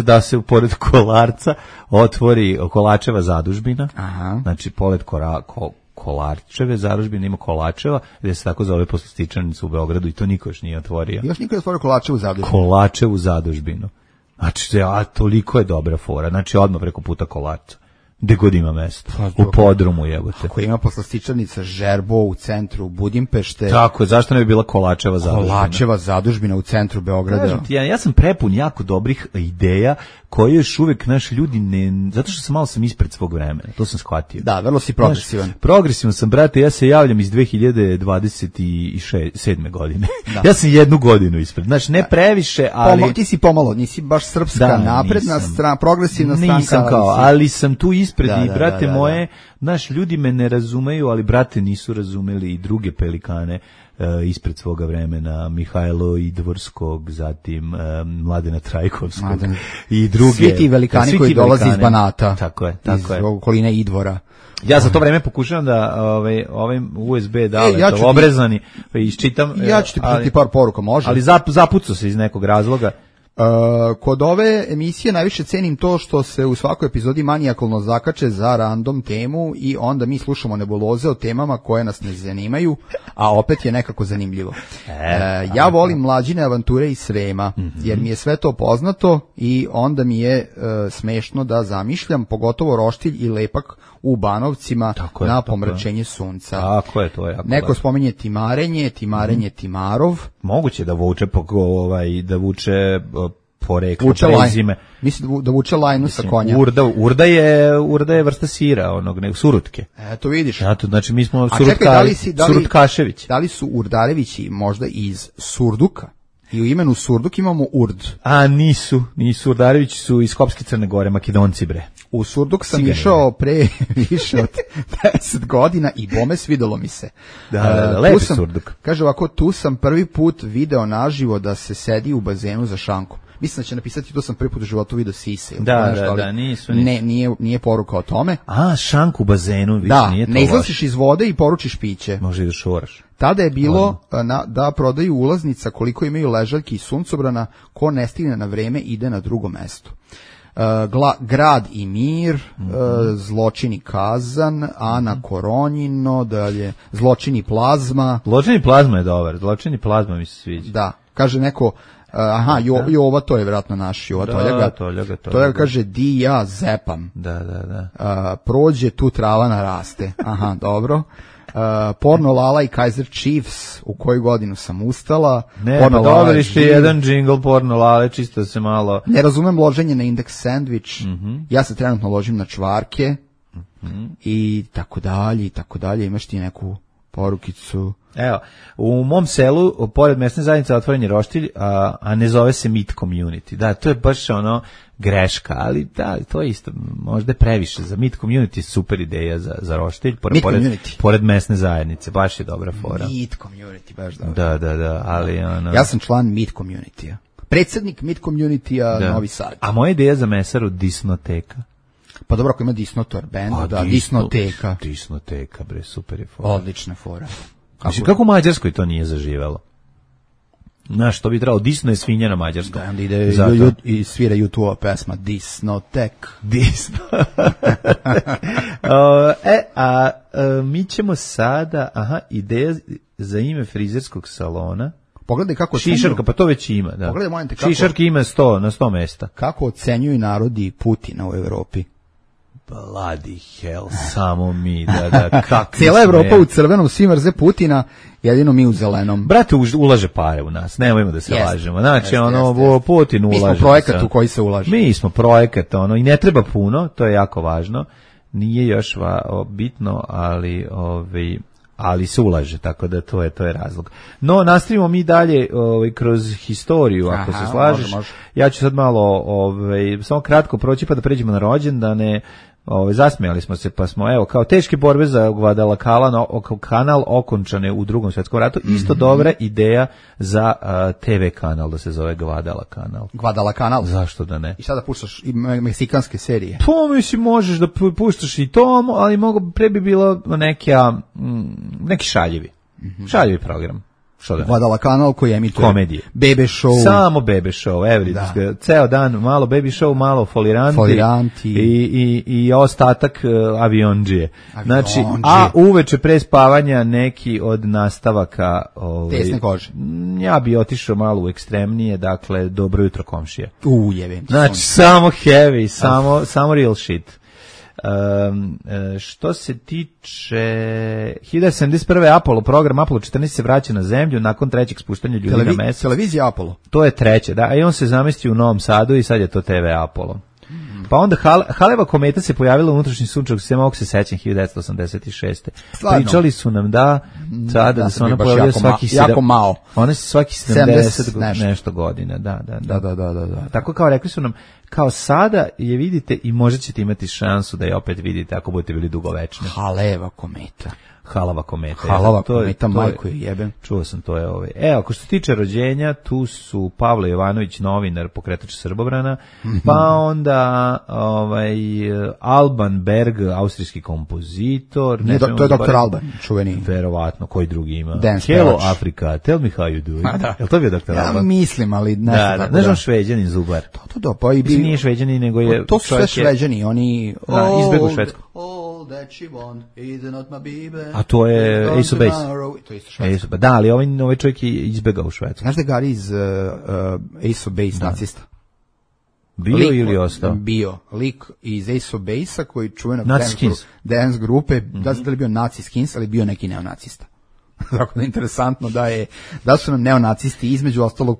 da se pored Kolarca otvori Kolačeva zadužbina, znači pored Kolarčeve zadužbine, ima Kolačeva, gde se tako zove poslastičarnica u Beogradu i to niko još nije otvorio. Još niko je otvorio Kolačevu zadužbinu. Kolačevu zadužbinu. Znači, toliko je dobra fora. Znači, odmah preko puta Kolača. Gde god ima mesto. U podrumu, jebote. Ako ima poslastičarnica Žerbo u centru Budimpešte. Tako je, zašto ne bi bila Kolačeva zadužbina? Kolačeva zadužbina u centru Beograda. Ja sam prepun jako dobrih ideja koje još uvek naši ljudi ne... Zato što sam ispred svog vremena, to sam shvatio. Da, vrlo si progresivan. Progresivan sam, brate, ja se javljam iz 2027. godine. Da. Ja sam 1 godinu ispred. Znači, ne previše, ali... Ti si pomalo, nisi baš srpska napredna strana, progresivna stranka. Nisam ali sam tu ispred i, brate moje, naš ljudi me ne razumeju, ali, brate, nisu razumeli i druge pelikane ispred svoga vremena, Mihajlo Idvorskog, zatim Mladena Trajkovskog i druge. Svi ti velikani koji dolaze iz Banata, tako je. Iz okoline Idvora. Ja za to vreme pokušavam da ovim USB daleto obrezani iščitam. Ja ću ti pitati par poruka, može. Ali zapucao se iz nekog razloga. Kod ove emisije najviše cenim to što se u svakoj epizodi manijakalno zakače za random temu i onda mi slušamo nebuloze o temama koje nas ne zanimaju, a opet je nekako zanimljivo. Ja volim mlađine avanture iz Srema, jer mi je sve to poznato i onda mi je smešno da zamišljam, pogotovo roštilj i lepak u Banovcima na pomračenje sunca. Tako je, to je jako neko spominje timarenje, Timarov. Moguće da vuče poreklo prezime. Mislim da vuče lajnu sa konja. Urda je vrsta sira, surutke. Eto vidiš. Znači mi smo surutkašević. Da li su Urdarevići možda iz Surduka? I u imenu Surduk imamo Urd. A nisu Urdarevići su iz Skopske Crne Gore, Makedonci bre. U Surduk sam išao pre više od 10 godina i bome svidelo mi se. Da, lepi Surduk. Kaže ovako, tu sam prvi put video naživo da se sedi u bazenu za šankom. Mislim da će napisati, to sam prvi put u životu video sise. Da, nisu. Nije poruka o tome. A, šank u bazenu, više nije to. Da, ne izlaziš iz vode i poručiš piće. Može da šoraš. Tada je bilo da prodaju ulaznica koliko imaju ležaljki i suncobrana, ko ne stigne na vreme ide na drugo mesto. Grad i mir, Zločini Kazan, Ana Koronjino, dalje Zločini Plazma. Zločini Plazma je dobar, Zločini Plazma mi se sviđa. Da, kaže neko, Jova, to je vjerojatno naš Jova Toljaga. Toljaga kaže, di ja zepam. Da. Prođe, tu trava naraste. Aha, dobro. Porno Lala i Kaiser Chiefs, u koju godinu sam ustala. Dobri jedan džingl Porno Lale, čisto se malo... Ne razumem loženje na Index Sandwich, ja se trenutno ložim na čvarke, i tako dalje, imaš ti neku porukicu... Evo, u mom selu, pored mesne zajednice, otvoren je roštilj, a ne zove se Meat Community. Da, to je baš greška, ali da, to je isto, možda je previše. Za Meat Community je super ideja za roštilj, pored mesne zajednice, baš je dobra fora. Meat Community, baš dobro. Da, ali ja sam član Meat Community-a. Predsjednik Meat Community-a Novi Sad. A moja ideja za mesaru Disnoteka. Pa dobro, ako ima Disnotor band, Disnoteka. Disnoteka, bre, super je fora. Odlična fora. Kako u Mađarskoj to nije zaživelo? Znaš, to bi trebalo, Disno je svinja na mađarskom. Da, onda ide i svira YouTube pesma Disnotek. Mi ćemo sada, ideja za ime frizerskog salona. Pogledaj kako Šišarka, pa to već ima, da. Pogledaj, molim te, kako Šišarka ima na 100 mesta. Kako ocenjuju narodi Putina u Evropi? Bloody hell, samo mi, da, kako cijela Evropa u crvenom, svi mrze Putina, jedino mi u zelenom. Brate, ulaže pare u nas, nemojmo da se lažemo. Znači, Putin ulaže. Mi smo projekat u koji se ulaže. Mi smo projekat, i ne treba puno, to je jako važno. Nije još bitno, ali se ulaže, tako da to je razlog. No, nastavimo mi dalje kroz historiju, ako se slažeš. Može. Ja ću sad malo samo kratko proći pa da pređemo na rođendane. Zasmijali smo se, pa smo, kao teške borbe za Guadalcanal okončane u Drugom svjetskom ratu, isto dobra ideja za TV kanal da se zove Guadalcanal. Zašto da ne? I sada puštaš i meksikanske serije. Pa mislim, možeš da puštaš i to, ali pre bi bilo neki šaljivi program. Što da? Vladala kanal koji emituje komedije. Bebe show. Samo Bebe show, ceo dan malo Bebe show, malo foliranti. I ostatak aviondžije. Znači, a uveče pre spavanja neki od nastavaka tesne kože. Ja bi otišao malo u ekstremnije, dakle, dobro jutro komšija. Jevim. Znači, samo heavy, samo real shit. Što se tiče 1971. Apollo program Apollo 14 se vraća na zemlju nakon trećeg spuštanja ljudi na mesec. Televizija Apollo. To je treće, da, i on se zamestio u Novom Sadu i sad je to TV Apollo. Pa onda Haleva kometa se pojavila u unutrašnji sunčevog sistema, ovog se sećam 1986. Pričali su nam da sada da se ona pojavila jako malo. Ona se svaki 70 nešto godina, da. Tako kao rekli su nam, kao sada je vidite i možda ćete imati šansu da je opet vidite ako budete bili dugovečni. Haleva kometa. Halava kometa. Halava kometa, majko je jebem. Čuo sam, to je Evo, ako što se tiče rođenja, tu su Pavle Jovanović, novinar, pokretač Srbobrana, pa onda Alban Berg, austrijski kompozitor. To je Dr. Alban, čuveni. Verovatno, koji drugi ima? Hello Afrika, tell me how you do. Je li to bio Dr. Alban? Ja mislim, ali ne znam tako da. Ne znam Šveđanin Zubar. To, pa i bi... Nije Šveđanin, nego je... To su sve Šveđani, oni... Izbegu Švedsku. All that she want is not my baby. A to je Ace of Base. To je isto Švedska. Da, ali ovaj čovjek je izbegao u Švedsku. Znaš da je Gari iz Ace of Base nacista? Bio ili ostao? Bio. Lik iz Ace of Base-a koji čuvenog dance grupe, da li bio nazi skins, ali bio neki neonacista. Tako da je interesantno da su nam neonacisti između ostalog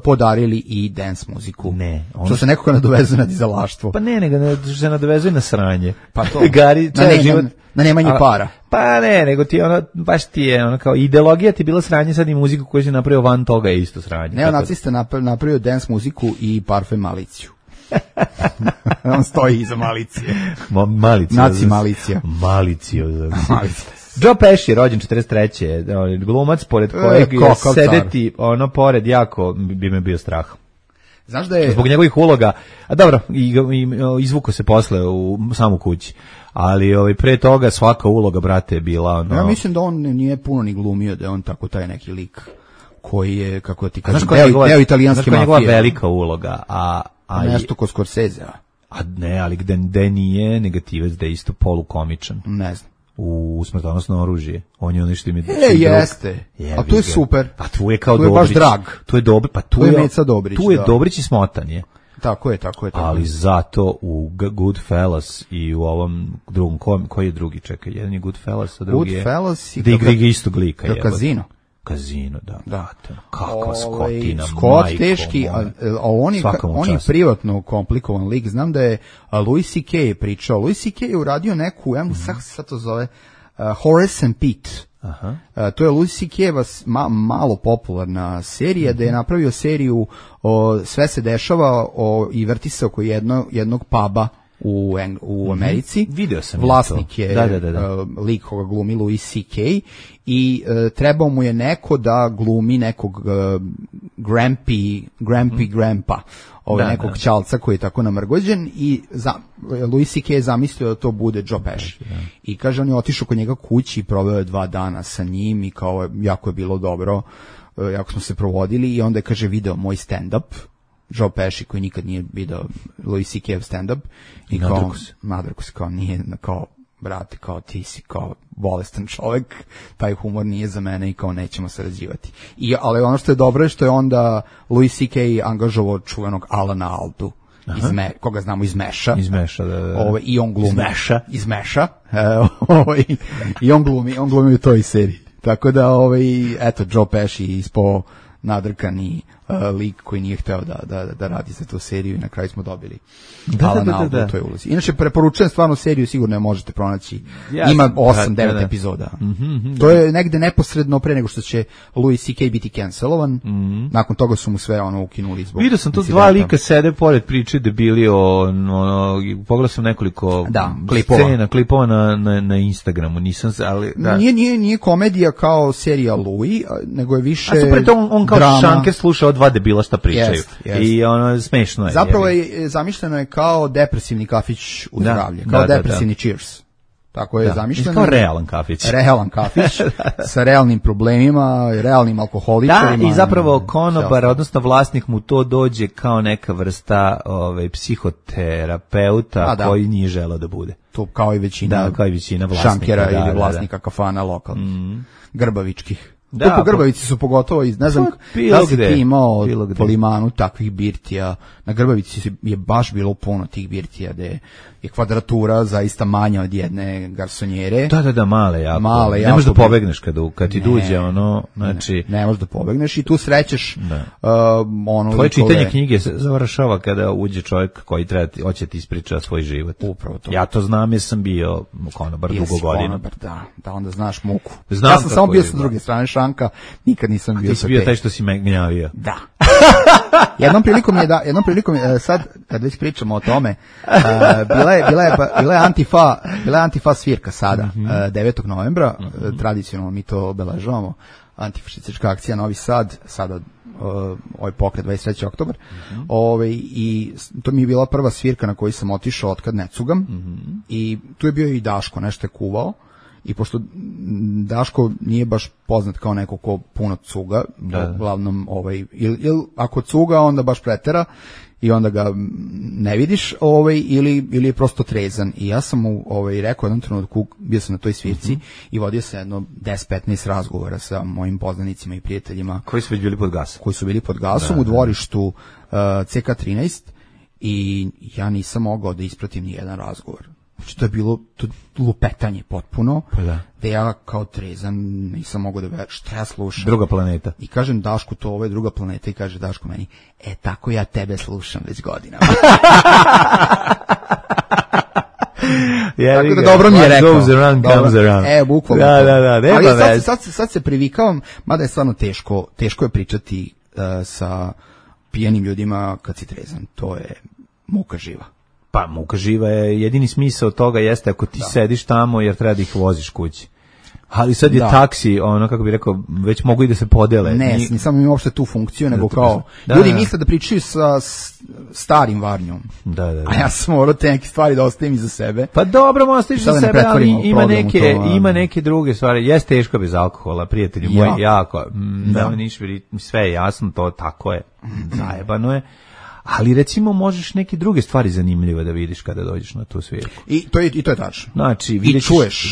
podarili i dance muziku. Ne. Što se nekako nadovezuje na dizalaštvo. Pa nego se nadovezuje na sranje. Pa to. Gari, na nemanje para. Pa nego ti baš ti je kao ideologija ti bila sranje, sad i muziku koju si napravio van toga je isto sranje. Neonacista napravio dance muziku i parfem Maliciju. On stoji iza Malicije. Naci Malicija. Malicija. Joe Pesci, rođen 43. Glumac, pored kojeg sedeti pored jako bi me bio strah. Znaš da je... Zbog njegovih uloga, a dobro, i izvuko se posle u samu kući. Ali pre toga svaka uloga, brate, je bila... Ja mislim da on nije puno ni glumio, da je on tako taj neki lik koji je, kako ti kažem, deo italijanske mafije. Znaš koja je njegova velika uloga, a nešto kod Scorsese, a ne, ali gde nije negativac, da je isto polukomičan. Ne znam. U Smrtonosno oružje. On je ono što mi... jeste. A tu je super. Pa tu je kao Dobrić. Tu je baš drag. Tu je Dobrić. Pa tu je Meca Dobrić. Tu je Dobrić i Smotan je. Tako je. Ali zato u Goodfellas i u ovom drugom, koji je drugi, čekaj, jedan je Goodfellas, a drugi je... Goodfellas i... Da igra istog lika. Kazino, da. Kakva skotina, Scott teški, a on je privatno komplikovan lik. Znam da je Louis C.K. pričao. Louis C.K. je uradio neku, sad to zove, Horace and Pete. To je Louis C.K. malo popularna serija, da je napravio seriju Sve se dešava i vrti se oko jednog puba u Americi. Video sam vlasnik je lik koga glumi Louis C.K. i trebao mu je neko da glumi nekog Grandpa, nekog čalca koji je tako namrgođen i Louis C.K. je zamislio da to bude Joe Pesci. I kaže, on je otišao kod njega kući i proveo je 2 dana sa njim i kao jako je bilo dobro, jako smo se provodili i onda je, kaže, video moj stand-up, Joe Pesci koji nikad nije video Louis C.K. stand-up i kao nadrku se, kao nije, kao brate, kao ti si kao bolestan čovjek, taj humor nije za mene i kao nećemo sarađivati. Ali ono što je dobro je što je onda Louis C.K. angažovao čuvenog Alana Aldu, koga znamo iz Meša. Da. I on glumi. Iz Meša. I on glumi u toj seriji. Tako da, eto, Joe Pesci ispao nadrkani lik koji nije hteo da radi za tu seriju i na kraju smo dobili Alana Aldu u toj ulozi. Inače, preporučujem stvarno seriju, sigurno je možete pronaći. Ima 8-9 epizoda. To je negde neposredno pre nego što će Louis C.K. biti cancelovan. Nakon toga su mu sve ukinuli zbog... Vidio sam tu 2 lika sede pored priče debili pogledao sam nekoliko klipova na Instagramu, nisam se, ali... Nije komedija kao serija Louis, nego je više drama. A super, to on kao šanker slušao 2 debila šta pričaju. I smešno je. Zapravo je zamišljeno je kao depresivni kafić u zdravlje, kao depresivni Cheers. Tako je zamišljeno. Kao realan kafić. Realan kafić sa realnim problemima, realnim alkoholičarima. Da, i zapravo konobar, odnosno vlasnik mu to dođe kao neka vrsta psihoterapeuta koji nije želeo da bude. To kao i većina vlasnika. Šankera ili vlasnika kafana lokalnih, grbavičkih. Da, po Grbavici su pogotovo, ne znam da si ti imao po Limanu takvih birtija. Na Grbavici je baš bilo puno tih birtija gde je kvadratura zaista manja od jedne garsonjere. Da, male jako. Ne možeš da pobegneš kad ti duđe ono, znači... Ne možeš da pobegneš i tu srećeš ono... Tvoje čitanje knjige se završava kada uđe čovjek koji hoće ti ispriča svoj život. Upravo to. Ja to znam jer sam bio konobar dugo godina. Konobar, da, onda znaš muku. Ja sam samo bio sa druge strane šanka, nikad nisam bio sa te. Ti si bio taj što si me gnjavio. Da. Jednom prilikom je, sad kad već pričamo o tome, bila je Antifa svirka sada, 9. novembra, tradicionalno mi to obeležavamo, antifašistička akcija Novi Sad, sada ovaj pokret 23. oktobar, i to mi je bila prva svirka na koju sam otišao otkad ne cugam, i tu je bio i Daško, nešto je kuvao, i pošto Daško nije baš poznat kao neko ko puno cuga, uglavnom ili ako cuga onda baš pretera i onda ga ne vidiš, ili je prosto trezan. I ja sam mu rekao jednom trenutku, bio sam na toj svirci i vodio sam jedno 10-15 razgovora sa mojim poznanicima i prijateljima koji su već bili pod gasom. Koji su bili pod gasom u dvorištu CK13 i ja nisam mogao da ispratim ni jedan razgovor. Znači to je bilo lupetanje potpuno, da ja kao trezan nisam mogao da verujem šta ja slušam. Druga planeta. I kažem Dašku, to ovo je druga planeta, i kaže Daško meni, tako ja tebe slušam već godinama. Tako da dobro mi je rekao. Goes around, comes around. Bukvalno. Da, ali sad se privikavam, mada je stvarno teško je pričati sa pijenim ljudima kad si trezan, to je muka živa. Pa muka živa je, jedini smisao toga jeste ako ti sediš tamo jer treba da ih voziš kući. Ali sad je taksi, ono kako bih rekao, već mogu i da se podele. Ne, nisam imao uopšte tu funkciju, nego kao, ljudi misle da pričaju sa starim varnjom. Da. A ja sam morao te neke stvari da ostavim iza sebe. Pa dobro, ostaviš za sebe, ali ima neke druge stvari. Jeste teško bez alkohola, prijatelji moji, jako. Sve je jasno, to tako je, zajebano je. Ali recimo možeš neke druge stvari zanimljive da vidiš kada dođeš na tu svirku. I to je tačno. Znači,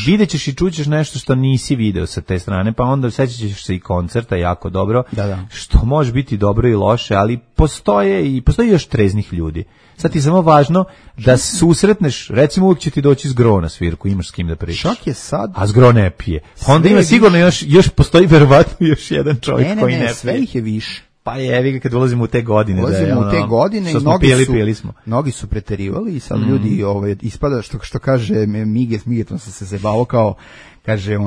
vidjet ćeš i čućeš nešto što nisi video sa te strane, pa onda sećat ćeš se i koncerta jako dobro, što može biti dobro i loše, ali postoji još treznih ljudi. Sad ti je samo važno da susretneš, recimo uvijek će ti doći Zgro na svirku, imaš s kim da pričaš. Čak je sad. A Zgro ne pije. Pa onda ima sigurno još postoji verovatno još jedan čovjek koji ne pije. Sve ih je više. Pa jevi ga kad ulazimo u te godine. Ulazimo u te godine i mnogi su preterivali i sad ljudi ispada što kaže Migetom sam se zebao kao, kaže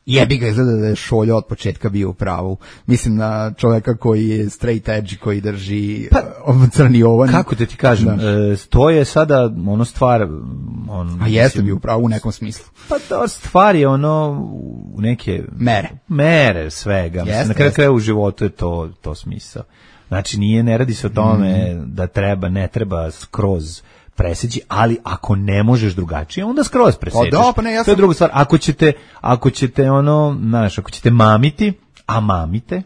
jebi ga, izgleda da je Šolja od početka bio u pravu. Mislim na čovjeka koji je straight edge, koji drži crni ovan. Kako te ti kažem, to je sada stvar... A jeste bio u pravu u nekom smislu. Pa to stvar je u neke... Mere svega. Mislim, na kraju u životu je to smisao. Znači ne radi se o tome da ne treba skroz preseći, ali ako ne možeš drugačije, onda skroz presečeš. To je druga stvar. Ako ćete ako ćete mamiti, a mamite,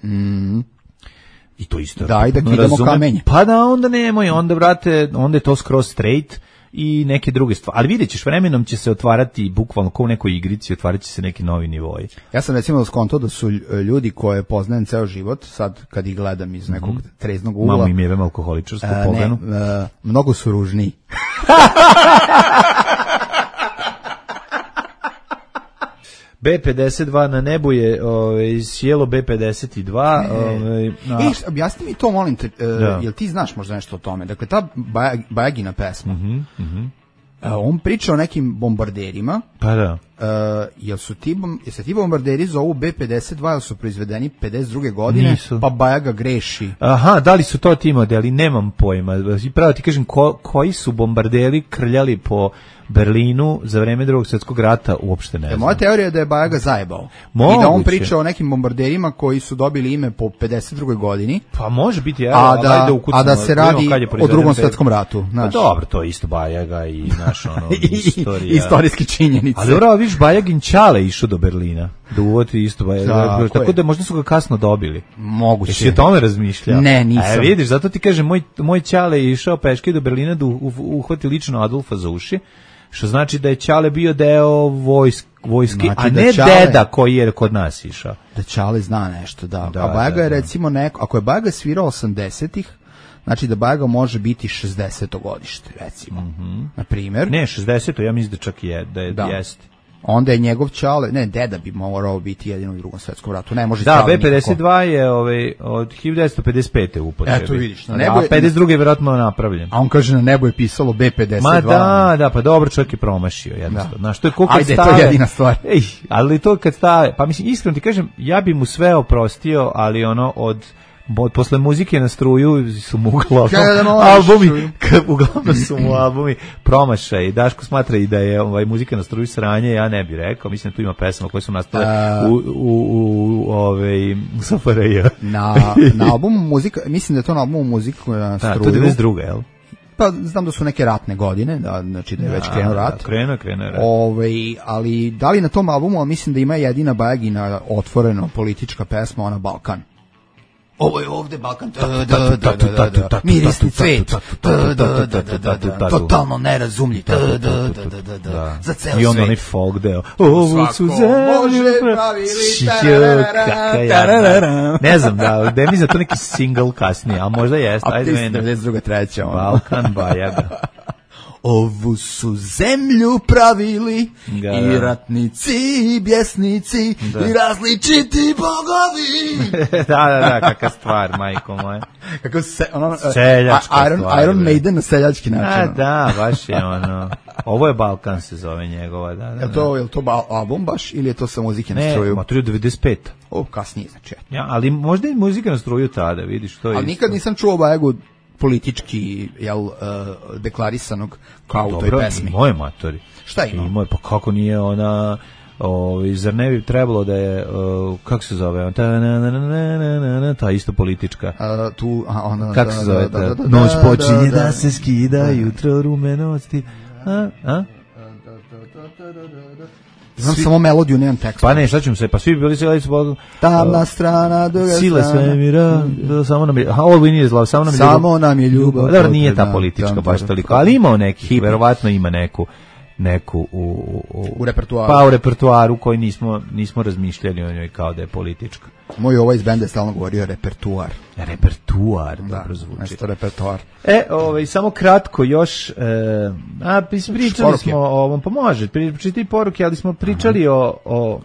i to isto. Da, i da kidamo kamenje. Pa da, onda nemoj, onda je to skroz straight i neke druge stvari. Ali vidjet ćeš, vremenom će se otvarati, bukvalno kao u nekoj igrici, otvarat će se neki novi nivoji. Ja sam recimo skontao da su ljudi koje poznajem ceo život, sad kad ih gledam iz nekog treznog ugla. Mamo im jevem alkoholičarsku poganu. Mnogo su ružniji. B52 na nebu je sjelo B52. Objasni mi to, molim te, jel ti znaš možda nešto o tome? Dakle, ta Bajagina pesma, on priča o nekim bombarderima, pa da, jel se ti bombarderi zovu B-52, jel su proizvedeni 52. godine, Nisu. pa Bajaga greši. Aha, da li su to ti modeli, nemam pojma. I pravo ti kažem, koji su bombarderi krljali po Berlinu za vreme Drugog svjetskog rata, uopšte ne znam. Moja teorija je da je Bajaga zajebao. Moguće. I da on priča o nekim bombarderima koji su dobili ime po 52. godini. Pa može biti, evo, a da se radi o Drugom svjetskom ratu. Pa dobro, to je isto Bajaga i naš ono, istorija. Istorijske činjenice. Ali dobro, viš, Bajagin Ćale išao do Berlina. Da uvoti isto Bajaga. Tako da možda su ga kasno dobili. Moguće. Jesi o tome razmišljao? Ne, nisam. Vidiš, zato ti kažem, moj Ćale je išao peške do Berlina da uhvati lično Adolfa za uši. Što znači da je Ćale bio deo vojski, znači, a ne deda koji je kod nas išao. Da Ćale zna nešto, da. A Bajaga je recimo neko, ako je Bajaga svirao 80-ih, znači da Bajaga može biti 60. godište, recimo. Na primjer. Ne, 60. ja mislim da čak je, da jeste. Onda je njegov Ćale, ne, deda bi morao biti jedino u Drugom svjetskom ratu. Ne može da, Ćale B-52 nikako. Je od 1955. upotrebi. Eto vidiš, a 52. je vjerojatno napravljen. A on kaže na nebu je pisalo B-52. Ma da, pa dobro, čovjek je promašio jednostavno. Znaš, to je koliko ajde, to je jedina stvar. Ali to kad stave, pa mislim, iskreno ti kažem, ja bi mu sve oprostio, ali ono posle muzike na struju su mu uglavnom su mu albumi promašaj. Daško smatra i da je muzika na struju sranje, ja ne bih rekao. Mislim da tu ima pesama koje su nastale u SFRJ. Na albumu muzika, mislim da je to na albumu muzika na struju. To je 92. jel? Pa znam da su neke ratne godine, znači da je već krenuo rat. Krenuo rat. Ali da li na tom albumu, mislim da ima jedina Bajagina otvoreno politička pesma, ona Balkan. Ovo je ovde Balkan, mirisni cvet, totalno nerazumljiv, za ceo svet. I onda onaj folk deo, ovu su zemlju ne znam, da mi za to neki single kasnije, a možda jeste. A ti ste 92. treća. Balkan Bajaga. Ovu su zemlju pravili i ratnici i bjesnici i različiti bogovi. Da, kakva stvar, majko moje. Kako seljačka stvar. Iron Maiden na seljački način. Da, baš je ono. Ovo je Balkan se zove njegova. Je to album baš ili je to sa muzike na struju? Ne, Maturi 95. Kasnije znači. Ja, ali možda i muzika na struju tada, vidiš to je. Ali nikad nisam čuo Bajagu politički deklarisanog kao u toj pesmi. Dobro, moje matori. Šta ima? Pa kako nije ona, zar ne bi trebalo da je, kako se zove, ta isto politička. Kako se zove? Noć počinje da se skida, jutro rumenosti. Znam samo melodiju, nemam tekst. Pa ne, šta ćemo se, pa svi bi bili sjeli su tamna strana, druga strana. Sile svemira, samo nam je, all we need is love, samo nam je ljubav. Dobro, nije ta politička baš toliko, ali ima neki, verovatno ima neku u repertuaru. Pa u repertuaru koji nismo razmišljali o njoj kao da je politička. Moj ovaj iz benda je stalno govorio repertuar. Repertuar, dobro zvuči. Nešto repertuar. Samo kratko još, pričali smo o ovom, pa može, pričati poruke, ali smo pričali o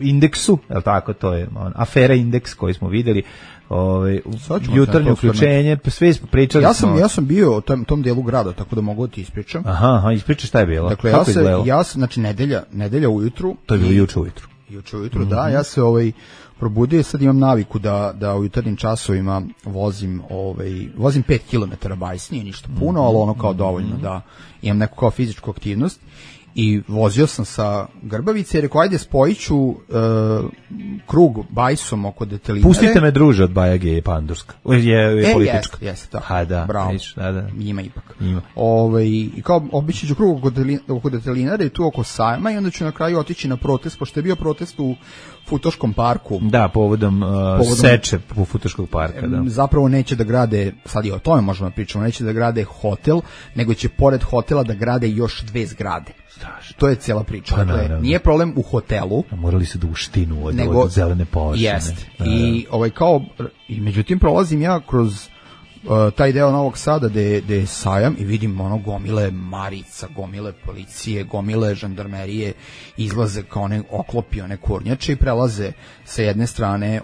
indeksu, je li tako, to je afera indeks koji smo vidjeli, jutarnje uključenje, sve smo pričali. Ja sam bio u tom dijelu grada, tako da mogu da ti ispričam. Aha, ispričaj šta je bilo. Dakle, znači nedelja ujutru. To je bilo juče ujutru. Juče ujutru, da, ja se probudio i sad imam naviku da u jutarnjim časovima vozim 5 km bajs, nije ništa puno, ali ono kao dovoljno da imam neku kao fizičku aktivnost. I vozio sam sa Grbavice i rekao, ajde spojit ću krug bajsom oko Detelinare. Pustite me druže od Bajage je pandurska. Je politička. Jeste, tako. Ha, da. Bravo. Da. Ima ipak. I kao obići ću krug oko Detelinare i tu oko sajma i onda ću na kraju otići na protest, pošto je bio protest u Futoškom parku. Da, povodom seče u Futoškog parka. Da. Zapravo neće da grade, sad i o tome možemo pričati, neće da grade hotel, nego će pored hotela da grade još 2 zgrade. Strašno. To je cijela priča. Dakle, nije problem u hotelu. Morali su da uštinu od zelene površine. Jest. I međutim prolazim ja kroz taj deo Novog Sada gde je sajam i vidim gomile marica, gomile policije, gomile žandarmerije, izlaze kao one oklopi, one kornjače i prelaze sa jedne strane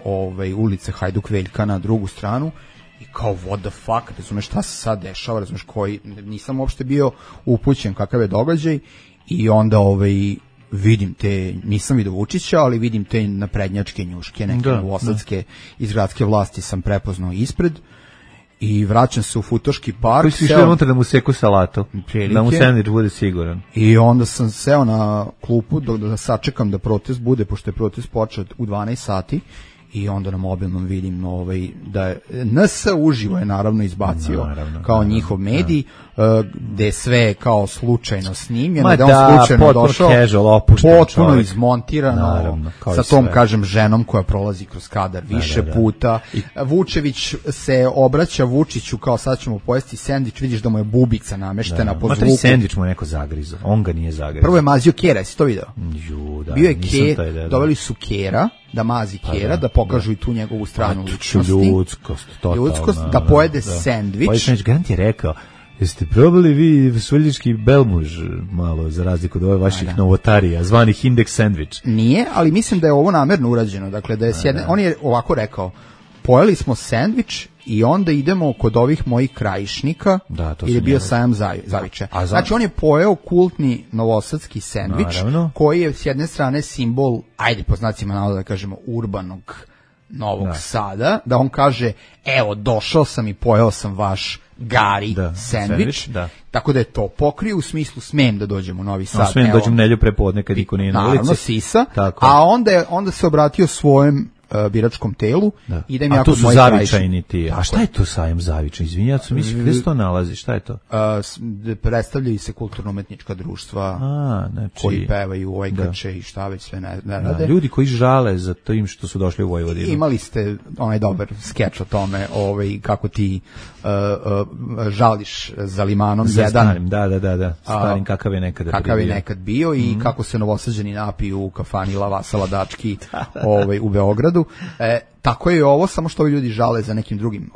ulice Hajduk Veljka na drugu stranu i kao what the fuck, razumeš šta se sad dešava, razumeš nisam uopšte bio upućen kakav je događaj i onda vidim te, nisam vidio Vučića, ali vidim te naprednjačke njuške, neke novosadske iz gradske vlasti sam prepoznao ispred i vraćam se u Futoški park. Koji si išao unutra da mu seku salatu, da mu sendvič bude siguran. I onda sam seo na klupu da sačekam da protest bude, pošto je protest počeo u 12 sati. I onda na mobilnom vidim da je NS uživo je naravno izbacio kao njihov medij, gde je sve kao slučajno snimljeno, da on slučajno došao, potpuno izmontirano, sa tom, kažem, ženom koja prolazi kroz kadar više puta. Vučević se obraća Vučiću kao sad ćemo pojesti sendvič, vidiš da mu je bubica nameštena po zvuku. Sendvič mu je neko zagrizo, on ga nije zagrizo. Prvo je mazio Kera, jesi to video? Bio je Kera, doveli su Kera, da mazi Kera, da pokažu i tu njegovu stranu ličnosti. Ljudskost, da pojede sendvič. Grant je rekao, jeste probali vi Svrljiški belmuž malo, za razliku od ove vaših novotarija, zvanih indeks sendvič? Nije, ali mislim da je ovo namerno urađeno. Dakle, da je on je ovako rekao, pojeli smo sendvič i onda idemo kod ovih mojih krajišnika, jer je bio sajam Zaviča. Znači, on je pojeo kultni novosadski sendvič, koji je s jedne strane simbol, ajde po znacima navoda da kažemo, urbanog Novog Sada, da on kaže, evo, došao sam i pojeo sam vaš gari sendvič, tako da je to pokrio u smislu smem da dođem u Novi Sad. Smem da dođem nelju prepodne kad niko nije na ulici. Naravno, sisa, a onda se obratio svojem biračkom telu i da im jako moji Zavičajni ti. A šta je to sajam Zavičaj? Izvinjavam se, mislim, gde se to nalazi? Šta je to? Predstavljaju se kulturno-umetnička društva koji pevaju ojkače i šta već sve ne rade. Ljudi koji žale za tim što su došli u Vojvodinu. Imali ste onaj dobar skeč o tome, kako ti žališ za limanom. Za starim, da. Starim kakav je nekad bio i kako se Novosađani napiju u kafani Lava Saladački u Beogradu. Tako je ovo, samo što ovi ljudi žale za nekim drugim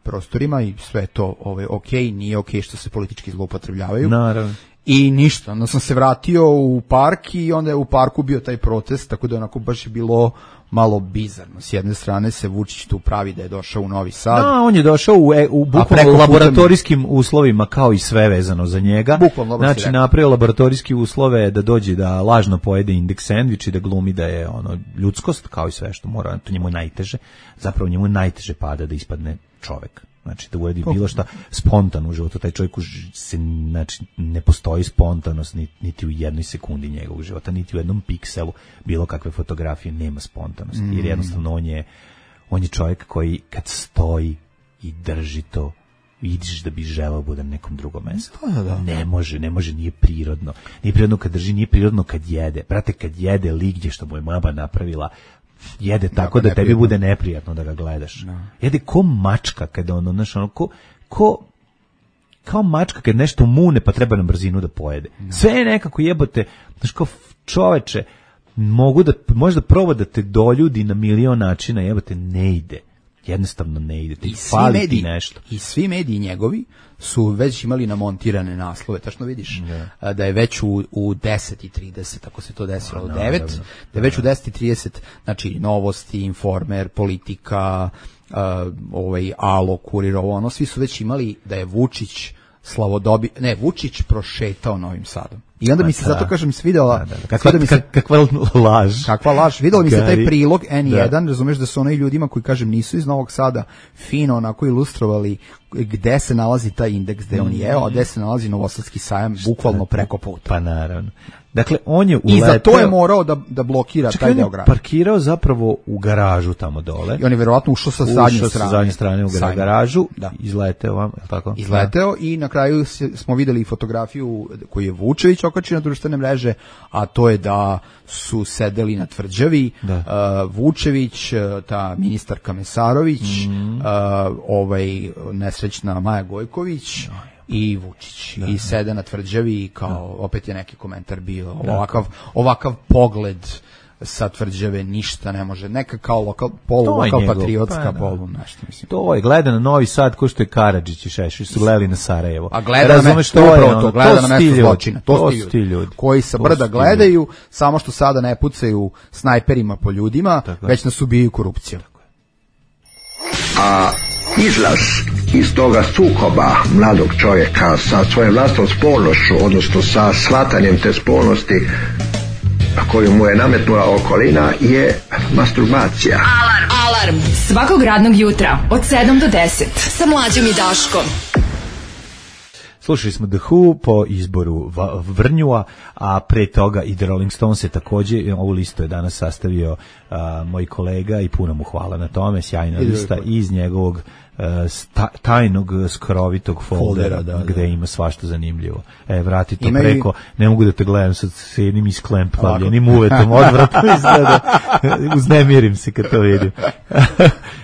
prostorima i sve to okej, nije okej što se politički zloupotrebljavaju. Naravno. I ništa, onda sam se vratio u park i onda je u parku bio taj protest, tako da onako baš je bilo malo bizarno. S jedne strane se Vučić tu pravi da je došao u Novi Sad. On je došao u bukvalno laboratorijskim uslovima, kao i sve vezano za njega. Znači, napravio laboratorijski uslove da dođe da lažno pojede indeks sendvič i da glumi da je ljudskost, kao i sve što mora, to njemu je najteže. Zapravo njemu je najteže pada da ispadne čovek. Znači, da uradi bilo šta spontano u životu. Taj čovjek znači, ne postoji spontanost niti u jednoj sekundi njegovog života, niti u jednom pikselu bilo kakve fotografije nema spontanosti. Jer jednostavno on je čovjek koji kad stoji i drži to, vidiš da bi želeo bude na nekom drugom mjestu. Ne može, nije prirodno. Nije prirodno kad drži, nije prirodno kad jede. Brate, kad jede ligdje što mu je mama napravila, jede tako da tebi bude neprijatno da ga gledaš. Jede ko mačka kada kao mačka kad nešto mune pa treba na brzinu da pojede. Sve je nekako jebote, znaš, kao čoveče, možda proba da te doljudi na milion načina, jebote, ne ide. Jednostavno ne ide, ti fali ti nešto. I svi mediji njegovi su već imali namontirane naslove, tačno vidiš da je već u 10:30, ako se to desilo u 9, da je već u 10:30, znači Novosti, Informer, Politika, Alo, Kurir, svi su već imali da je Vučić Vučić prošetao Novim Sadom. I onda mi se, zato kažem, svidela... Kakva laž. Kakva laž. Videla mi se taj prilog N1, razumeš da su onaj ljudima koji, kažem, nisu iz Novog Sada fino onako ilustrovali gde se nalazi taj indeks, gde on je, a gde se nalazi Novosadski sajam, bukvalno preko puta. Pa naravno. Dakle, on je uleteo... I za to je morao da blokira taj deo grada. Parkirao zapravo u garažu tamo dole. I on je verovatno ušao sa zadnje strane u garažu, izleteo vam, je li tako? Izleteo i na kraju smo videli fotografiju koju je Vučević okačio na društvene mreže, a to je da su sedeli na tvrđavi Vučević, ta ministarka Mesarović, nesrećna Maja Gojković i Vučić. I sede na tvrđavi i kao, opet je neki komentar bio, ovakav pogled sa tvrđave ništa ne može, neka kao lokal patriotska polu, nešto mislim. To je, gleda na Novi Sad ko što je Karadžić i Šešelj su gledali na Sarajevo. A gleda na mesto zločina. To su ti ljudi koji sa brda gledaju, samo što sada ne pucaju snajperima po ljudima, već nas ubijaju korupcijom. A izlaz iz toga sukoba mladog čovjeka sa svojom vlastnom spolnošću, odnosno sa shvatanjem te spolnosti, koju mu je nametnula okolina je masturbacija. Alarm svakog radnog jutra od 7 do 10 sa Mlađom i Daškom. Slušali smo The Who po izboru Vrnjua, a pre toga i The Rolling Stones je takođe, ovu listu je danas sastavio moj kolega i puno mu hvala na tome, sjajna lista iz njegovog tajnog skrovitog foldera gde ima svašta zanimljivo. Vrati to preko, ne mogu da te gledam sad s jednim isklempavljenim uvetom, odvratno izgleda, uznemirim se kad to vidim.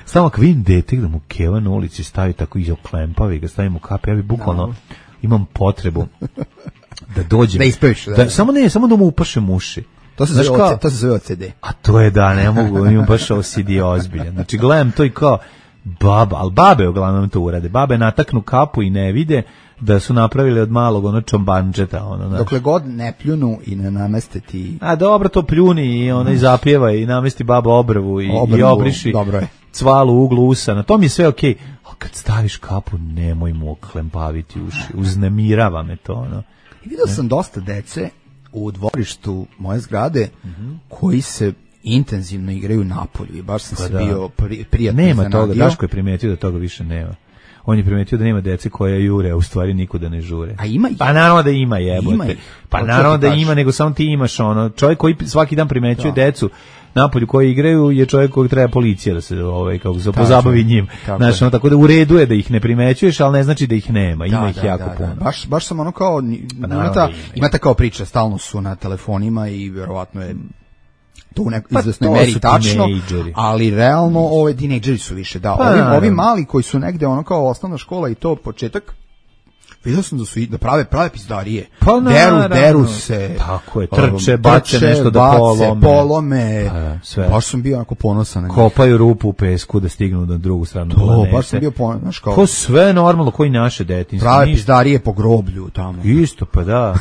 Samo ako vidim dete da mu keva na ulici stavi tako i oklempavi ga, stavim u kape, ja bi bukvalno imam potrebu da dođem. Da ispeviš. Samo da mu upašem uši. To se zove OCD. A to je da, ne mogu, imam baš OCD ozbiljan. Znači, gledam to i kao baba, ali babe uglavnom to urade. Babe nataknu kapu i ne vide da su napravili od malog čombančeta. Dokle god ne pljunu i ne nameste ti... A dobro, to pljuni i zapjeva i namesti baba obrvu i obriši cvalu u uglu usana. To mi je sve okej. Kad staviš kapu, nemoj mu oklempaviti uši. Uznemirava me to. I vidio sam dosta dece u dvorištu moje zgrade koji se intenzivno igraju napolju i baš sam se bio prijatno nema zanadio. Toga, Daško je primetio da toga više nema. On je primetio da nema dece koje jure, a u stvari nikuda ne žure. A ima ih? Pa naravno da ima, jebote. Pa naravno da ima, nego samo ti imaš čovjek koji svaki dan primećuje decu napolju koji igraju je čovjek kojeg treba policija da se kako se pozabavi njim. Znači, tako da u redu je da ih ne primećuješ, ali ne znači da ih nema. Ima ih jako puno. Baš sam kao imate kao priča, stalno su na telefonima i vjerovatno je to u nekoj izvesnoj meri tačno, ali realno tinejdžeri su više. Ovi mali koji su negde kao osnovna škola i to početak, vidio sam da prave pizdarije. Deru se. Tako je, trče, bace nešto da polome. Sve. Baš sam bio onako ponosan na njih. Kopaju rupu u pesku da stignu na drugu stranu planete. Baš sam bio ponosan. To sve normalno, koji naše detinjstvo. Prave pizdarije po groblju tamo. Isto, pa da.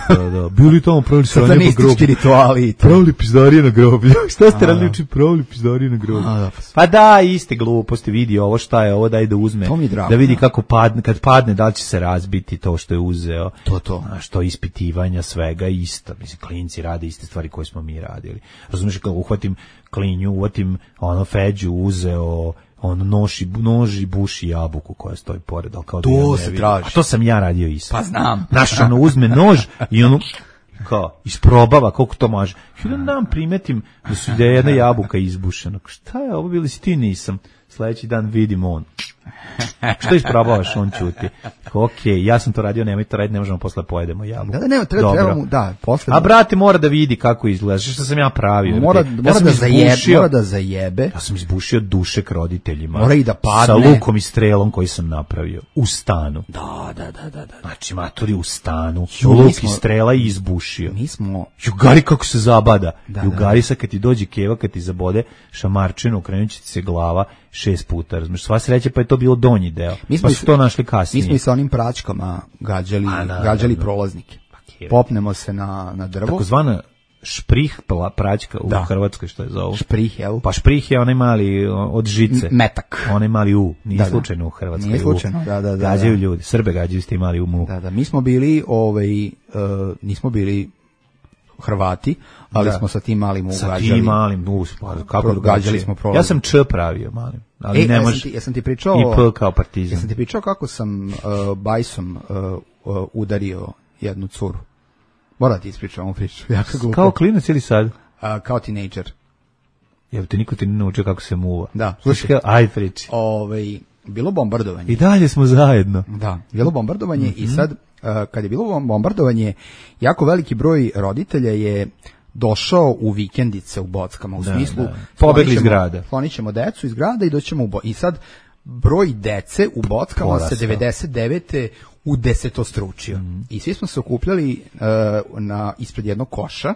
Bili tamo pravili sranje po groblju. Satanistički rituali. Pravili pizdarije na groblju. Šta ste radili uči pravili pizdarije na groblju? Pa da, iste gluposti, vidi ovo šta je, ovo daj da uzme. Da vidi kako kad padne, da li će se razbiti to što je uzeo. To. Što ispitivanja svega isto. Mislim, klinci rade iste stvari koje smo mi radili. Razumiješ, kao uhvatim klinju, uvatim Feđu, uzeo nož i buši jabuku koja stoji pored. To se traži. A to sam ja radio isto. Pa znam. Znaš, uzme nož i kao, isprobava koliko to može. I da nam primetim da je jedna jabuka izbušena. Šta je ovo, bili si ti? Nisam. Sljedeći dan vidim on. Što isprobavaš, on ćuti. Okej, ja sam to radio, nemoj to raditi, ne možemo posle pojedemo jabuku. Treba mu, posle. A brate mora da vidi kako izgleda, što sam ja pravio. Mora da zajebe. Ja sam izbušio dušek roditeljima. Mora i da padne. Sa lukom i strelom koji sam napravio. U stanu. Da. Znači, maturi u stanu. Luk i strela i izbušio. Mi smo... Jugari kako se zabada. Jugari sad kad ti dođe keva, kad ti zabode šamarčinu, okrenut će ti se glava 6 puta. Razumiješ, sva sreća pa je to bilo donji deo. Pa su to našli kasnije. Mi smo i sa onim pračkama gađali prolaznike. Popnemo se na drvo. Takozvana šprih praćka u Hrvatskoj, što je zovu. Šprih, jel? Pa šprih je onaj mali od žice. Metak. Onaj mali nije slučajno u Hrvatskoj. Nije slučajno, da. Gađaju ljudi, Srbe gađaju s tim mali u mu. Da, mi smo bili, nismo bili Hrvati, ali smo sa tim malim ugađali. Sa tim malim, kako gađali smo prolaz. Ja sam Č pravio malim, ali ne može. Ja sam ti pričao i P kao Partizan. Ja sam ti pričao kako sam bajsom udario jednu curu. Mora ti ispričati ovu priču. Kao klinac ili sad? Kao tinejdžer. Jel te niko ti ne naučio kako se muva? Da. Slušaj, aj priči. Bilo bombardovanje. I dalje smo zajedno. Da, bilo bombardovanje i sad kad je bilo bombardovanje, jako veliki broj roditelja je došao u vikendice u Bockama, u smislu pobegli iz grada. Klonićemo decu iz grada i doćemo i sad broj dece u Bockama se 99. u desetostručio. I svi smo se okupljali ispred jednog koša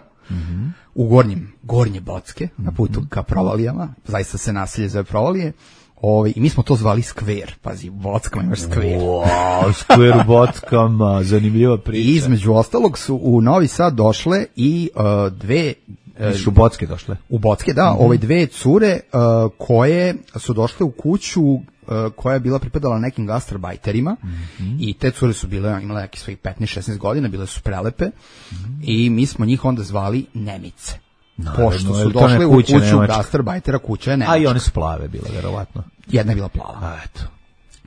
u gornje Bocke, na putu ka Provalijama, zaista se naselje zove Provalije. I mi smo to zvali skver, pazi, u Bockama imaš skver. Skver u Bockama, zanimljiva priča. I između ostalog su u Novi Sad došle i dve... U Bocke došle? U Bocke, da, dve cure koje su došle u kuću koja je bila pripadala nekim gastarbajterima i te cure su imale nekih svojih 15-16 godina, bile su prelepe i mi smo njih onda zvali Nemice. Pošto su došli u kuću gastarbajtera, kuća je nemačka. A i one su plave bile, verovatno. Jedna je bila plava. A, eto.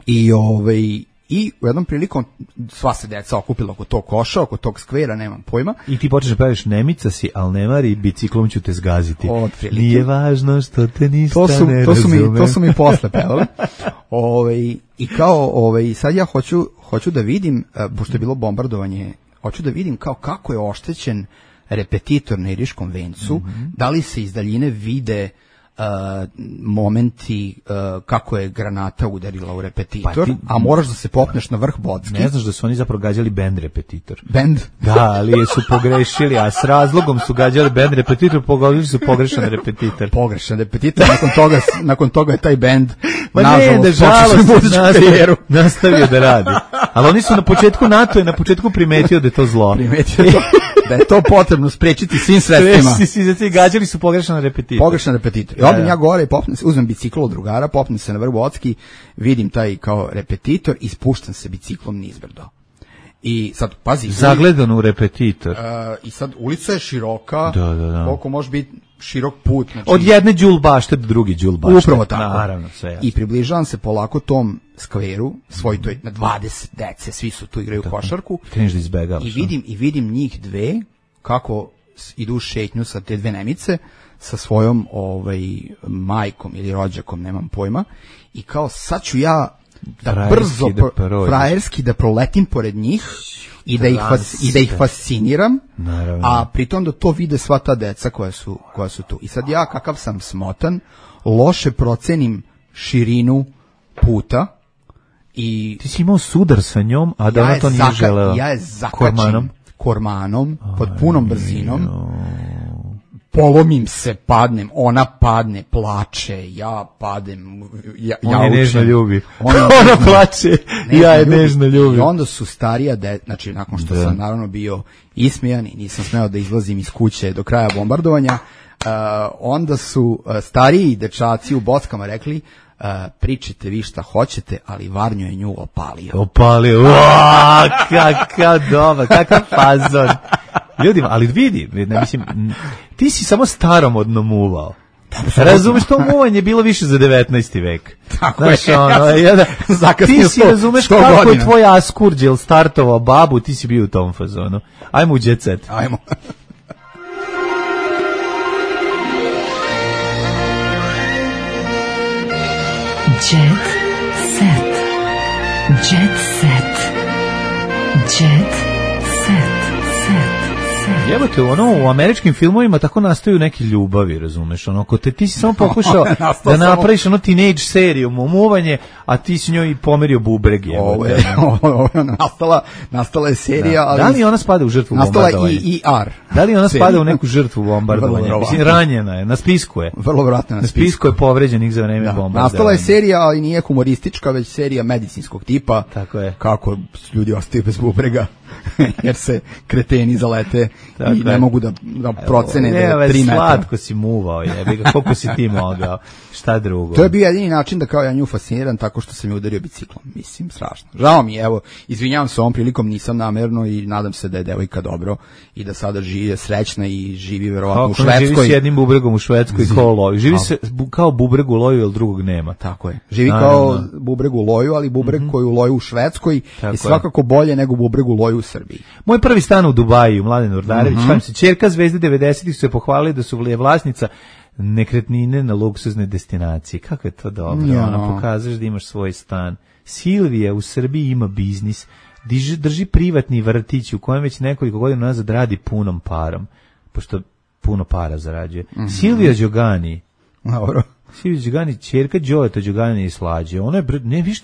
I u jednom prilikom sva se deca okupila oko tog koša, oko tog skvera, nemam pojma. I ti počneš da pevaš Nemica si, al ne vari, biciklom ću te zgaziti. Otprilike. Nije važno što te ništa ne razume. To su mi posle pevali. I kao, sad ja hoću da vidim, pošto je bilo bombardovanje, hoću da vidim kao kako je oštećen repetitor na Iriškom vencu, da li se iz daljine vide momenti kako je granata udarila u repetitor, a moraš da se popneš na vrh Bocki. Ne znaš da su oni zapravo gađali bend repetitor. Bend? Da, ali su pogrešili, a s razlogom su gađali bend repetitor, pogodili su pogrešan repetitor. Pogrešan repetitor, nakon toga je taj bend nastavio da radi. Ali oni su na početku primetio da je to zlo. Primetio to, da je to potrebno sprečiti svim sredstvima. Gađali su pogrešan repetitor. Pogrešan repetitor. I odem ja gore i uzmem bicikl od drugara, popnem se na vrh Bocki, vidim taj kao repetitor i spuštam se biciklom nizbrdo. I sad, pazi. Zagledan u repetitor. I sad ulica je široka, da. koliko može biti širok put. Znači, od jedne đulbašte do drugi đulbašte. Upravo tako. Naravno, sve jasno. I približavam se polako tom skveru, to je na 20 dece, svi su tu igraju košarku. Kreneš da izbegavaš. I vidim njih dve, kako idu u šetnju sa te dve Nemice, sa svojom majkom ili rođakom, nemam pojma, i kao sad ću ja da brzo frajerski da proletim pored njih i da ih fasciniram, naravno. A pritom da to vide sva ta deca koja su tu. I sad ja, kakav sam smotan, loše procenim širinu puta i... Ti si imao sudar sa njom, a da ona to nije želela. Ja je zakačim kormanom pod punom brzinom. Polomim se, padnem, ona padne, plače, ja padem, ona je nežno ljubi. Ona plače, ja je nežno ljubi. I onda su starija, znači nakon što sam naravno bio ismijan i nisam smeo da izlazim iz kuće do kraja bombardovanja, onda su stariji dečaci u Bockama rekli, pričajte vi šta hoćete, ali Varnjo je nju opalio. Kakav dobar, kakav fazon. Ljudima, ali vidi, mislim, ti si samo staromodno muvao. Razumeš, to muvanje je bilo više za 19. vek. Tako je. Ti si razumeš kako je tvoj Askurđel startovao babu, ti si bio u tom fazonu. Ajmo u jet set. Ajmo. Jet set. Jet set. Jet set. Jebote, u američkim filmovima tako nastaju neki ljubavi, razumeš, ako ti si samo pokušao da napraviš teenage seriju, muvanje, a ti si njoj pomerio bubreg, jebote. Nastala je serija, ali... Da li ona spada u žrtvu bombardovanja? Nastala i ER. Da li ona spada u neku žrtvu bombardovanja? Mislim, ranjena je, na spisku je. Vrlo vjerojatno na spisku je povređenih za vreme bombardovanja. Nastala je serija, ali nije humoristička, već serija medicinskog tipa. Tako je. Kako ljudi ostaju bez bubrega, jer se kreteni zalete i ne mogu da procene da je 3 metra. Slatko si muvao, jebi ga, koliko si ti mogao, šta drugo. To je bio jedini način da kao ja nju fasciniram tako što sam je udario biciklom. Mislim, strašno. Žao mi je, evo, izvinjavam se ovom prilikom, nisam namerno i nadam se da je devojka dobro i da sada živi srećna i živi verovatno u Švedskoj. Živi s jednim bubregom u Švedskoj kao loju. Živi se kao bubreg u loju, jer drugog nema. Tako je. Živi kao bubreg u loju, ali bubreg koji u loju u Švedskoj je svakako bolje nego bubreg u loju u Srbiji. Moj prvi stan u Dubaju, Mladen Urdarević, ćerka Zvezde 90-ih su se pohvalili da su vlasnica nekretnine na luksuznoj destinaciji. Kako je to dobro? Ona pokazuješ da imaš svoj stan. Silvija u Srbiji ima biznis, drži privatni vrtić u kojem već nekoliko godina nazad radi punom parom, pošto puno para zarađuje. Silvija Đogani. Dobro. Silvija Đogani, ćerka Đoleta Đogani i Slađe. Ona je,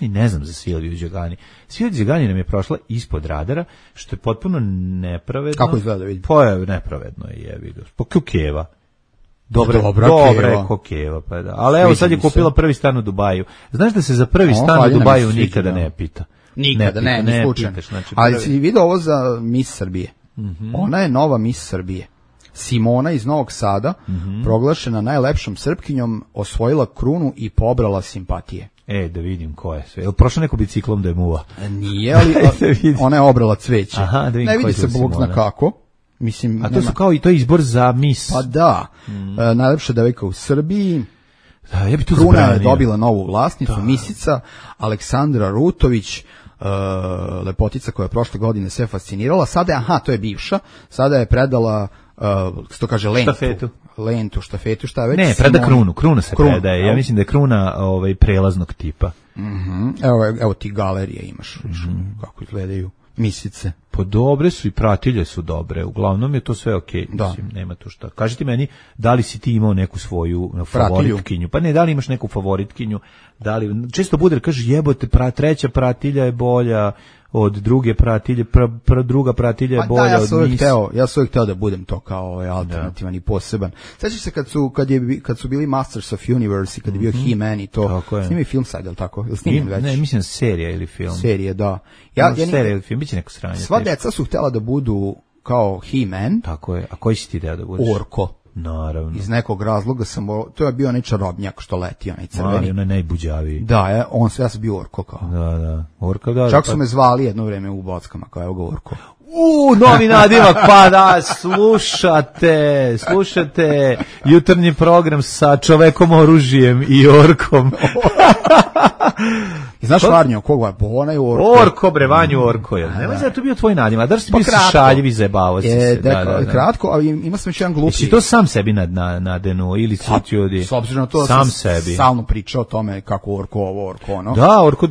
ne znam za Silviju Đogani. Silvija Đogani nam je prošla ispod radara, što je potpuno nepravedno. Kako izgleda, vidim? Pa je nepravedno, jebi ga. Pa kukeva. Dobra je kokeva, pa da. Ali evo sad je kupila prvi stan u Dubaju. Znaš da se za prvi stan u Dubaju nikada ne pita. Nikada, ne slučajno. Znači, ali si vidio ovo za Miss Srbije. Ona je nova Miss Srbije. Simona iz Novog Sada, proglašena najlepšom Srpkinjom, osvojila krunu i pobrala simpatije. Da vidim ko je sve. Je li prošla neko biciklom da je muva? Nije, ali ona je obrala cveće. Aha, da vidim ne vidi se Bog zna kako. Mislim, a to su kao i to je izbor za Miss. Pa da, najlepša devojka u Srbiji. Da, ja bi tu Kruna zabranio. je dobila novu vlasnicu, Misica, Aleksandra Rutović, lepotica koja je prošle godine sve fascinirala. Sada je, to je bivša, sada je predala, što kaže, štafetu, šta već. Ne, preda kruna se predaje. Ja mislim da je kruna prelaznog tipa. Evo ti galerije imaš, kako izgledaju Misice. Pa dobre su i pratilje su dobre, uglavnom je to sve okej, mislim, nema tu šta. Kaži ti meni, da li si ti imao neku svoju favoritkinju? Pa ne, da li imaš neku favoritkinju? Da li, često bude, kaže, jebote, treća pratilja je bolja od druge pratilje, druga pratilja je bolja od Miss. Ja sam uvijek hteo da budem to kao alternativan i poseban. Sećaš se kad su bili Masters of Universe i kad je bio He-Man i to, snimi film sad, je li tako? Ne, mislim serija ili film. Serije, da. Serija ili film, bit će neko sranje. Sva deca su htjela da budu kao He-Man. Tako je, a koji si ti hteo da budeš? Orko. Naravno. Iz nekog razloga to je bio onaj čarobnjak što leti, onaj crveni. Onaj najbuđaviji. Da, ja sam bio Orko kao. Da. Orko, da. Čak su me zvali jedno vreme u Bockama, kao evo ga Orko. Novi nadimak, pa da, slušate jutarnji program sa čovekom oružijem i orkom. I znaš Varnjo, koga? Ona je Orko. Orko, bre, Vanju Orko je. Nemoj da je to bio tvoj nadimak, da si bio šaljiv i zajebavao si se. Kratko, ali ima sam još jedan glupi. Jesi to sam sebi nadenu ili su ti ljudi? S obzirom na to sam sebi. Stalno pričao o tome kako Orko ovo, Orko ono. Da, Orko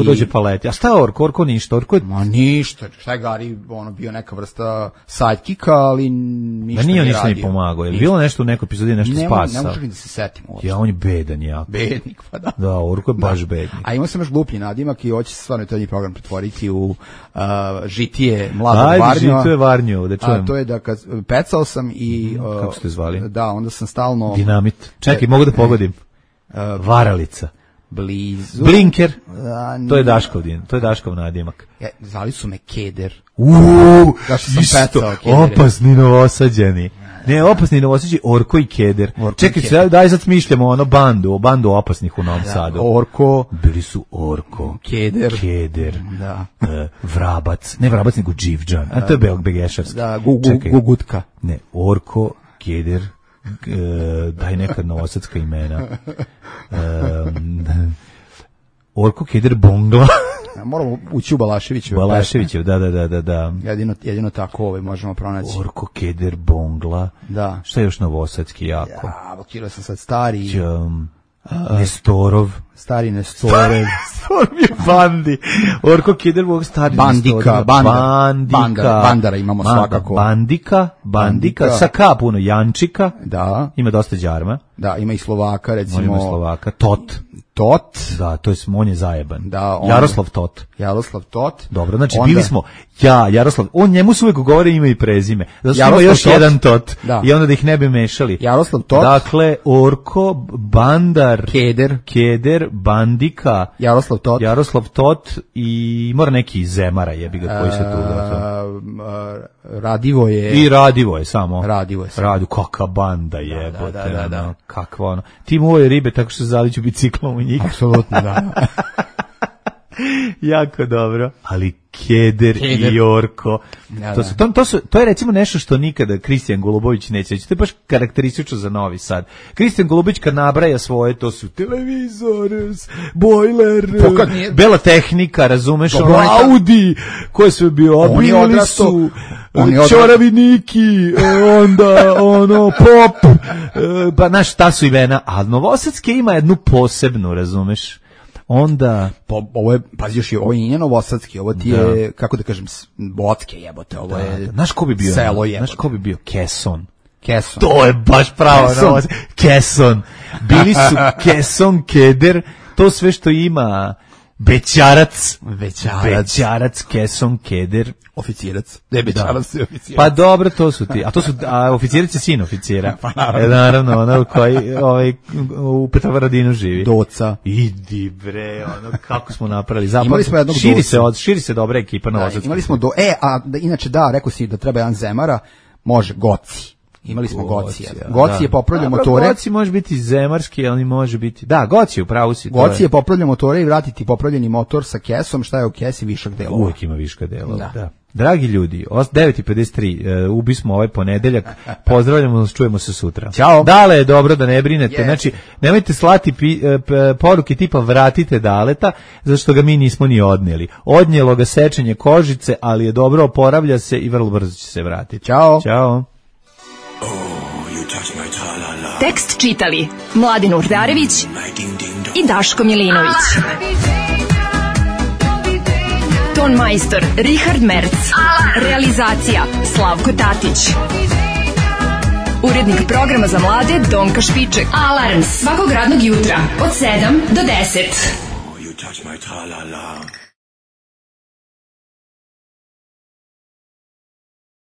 dođe paleti. A šta je Orko? Orko ništa. Ma ništa, šta je Gari, bio neka vrsta sidekicka, ali ništa nije radio. Ništa mi pomagao. Je bilo nešto u nekoj epizodi, nešto spasao? Ne možem da se setim uopšte. Ja, on je bedan jako. Bednik, pa da. Da, Orko je baš bednik. A imao sam još gluplji nadimak i hoće se stvarno taj program pretvoriti u žitije mladog Varnjova. Ajde, žituje Varnjova, da čujem. A to je da kad pecao sam i... Kako ste zvali? Da, onda sam stalno... Dinamit. Čekaj, mogu da pogodim. Varalica. Blizu. Blinker. To je Daškov nadimak. Zvali su me Keder. Isto, opasni novosađeni. Ne, opasni novosađeni, Orko i Keder. Čekaj, daj sad smišljamo bandu opasnih u Novom Sadu. Orko. Bili su Orko. Keder. Da. Vrabac. Ne Vrabac, nego Dživđan. A to je Begešarski. Da, Gugutka. Ne, Orko, Keder, daj nekad novosadska imena. Orko, Keder, Bongla. Moramo ući u Balaševićev, da. Jedino tako možemo pronaći. Orko, Keder, Bongla. Da. Šta je još novosadski jako? Ja, blokirao sam sad stari. Nestorov. Stari Nestorov. Nestorov je Bandi. Orko, Keder, Bongla, stari Bandika. Bandara imamo svakako. Bandika. Sa K puno, Jančika. Da. Ima dosta đarma. Da, ima i Slovaka, recimo. Ima Slovaka. Tot. Da, to je on je zajeban. Da, Jaroslav Tot. Dobro, znači bili smo Jaroslav, on njemu se uvijek govore ime i prezime. Zato ima još Tot. Jedan Tot. Da. I onda da ih ne bi mešali. Jaroslav Tot. Dakle, Orko, Bandar, Keder, Bandika, Jaroslav Tot i mora neki iz Zemara jebi ga koji se tu Radivo je samo. Kakva banda jebote. Da. Kakva ono. Ti moje ribe tako što se zaliću biciklom u njih. Apsolutno, da. Jako dobro. Ali Keder i Orko. To je recimo nešto što nikada Kristijan Golubović neće reći. To je baš karakteristično za Novi Sad. Kristijan Golubović kad nabraja svoje, to su televizor, bojler, bela tehnika, razumeš, Audi, koje su bio, obili su čoraviniki, onda pop, pa znaš šta su imena, a Novosadske ima jednu posebnu, razumeš. Onda ovo je, pazi još, ovo nije novosadski, ovo ti je, kako da kažem, Bocke jebote, ovo je znaš ko bi bio selo jebote. Znaš ko bi bio Keson. Keson. To je baš pravo. Keson. Bili su Keson, Keder, to sve što ima Bećarac, Keson, Keder, oficirac. Ne, Bećarac je oficirac. Pa dobro, to su ti. A oficirac je sin oficira. Pa naravno. Naravno, ono koji u Petrovaradinu živi. Doca. Idi bre, kako smo napravili. Imali smo jednog širi se dobra ekipa novosadska. Imali smo inače rekao si da treba jedan Zemara, može Goci. Imali smo Gocija. Goci je popravljao motore. Goci može biti zemarski, ali može biti... Da, Goci, upravo si. Goci je popravljao motore i vratiti popravljeni motor sa kesom. Šta je u kesi? Višak delova. Uvijek ima viška delova, da. Dragi ljudi, 9:53, ubismo ovaj ponedeljak, pozdravljamo nas, čujemo se sutra. Ćao. Dale je dobro da ne brinete, znači nemojte slati poruke tipa vratite Daleta, zato što ga mi nismo ni odnijeli. Odnijelo ga sečenje kožice, ali je dobro, oporavlja se i vrlo brzo će se vratiti. Ćao. Ćao. Tekst čitali Mladin Urdarević i Daško Milinović. Ton majstor Richard Merc. Realizacija Slavko Tatić. Urednik programa za mlade Donka Špiček. Alarms svakog radnog jutra od 7 do 10.